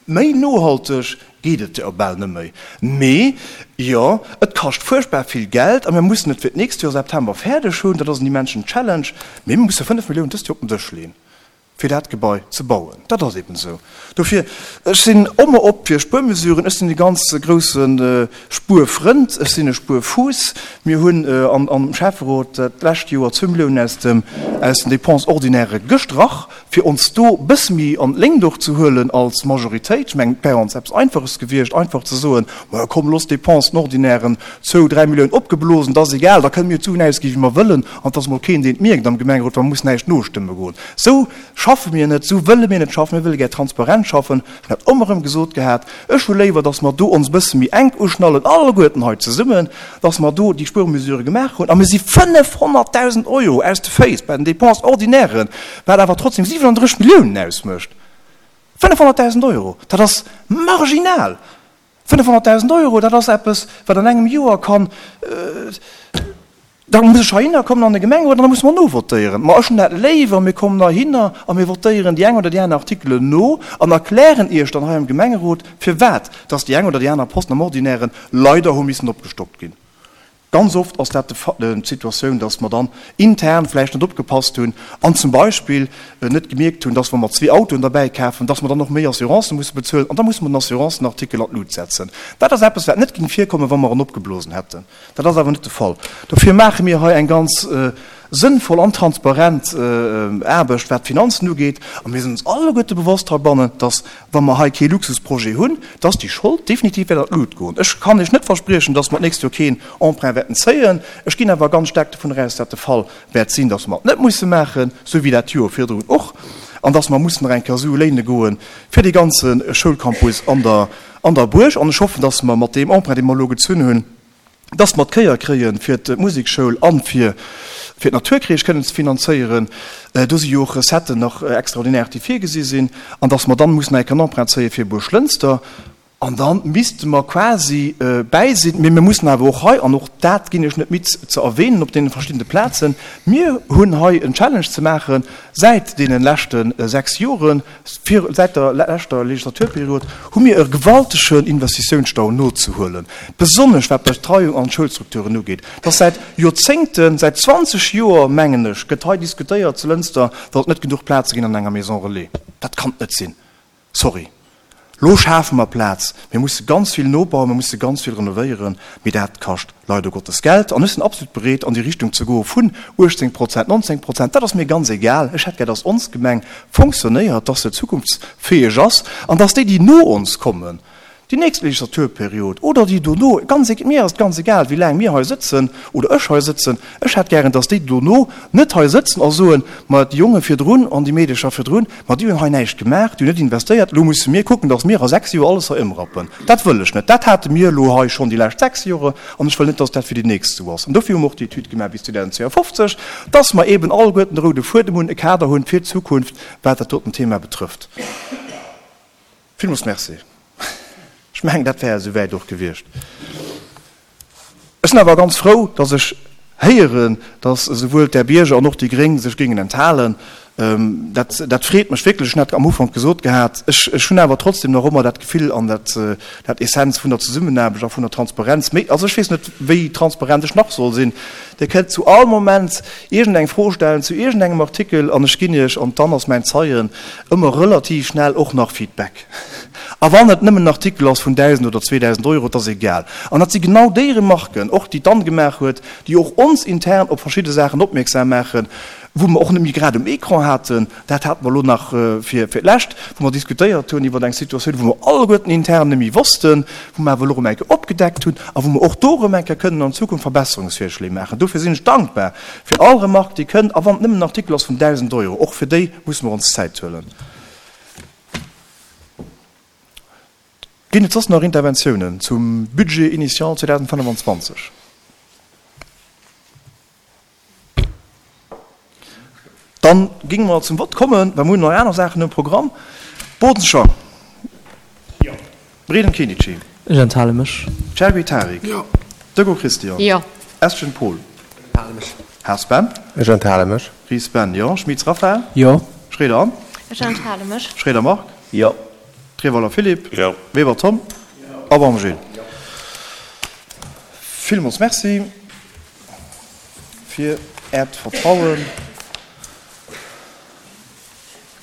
méi nohalteg geet et jo bal net méi. Mee jo, et kascht fuerchtbar vill Geld a mir mussen et fir d'nächst Joer September fäerdeg hunn. Dat ass en immensen Challenge. Mee mir musse fënnef Milliounen dëst Joer op den Dësch leeën. fir dat Gebai ze bauen. Dat ass eben esou. Dofir, ech sinn ëmmer op fir Spuermesuren. Ech sinn e ganz grousse Spuerfrënd. Ech sinn e Spuerfuuss. Mir hunn am Schäfferot d'lescht Joer zwou Milliounen aus dem, aus den Dépenses ordinaires gestrach, fir ons do e bësse méi an d'Léngt och ze huelen als Majoritéit. Ech mengen, et wär ons eppes Einfaches gewiescht, einfach ze soen, Majo komm, looss d'Dépenses ordinairen zwou, dräi Milliounen opgeblosen, dat ass egal, da kënne mir d'Suen ausgi wéi mer wëllen an et ass emol keen, deen et mierkt am Gemengerot, well mer mussen näischt nostëmme goen. Esou schaffe mir net, esou wëlle mir net schaffen, mir wëlle gär transparent schaffen. Ech hunn dat ëmmer erëm gesot gehat, ech hu léiwer, datt mer do ons e bësse méi enk uschnallen, alleguerten hei zesummen, datt mer do déi Spuermesurë gemaach hunn a mir si fënnefhonnertdausend Euro aus de Féiss bei den Dépenses ordinairen, wat awer trotzdem siwenunddrësseg Milliounen ausmécht. Fënnefhonnertdausend Euro, dat ass marginal! Fënnefhonnertdausend Euro, dat ass eppes, wat an engem Joer kann, da muss ech heihinner kommen an de Gemengerot an da musse mer novotéieren. Ma ech hunn dat léiwer, mir kommen heihinner a mir votéieren déi eng oder déi aner Artikelen no an erklären Iech dann hei am Gemengerot, firwat dass déi eng oder déi aner Posten am Ordinären leider hu missen opgestockt ginn. Ganz oft ass dat d'Situatioun, dass mer dann intern vläicht net opgepasst hunn an zum Beispill net gemierkt hunn, dass wa mer zwee Autoen derbäi kafen, dass mer dann och méi Assurancen musse bezuelen an da musse mer den Assurancenartikel an d'Lut setzen. Dat ass eppes, wat net géing virkommen, wa mer en opgeblosen hätten. Dat ass awer net de Fall. Dofir maache mir hei eng ganz sënnvoll an transparent Aarbecht, wat d'Finanzen ugeet. A mir sinn ons alleguerte bewosst heibannen, dass, wa mer hei kee Luxusprojet hunn, dass déi Schold definitiv wäert an d'Lut goen. Ech kann Iech net verspriechen, dass mer d'nächst Joer keen Emprunt wäerten zéien. Ech ginn awer ganz staark dovun eraus, dass dat de Fall wäert sinn, dass mer et net musse maachen, sou wéi dat Joer virdrun och, an dass mer mussen nach eng Kéier Sue léine goe fir dee ganze Schoulcampus an der an der Buerg. An ech hoffen, dass mer mat deem Emprunt, dee mer elo gezunn hunn, dass mer d'Kéier kréien, fir d'Musekschoul a fir d'Naturkreesch kënnen ze finanzéieren. Do si jo och Recetten nach extraordinaire, déi virgesi sinn. An dass mer dann mussen eng Emprunt zéie fir Buerglënster. An da misste mer quasi bäi sinn. Mee mir mussen awer och hei, an och dat ginn ech net midd ze erwähnen op deene verschiddene Plazen, mir hunn hei en Challenge ze maache säit deene leschte sechs Joren, Säit der leschter Legislaturperiod hu mir e gewaltegen Investitiounsstau nozehuelen, besonnesch wat d'Betreiung an d'Schoulstrukturen ugeet. Et ass säit Joerzéngten, säit zwanzeg Joer, mengen ech, gëtt hei diskutéiert zu Lënster, datt et net genuch Plaze ginn an enger Maison relais. Dat kann et net sinn. Sorry. Lo schafe mer Plaz. Mir musse ganz vill nobauen, mir musse ganz vill renovéieren, mee dat kascht leider Gottes Geld. An ech sinn absolut bereet, an déi Richtung ze goe vun uechtzéng Prozent, nonzéng Prozent, dat ass mir ganz egal. Ech hätt gär, dass ons Gemeng fonctionnéiert, dass se zukunftsfäeg ass an dass déi, déi no ons kommen, déi nächst Legislaturperiod oder déi dono, ganz e-, mir ass et ganz egal, wéi laang mir hei sëtzen oder ech hei sëtzen, ech hätt gären, dass déi dono net hei sëtzen a soen, ma déi Jonge virdrun an déi Meedecher virdrun, ma déi hunn hei näischt gemaach, déi hunn net investéiert, elo musse mir kucken, dass mir a sechs Joer alles hei ëmrappen. Dat wëll ech net. Dat hate mir elo hei schonn déi lescht sechs Jore an ech wëll net, dass dat fir déi nächst esou ass. An dofir hu mer och déi Etüd gemaach bis zweedausendzweeafofzeg, dass mer eeben alleguerten de roude Fuedem hunn, e Kader hunn fir d'Zukunft, wat dat doten Thema betrëfft. Villmools Merci. Ech mengen, dat wär esouwäit och gewiescht. Ech sinn awer ganz frou, dass ech héieren, dass esouwuel d'Här Bierger an och déi Gréng sech géingen enthalen. Dat, dat freet mech wierklech. Ech hunn dat am Ufank gesot gehat. Ech, ech hunn awer trotzdem nach ëmmer dat Gefill an dat, dat Essenz vun der Zesummenaarbecht a vun der Transparenz. Méi, also ech weess net, wéi transparent ech nach soll sinn. Dir kënnt zu all Moment iergendeng Fro stellen zu iergendengem Artikel an ech ginn Iech, an d'Anne ass mäin Zeien, ëmmer relativ schnell och nach Feedback. A wann et nëmmen en Artikel ass vun dausend oder zweedausend Euro, et ass egal. An dat si genau déi Remarken, och déi d'Anne gemaach huet, déi och ons intern op verschidde Saachen opmierksam maachen, wou mer och net méi grad um Ecran haten. Dat hate mer elo nach fir d'lescht, wou mer diskutéiert hunn iwwer eng Situatioun, wou mer alleguerten intern net méi wossten, wou mer awer elo erëm eng Kéier opgedeckt hunn a wou mer och do erëm eng Kéier kënnen an Zukunft Verbesserungsvirschléi maachen. Dofir sinn ech dankbar fir all Remarque, déi kënnt, a wann et nëmmen en Artikel ass vun dausend Euro, och fir déi musse mer ons Zäit huelen. Ginn et soss nach Interventiounen zum Budget initial zweedausendfënnefanzwanzeg? Dann géinge mer zum Vott kommen, well mer hunn nach aner Saachen um Programm. Bodenschang. Jo. Breden Kenichi. Ech enthale mech. Chergui Tarik. Jo. Deco Christian. Jo. Estgen Paul. Enthale mech. Haas Ben. Ech enthale mech. Ries Ben, jo. Schmitz Raphaël. Jo. Schroeder Anne. Ech enthale mech. Schroeder Marc. Jo. Treweiler Philippe. Jo. Weber Tom. Jo. A Baum Gilles. Jo. Villmools Merci fir Äert Vertrauen.